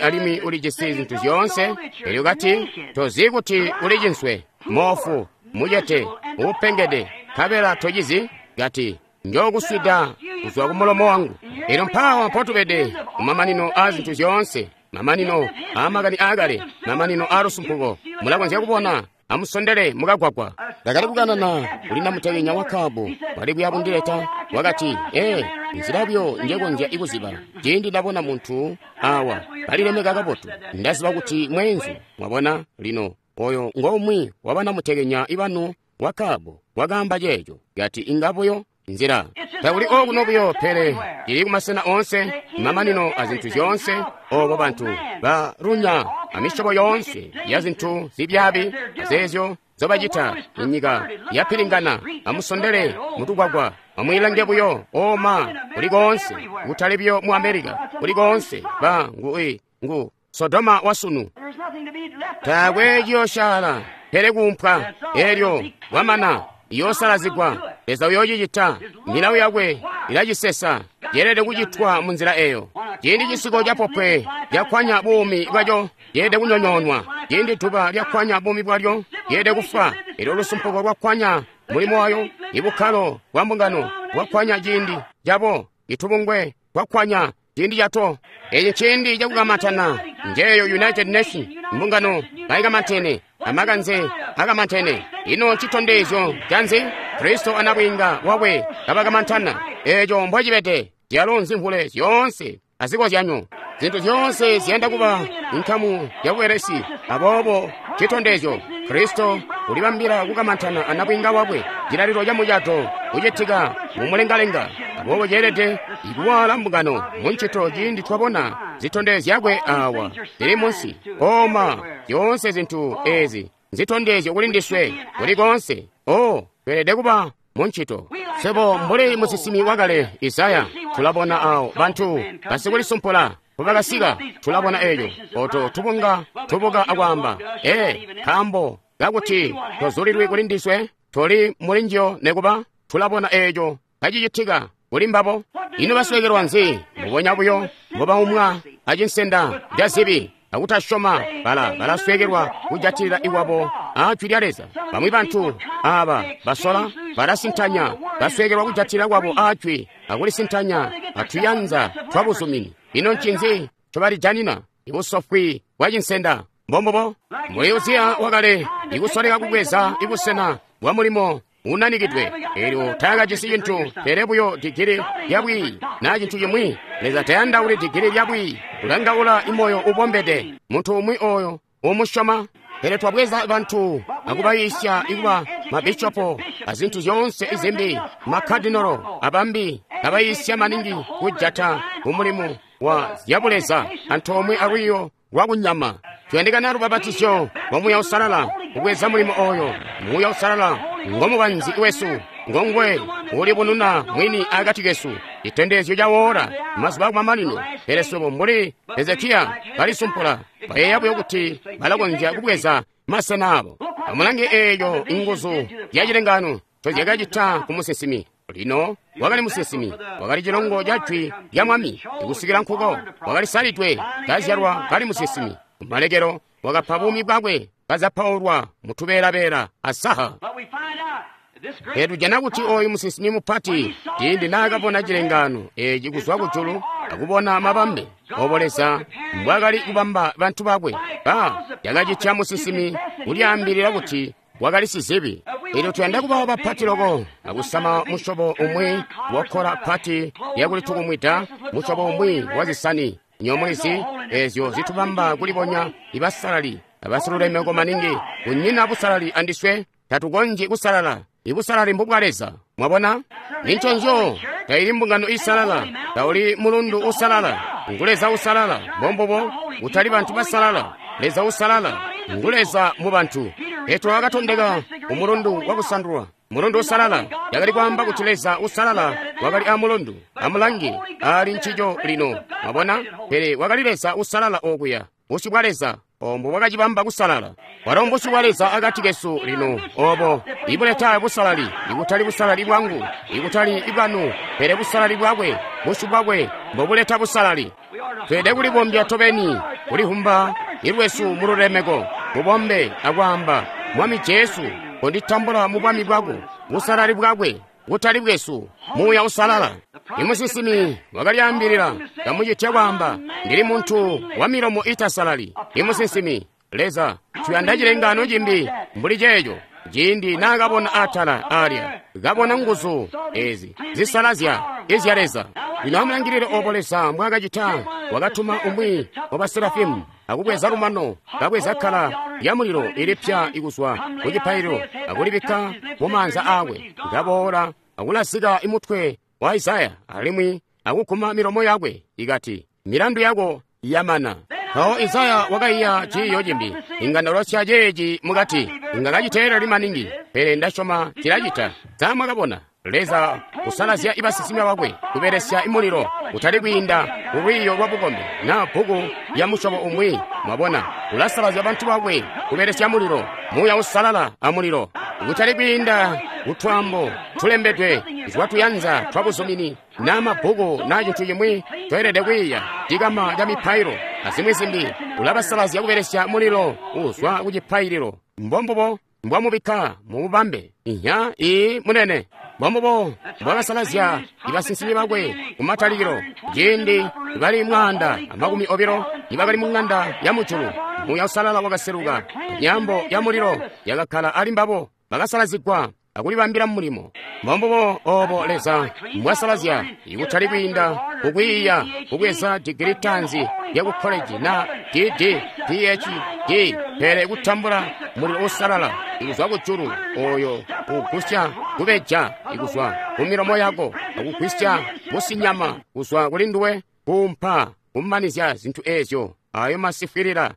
alimwi ulijisi zintu zyoonse. Elyo kati, tozi kuti uli cinswe, moofu, mucete, uupengede, nkabela tocizi. Kati, njookuswida kuzwa ku mulomo wangu. Elyo mpaawa mpotubede kumamanino aa zintu zyoonse, mamanino aa makani aakale, mamanino aa lusumpuko. Mulakonzya kubona, amusondele mukagwagwa. Ndakali kukanana kuli namutekenya wa Kabu, wali kuya bundileta. Wakati, ee, nzila buyo njekonzya ikuziba ciindi ndabona muntu awa kalilemeka kabotu, ndaziba kuti mweenzu. Mwabona lino. Oyo ngomwi wabanamutekenya ibanu wa Kabu wakaamba ceeco, kati inga buyo nzila. Takuli okuno buyo, pele cili kumasena oonse, mamanino a zintu zyoonse, obo bantu ba lunya amisyobo yoonse ya zintu zibyaabi azeezyo nzobacita inyika yapilingana. Amusondele mutugwagwa, amwiilange buyo oma kuli koonse, kutali buyo mu America, kuli koonse ba ngu Sodoma wasunu. Taakwe ciyosyaala pele kuumpwa, elyo kwamana iyoosalazigwa. Leza uyoocicita, milawo yakwe ilacisesa, yeelede kucitwa munzila eyo. Ciindi cisiko ca popwe lyakkwanya buumi bwaco, yeelede kunyonyoonwa. Ciindi duba lyakkwanya buumi bwalyo, yeelede kufwa. Elyo lusumpuko lwakkwanya mulimo wayo, ibukkalo bwa mbungano bwakkwanya ciindi cabo, itubungwe twakkwanya ciindi cato. Eci nciindi cakukamantana, njeeyo United Nations, mbungano kaikamantene, amakanze akamantene. Ino ncitondezyo canzi? Kristo anabwiinga wakwe kabakamantana. Eco mbocibede, zyalo nzimvule zyoonse azikozyanyo. Zintu zyoonse ziyanda kuba nkamu ya bubelesi. Aboobo citondezyo, Kristo ulibambila kukamantana anabwiinga wakwe. Cilalilo ca mucato kucitika mumulengalenga. Aboobo ceelede ikuwaala mbungano muncito ciindi twabona zitondezyo zyakwe awa zili munsi. Oma, zyoonse zintu ezi nzitondezyo kuli ndiswe kuli koonse. O, tweelede kuba muncito. Sebo mbuli musinsimi wakale Isaya, tulabona awo bantu basikulisumpula kubakasika. Tulabona eyo oto tubunga tubuka akwaamba, nkaambo kakuti tozulilwi kuli ndiswe, toli muli njiyo nekuba. Tulabona eco kacicitika kuli mbabo. Ino baswekelwa nzi? Mbubonya buyo mbobaumwa acinsenda ca zibi akutasyoma, balaswekelwa kujatilila iwabo a jwi lya Leza. Bamwi bantu aba basola balasintanya, baswekelwa kujatilila kwabo a jwi akulisintanya atuyanza twabuzumini. Ino ncinzi ncobalijanina? Ibusofwi bwa cinsenda. Mbombubo mbuli Uziya wakale ikusoleka kubweza ibusena bwa mulimo unanikidwe. Elyo taakajisi cintu pele buyo digili lya bwiiyi naa cintu cimwi. Leza tayandauli digili lya bwiiyi, ulangaula imoyo ubombede, muntu umwi oyo umusyoma. Pele twabweza bantu akubayiisya ikuba mabishopo azintu zyoonse izimbi, makadinolo abambi, abayiisya maningi kujata mumulimu wa zyabuleza antoomwe alwiiyo lwakunyama. Tuyandikana lubapatizyo lwa Muuya Uusalala kubweza mulimo oyo. Muuya Uusalala ngomubanzi wesu, ngongwe ulibununa mwini akati kesu, citondezyo ca woora mazuba akumamanino. Pele swebo mbuli Hezekiya balisumpula, bayeeya buyo kuti balakonzya kubweza masena abo. Amulange eeyo inguzu zya cilengano ncozyakacita ku musinsimi. Lino wakali musinsimi, wakali cilongo ca jwi lya Mwami ikusikila nkuko, wakali salidwe, kazyalwa kali musinsimi. Kumalekelo wakapa buumi bwakwe kazapaulwa mutubeela-beela asaha. Pele tujana kuti oyu musinsimi mupati, ciindi naakabona cilengano eci kuzwa kujulu akubona mabambe obo Leza mbwaakali kubamba bantu bakwe, cakacitya musinsimi kulyaambilila kuti wakali sizibi. Elyo tuyanda kuba bapati loko akusama musyobo umwi wakkola pati lyakulitukumwida, musyobo umwi wazisani nyomulizi ezyo zitubamba kulibonya ibasalali abasilulemeko maningi. Kunyina busalali andiswe, tatukonzyi kusalala. Ibusalali mbubwa Leza. Mwabona? Ninconzyo taili mbungano isalala, tauli mulundu usalala, ngu Leza usalala. Mbombubo, kutali bantu basalala. Leza usalala ngu Leza mu bantu. Petro wakatondeka umulundu wakusandulwa, mulundu usalala. Yakali kwaamba kuti Leza usalala wakali amulundu, amulangi ali ncico lino. Mwabona? Pele wakali Leza usalala okuya, busyu bwa Leza ombo bwakacibamba kusalala. Walo mbusyu bwa Leza akati kesu lino, obo ibuleta busalali, ikutali busalali bwangu, ikutali ibwanu, pele busalali bwakwe. Busyu bwakwe mbobuleta busalali. Tweelede kulibombya tobeni, kulihumba ilwesu mululemeko, mubombe akwaamba, Mwami Jesu, konditambula mu bwami bwako, busalali bwakwe, kutali bwesu, Muuya Usalala. Imusinsimi wakalyaambilila kamucitya kwaamba, ndili muntu wa milomo itasalali. Imusinsimi, Leza, tuyanda cilengano cimbi mbuli ceeco. Ciindi naakabona atala alya, kabona nguzu ezi zisalazya izya Leza. Lino amulangilile obo Leza mbwaakacita. Wakatuma umwi wa baserafimu. akubweza lumano, kabweza kkala lya mulilo ilipya ikuzwa ku cipaililo, akulibikka mu maanza aakwe, kaboola akulazika imutwe wa Isaya, alimwi akuguma milomo yakwe, ikati, milandu yako yamana. Mpawo Isaya wakaiya ciiyo cimbi. Inga ndalosya ceeci mukati, inga kaciteeleli maningi, pele ndasyoma cilacita. Sa mwakabona Leza kusalazya ibasinsimi bakwe kubelesya imulilo, kutali kwiinda ku lwiiyo lwa bukombi na bbuku lya musyobo umwi. Mwabona, ulasalazya bantu bakwe kubelesya mulilo, Muuya Uusalala a mulilo, kutali kwiinda kutwaambo tulembedwe twatuyanza twabuzumini na mabbuku na cintu cimwi tweelede kwiiya, cikama ca mipailo azimwi zimbi. Ulabasalazya kubelesya mulilo uuzwa ku cipaililo. Mbombubo mbwamubikka mu bubambe. Inya ii munene. Mbombubo mbwakasalazya ibasinsimi bakwe kumatalikilo, ciindi bali 120 nibakali mu ng'anda ya mujulu. Muuya Uusalala wakaseluka, myaambo ya mulilo yakakkala ali mbabo, bakasalazigwa akulibambila mulimo. Mbombubo obo Leza mbwasalazya, ikutali kwiinda kukwiiya kubweza digiri tanzi ya ku college na DD, PhD, pele kutambula mulilo uusalala ikuzwa kujulu, oyo ugusya kubeja ikuzwa ku milomo yako, akugwisya businyama kuzwa kuli nduwe, kuumpa kumanizya zintu ezyo ayo masifwilila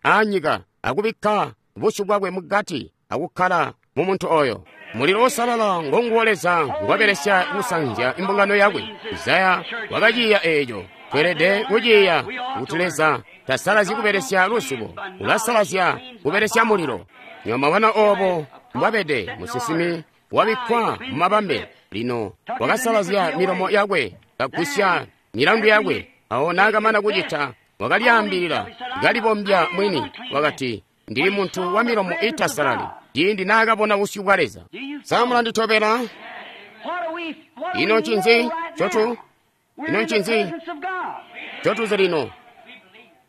aanyika, akubikka busyu bwakwe mukati akukkala mu muntu oyo. Mulilo uusalala ngonguwo Leza ngwabelesya kusanzya imbungano yakwe. Isaya wakaciiya eeco. Tweelede kuciiya kuti Leza tasalazyi kubelesya luzubo, ulasalazya kubelesya mulilo. Nyamabona obo mbwabede musinsimi wabikkwa mu mabambe. Lino wakasalazya milomo yakwe, kagwisya milandu yakwe. Awo naakamana kucita, wakalyaambilila kalibombya mwini, wakati, ndili muntu wa milomo itasalali, ciindi naakabona busyu bwa Leza. Sa mulanditobela? Ino ncinzi ncotu? Ino ncinzi ncotuzi lino?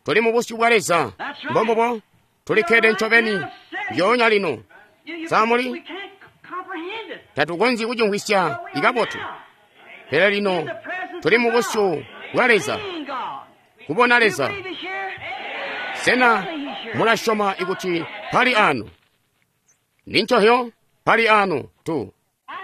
Tuli mu busyu bwa Leza. Mbombubo, tulikkede ncobeni ndyoonya lino. Sa muli? Tatukonzyi kucimvwisya ikabotu, pele lino tuli mu busyu bwa Leza, kubona Leza. Sena mulasyoma ikuti pali ano? Nincohyo pali ano tu.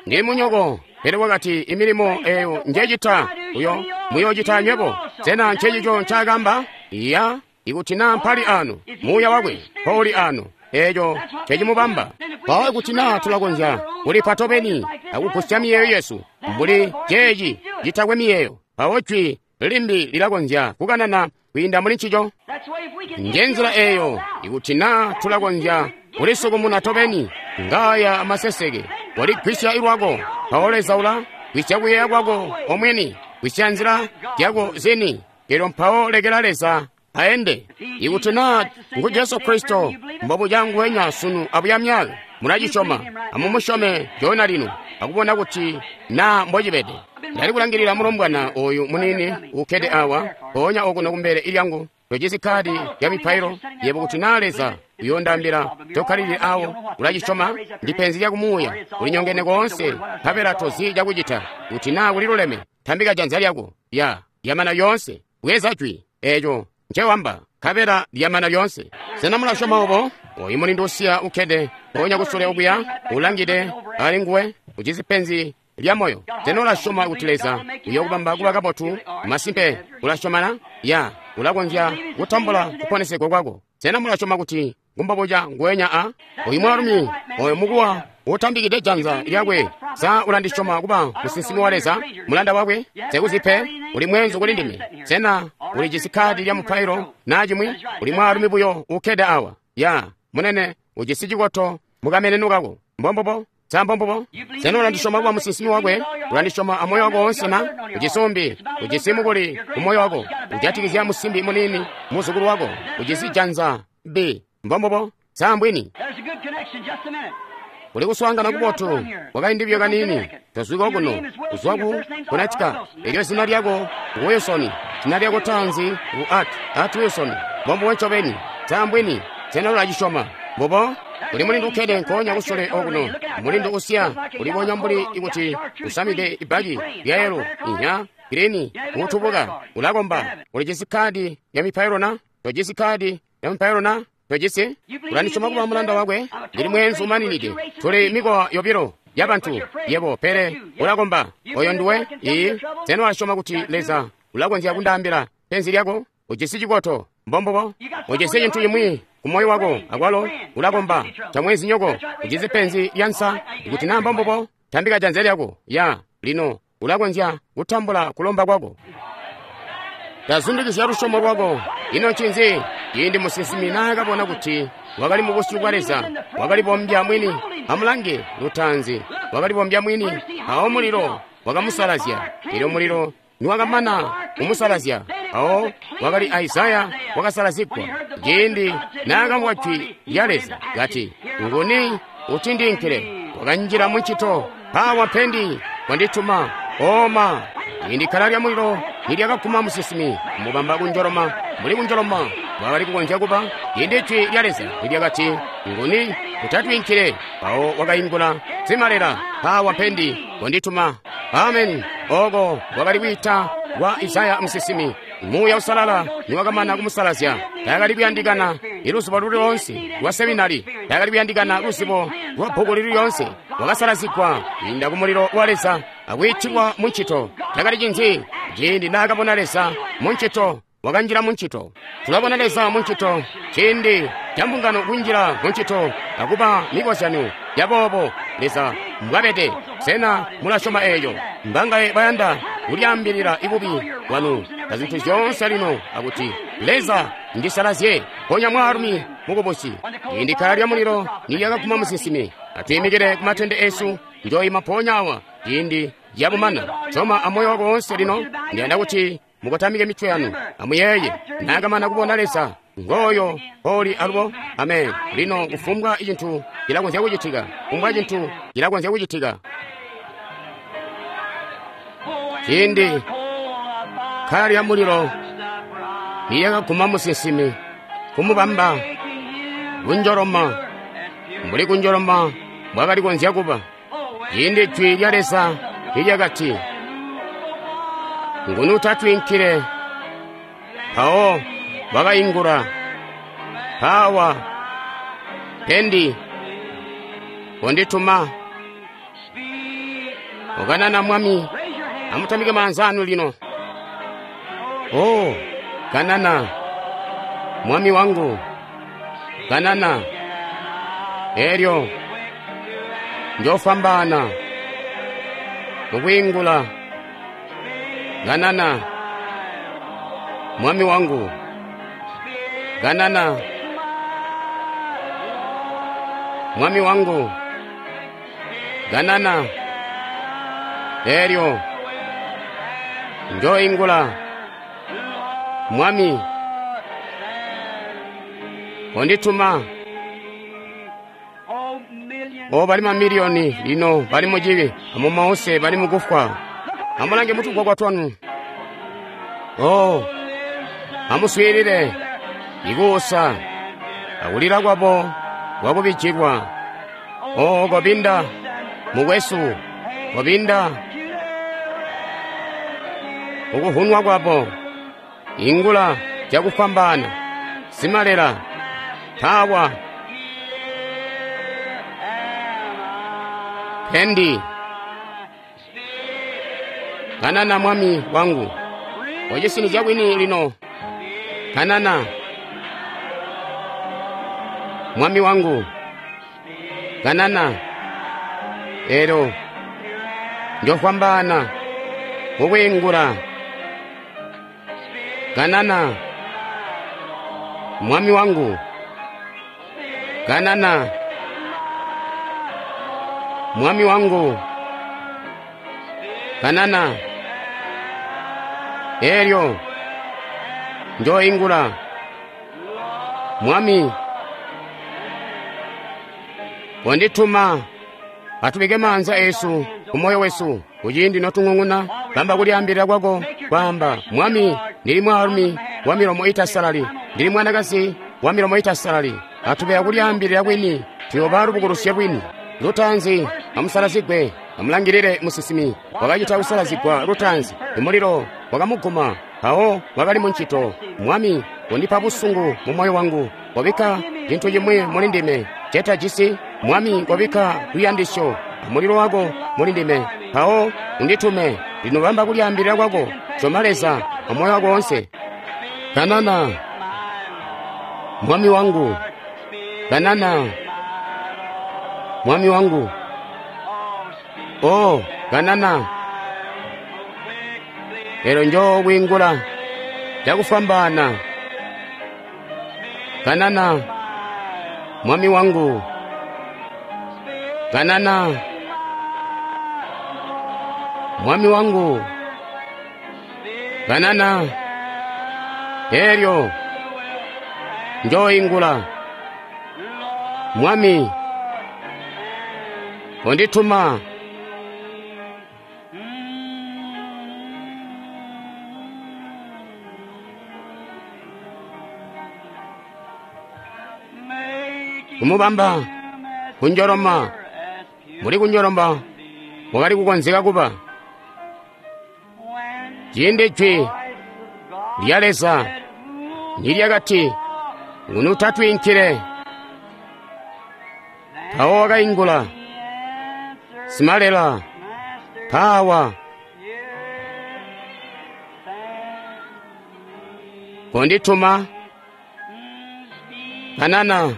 Ndi munyoko, pele wakati imilimo eyo njecita uyo muyocita nywebo. Sena ncecico ncaakamba? Iya, ikuti naa mpali ano, muuya wakwe mpoli ano, eco ncecimubamba. Mpawo ikuti naa tulakonzya kulipa tobeni akugusya miyeeyo yesu mbuli ceeci citakwe miyeeyo, mpawo jwi limbi lilakonzya kukanana kwiinda muli ncico. Njenzila eyo, ikuti naa tulakonzya kulisukumuna tobeni, ngaya amaseseke, waligwisya ilwako, mpawo Leza ula gwisya kuyeeya kwako omwini, gwisya nzila zyako zini, elyo mpawo lekela Leza aende. Ikuti naa ngu Jesu Kristo mbobuca nguwenya sunu abuya myaka, mulacisyoma, amumusyome jona lino, akubona kuti naa mbocibede. Ndali kulangilila mulombwana oyu muniini ukkede awa, mpoonya okuno kumbele ilyangu, tojisi kkaadi ya mipailo. Yebo kuti naa Leza uyoondaambila tokkalili awo, ulacisyoma? Ndi penzi lya kumuuya, ulinyongene koonse, nkabela tozi cakucita. Kuti naa kuliluleme, tambika janza lyako. Ya lyamana lyoonse. Bweza jwi eeco ncewamba, nkabela lyamana lyoonse. Sena mulasyoma obo? Oyu mulindu usiya ukkede mpoonya kusule okuya, ulangide ali nguwe, ujisi penzi lya moyo. Sena ulasyoma kuti Leza uyokubamba kuba kabotu? Masimpe, ulasyomana? Ya, ulakonzya kutambula kuponesegwa kwako. Sena mulasyoma kuti ngumbobuca nguwenya a oyu mwaalumi oyo mukuwa utambikide janza lyakwe? Sa ulandisyoma kuba musinsimi wa Leza, mulanda wakwe? Sekuzi pe, uli mweenzu kuli ndime. Sena ulijisi kkaadi lya mupailo naa cimwi? Uli mwaalumi buyo ukkede awa. Ya, munene, ujisi cikoto mukameneno kako. Mbombubo? Sa mbombubo? Sena ulandisyoma kuba musinsimi wakwe? Ulandisyoma amoyo wako woonse na? Ujisi umbi, ujisi mukuli kumoyo wako, ujatikizya musimbi muniini, muzukulu wako, ujisi janza b. Mbombubo? Sa mbwini? Kuli kuswaangana kubotu kwakaindi buyo kaniini. Tozwi kokuno, kuzwa ku Connecticut. Elyo zina lyako ngu Wilson, zina lyako taanzi ngu Art, Art Wilson. Mbombubo ncobeni. Sa mbwini? Sena ulacisyoma? Mbubo? Kuli mulindu ukkede nkoonya kusule okuno, mulindu usiya, ulibonya mbuli ikuti usamide ibbaki lya yelo, inya, gilini, utubuka, ulakomba. Ulijisi kkaadi ya mipailo na? Tojisi kkaadi lya mupailo na? Tojisi? Ulandisyoma kuba mulanda wakwe? Ndili mweenzu umaninide. Tuli mikowa yobilo ya bantu, yebo, pele ulakomba. Oyo nduwe? Iiyi. Sena ulasyoma kuti Leza ulakonzya kundaambila penzi lyako? Ujisi cikoto. Mbombubo. Ujisi cintu cimwi ku moyo wako, akwalo ulakomba. Ca mweenzinyoko. Ujisi penzi lya nsa. Ikuti na mbombubo, tambika janza lyako. Ya. Lino ulakonzya kutambula kulomba kwako. Tazundikizya lusyomo lwako. Ino ncinzi? Ciindi musinsimi naakabona kuti wakali mu busyu bwa Leza, wakalibombya mwini. Amulange, lutaanzi wakalibombya mwini, awo mulilo wakamusalazya. Elyo mulilo niwakamana kumusalazya, awo wakali Isaya wakasalazigwa. Ciindi naakamvwa jwi lya Leza kati, nguni utindiinkile? Wakanjila muncito, mpaawa mpendi, wandituma. Oma. Ciindi kkala lya mulilo nilyakaguma musinsimi, kumubamba kunjoloma, mbuli kunjoloma bwakali kukonzya kuba. Ciindi jwi lya Leza nilyakati, nguni utatwiinkile? Mpawo wakaingula, simalela, mpaawa mpendi, wandituma. Amen. Oko wakali kwiita kwa Isaya musinsimi. Muuya Uusalala niwakamana kumusalazya, taakali kuyandikana iluzibo luli loonse lwa seminari, taakali kuyandikana luzibo lwa bbuku lili lyoonse. Wakasalazigwa kwiinda ku mulilo wa Leza akwiitilwa mu ncito. Cakali cinzi? Ciindi naakabona Leza mu ncito, wakanjila mu ncito. Tulabona Leza mu ncito ciindi ca mbungano kunjila mu ncito akuba mikozyanyo ya boobo Leza mbwabede. Sena mulasyoma eeco? Mbangaye bayanda kulyaambilila bubi bwanu na zintu zyoonse lino akuti, Leza ndisalazye? Ponya mwaalumi mukubusi. Ciindi kkala lya mulilo nilyakaguma musinsimi, atwiimikile ku matende esu, njoyima mpoonya awa ciindi yabumana. Syoma amoyo wako woonse lino. Ndiyanda kuti mukotamike mitwe yanu. Amuyeeye, naakamana kubona Leza, ngooyo mpoli alubo. Amen. Lino kufumbwa cintu cilakonzya kucitika. Kufumbwa cintu cilakonzya kucitika. Ciindi kkala lya mulilo nilyakaguma musinsimi, kumubamba kunjoloma mbuli kunjoloma mbwakali konzya kuba. Ciindi jwi lya Leza nilyakati, nguni utatwiinkile? Mpawo wakaingula, mpaawa mpendi, wandituma. Okanana Mwami. Amutamike maanza anu lino. Oh, kanana Mwami wangu, kanana. Elyo njofwambaana mukwiingula. Kanana Mwami wangu, kanana Mwami wangu, kanana. Elyo njoingula. Mwami, wandituma. O, bali mamiliyoni lino bali mucibi, amumause bali mukufwa. Amulange mutugwagwa twanu. Oh, amuswiilile ikuusa akulila kwabo kwakubijilwa. Oh, kobinda mukwesu, kobinda ukuhunwa kwabo. Ingula cakufwambaana, simalela, tawa pendi. Kanana Mwami wangu, ojisinizya kwini lino. Kanana Mwami wangu, kanana. Elyo njofwambaana mukwiingula. Kanana Mwami wangu, kanana Mwami wangu, kanana. Elyo njoingula. Mwami, wandituma. Atubike maanza esu ku moyo wesu kuciindi notung'ung'una. Bamba kulyaambilila kwako kwaamba, Mwami, ndili mwaalumi wa milomo itasalali, ndili mwanakazi wa milomo itasalali. Atube akulyaambilila kwini, tuyooba lubukulusyo bwini. Lutaanzi amusalazigwe. Amulangilile musinsimi wakacita kusalazigwa lutaanzi. Imulilo wakamuguma, mpawo wakali muncito. Mwami, Kondipa busungu mu moyo wangu. Kobikka cintu cimwi muli ndime ncetajisi. Mwami, kobikka luyandisyo amulilo wako muli ndime. Mpawo unditume. Lino bamba kulyaambilila kwako. Syoma Leza amoyo wako woonse. Kanana, Mwami wangu. Kanana, Mwami wangu. Oh, kanana. Elyo njookwiingula cakufwambaana. Kanana, Mwami wangu. Kanana, Mwami wangu. Kanana. Elyo njoingula. Mwami, kondituma. Kumubamba kunjoloma, muli kunjoloma wakali kukonzeka kuba. Ciindi jwi lya Leza nilyakati, "Nguni utatwiinkile?" Mpawo wakaingula, "Simalela, mpaawa, kondituma." Kanana.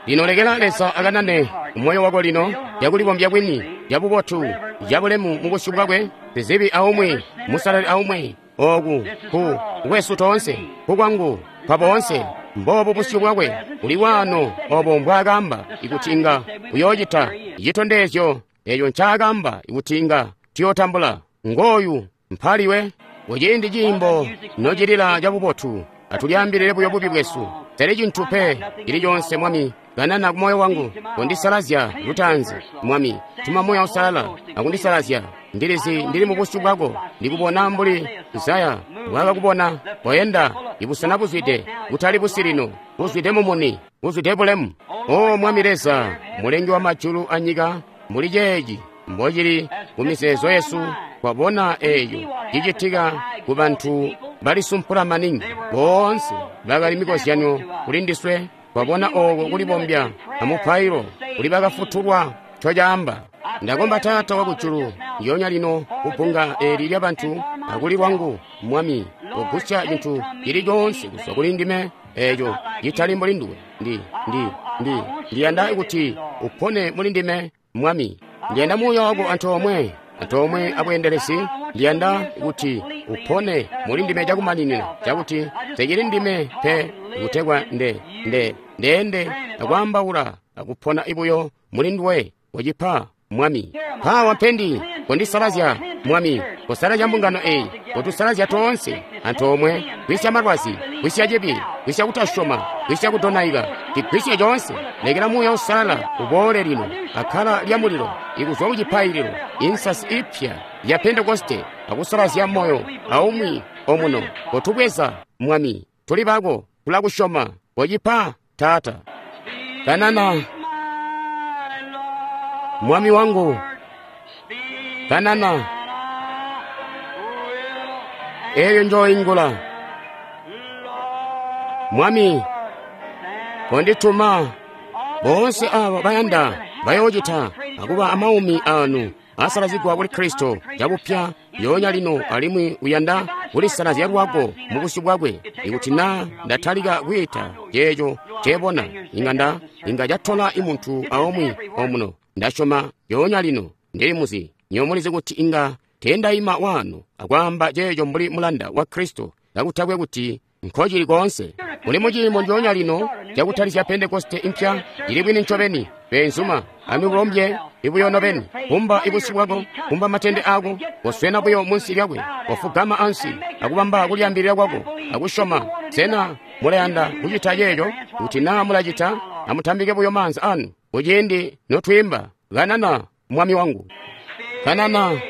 Lino lekela Leza akanane moyo wako lino, yakulibombya kwini, yabubotu, yabulemu mu busyu bwakwe, sizibi aumwi, musalali aumwi. Oku ku kwesu toonse, kukwangu, kwa boonse. Mboobu busyu bwakwe uli waano obo mbwaakamba ikuti inga uyoocita citondezyo eco ncaakamba ikuti inga tuyootambula. Ngooyu mpaliwe. Kuciindi ciimbo nocilila cabubotu, atulyaambilile buyo bubi bwesu. Tali cintu pe cili coonse, Mwami. Kanana ku moyo wangu, kondisalazya lutaanzi. Mwami, tuma Muuya Uusalala akundisalazya. Ndilizi ndili mu busyu bwako, ndikubona mbuli Isaya mbwaakakubona. Koyenda ibusena buzwide, kutali busi lino, buzwide mumuni, buzwide bulemu. O Mwami Leza, Mulengi wa majulu anyika, mbuli ceeci mbocili ku mizeezo yesu, twabona eeco cicitika ku bantu balisumpula maningi. Boonse bakali mikozyanyo kuli ndiswe. Twabona ooko kulibombya amupailo kuli bakafutulwa ncocaamba. Ndakomba Taata wakujulu, ndyoonya lino kubbunga eeli lyabantu akuli lwangu, Mwami, kogusya cintu cili coonse kuzwa kuli ndime eeco citali mbuli nduwe. Ndiyanda kuti upone muli ndime, Mwami. Ndiyanda Muuya wako antoomwe abweendelezi. Ndiyanda kuti upone muli ndime cakumaninina, cakuti secili ndime pe, kutegwa ndeende akwaambaula akupona ibuyo muli nduwe. Wocipa, Mwami. Mpaawa mpendi, kondisalazya, Mwami. Kosalazya mbungano eyi, kotusalazya toonse antoomwe. Gwisya malwazi, gwisya cibi, gwisya kutasyoma, gwisya kudonaika, tigwisye coonse. Lekela Muuya Uusalala uboole lino, akkala lya mulilo ikuzwa ku cipaililo, insasi ipya ya Pentekoste, akusalazya moyo aumwi omuno. Kotubweza, Mwami, tuli bako, tulakusyoma. Kocipa, Taata. Kanana, Mwami wangu. Kanana. Eyo njoingula. Mwami, kondituma. Boonse abo bayanda bayoocita akuba amaumi anu asalazigwa kuli Kristo cabupya yoonya lino, alimwi uyanda kulisalazya lwako mu busyu bwakwe. Ikuti naa ndatalika kwiita ceeco ceebona, inga catola imuntu aumwi omuno. Ndasyoma yoonya lino ndili muzi. Nywebo mulizi kuti inga teendaima waano akwaamba ceeco mbuli mulanda wa Kristo kakutakwe kuti nkocili koonse. Muli muciimo ndyoonya lino cakutalisya Pentekoste impya ili bwini ncobeni. Beenzuma, amulombye ibuyo nobeni. Kumba ibusyu bwako, kumba matende ako, koswena buyo munsi lyakwe, kofugama ansi, akubamba kulyaambilila kwako, akusyoma. Sena mulayanda kucita ceeco? Kuti naa mulacita, amutambike buyo maanza anu kuciindi notwiimba. Kanana, Mwami wangu. Kanana,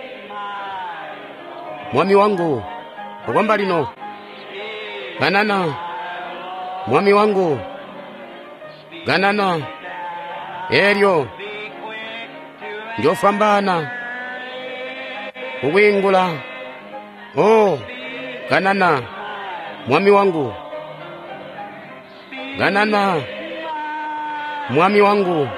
Mwami wangu. Kukomba lino. Kanana, Mwami wangu. Kanana. Elyo njofwambaana kukwiingula. Oh, kanana, Mwami wangu. Kanana, Mwami wangu.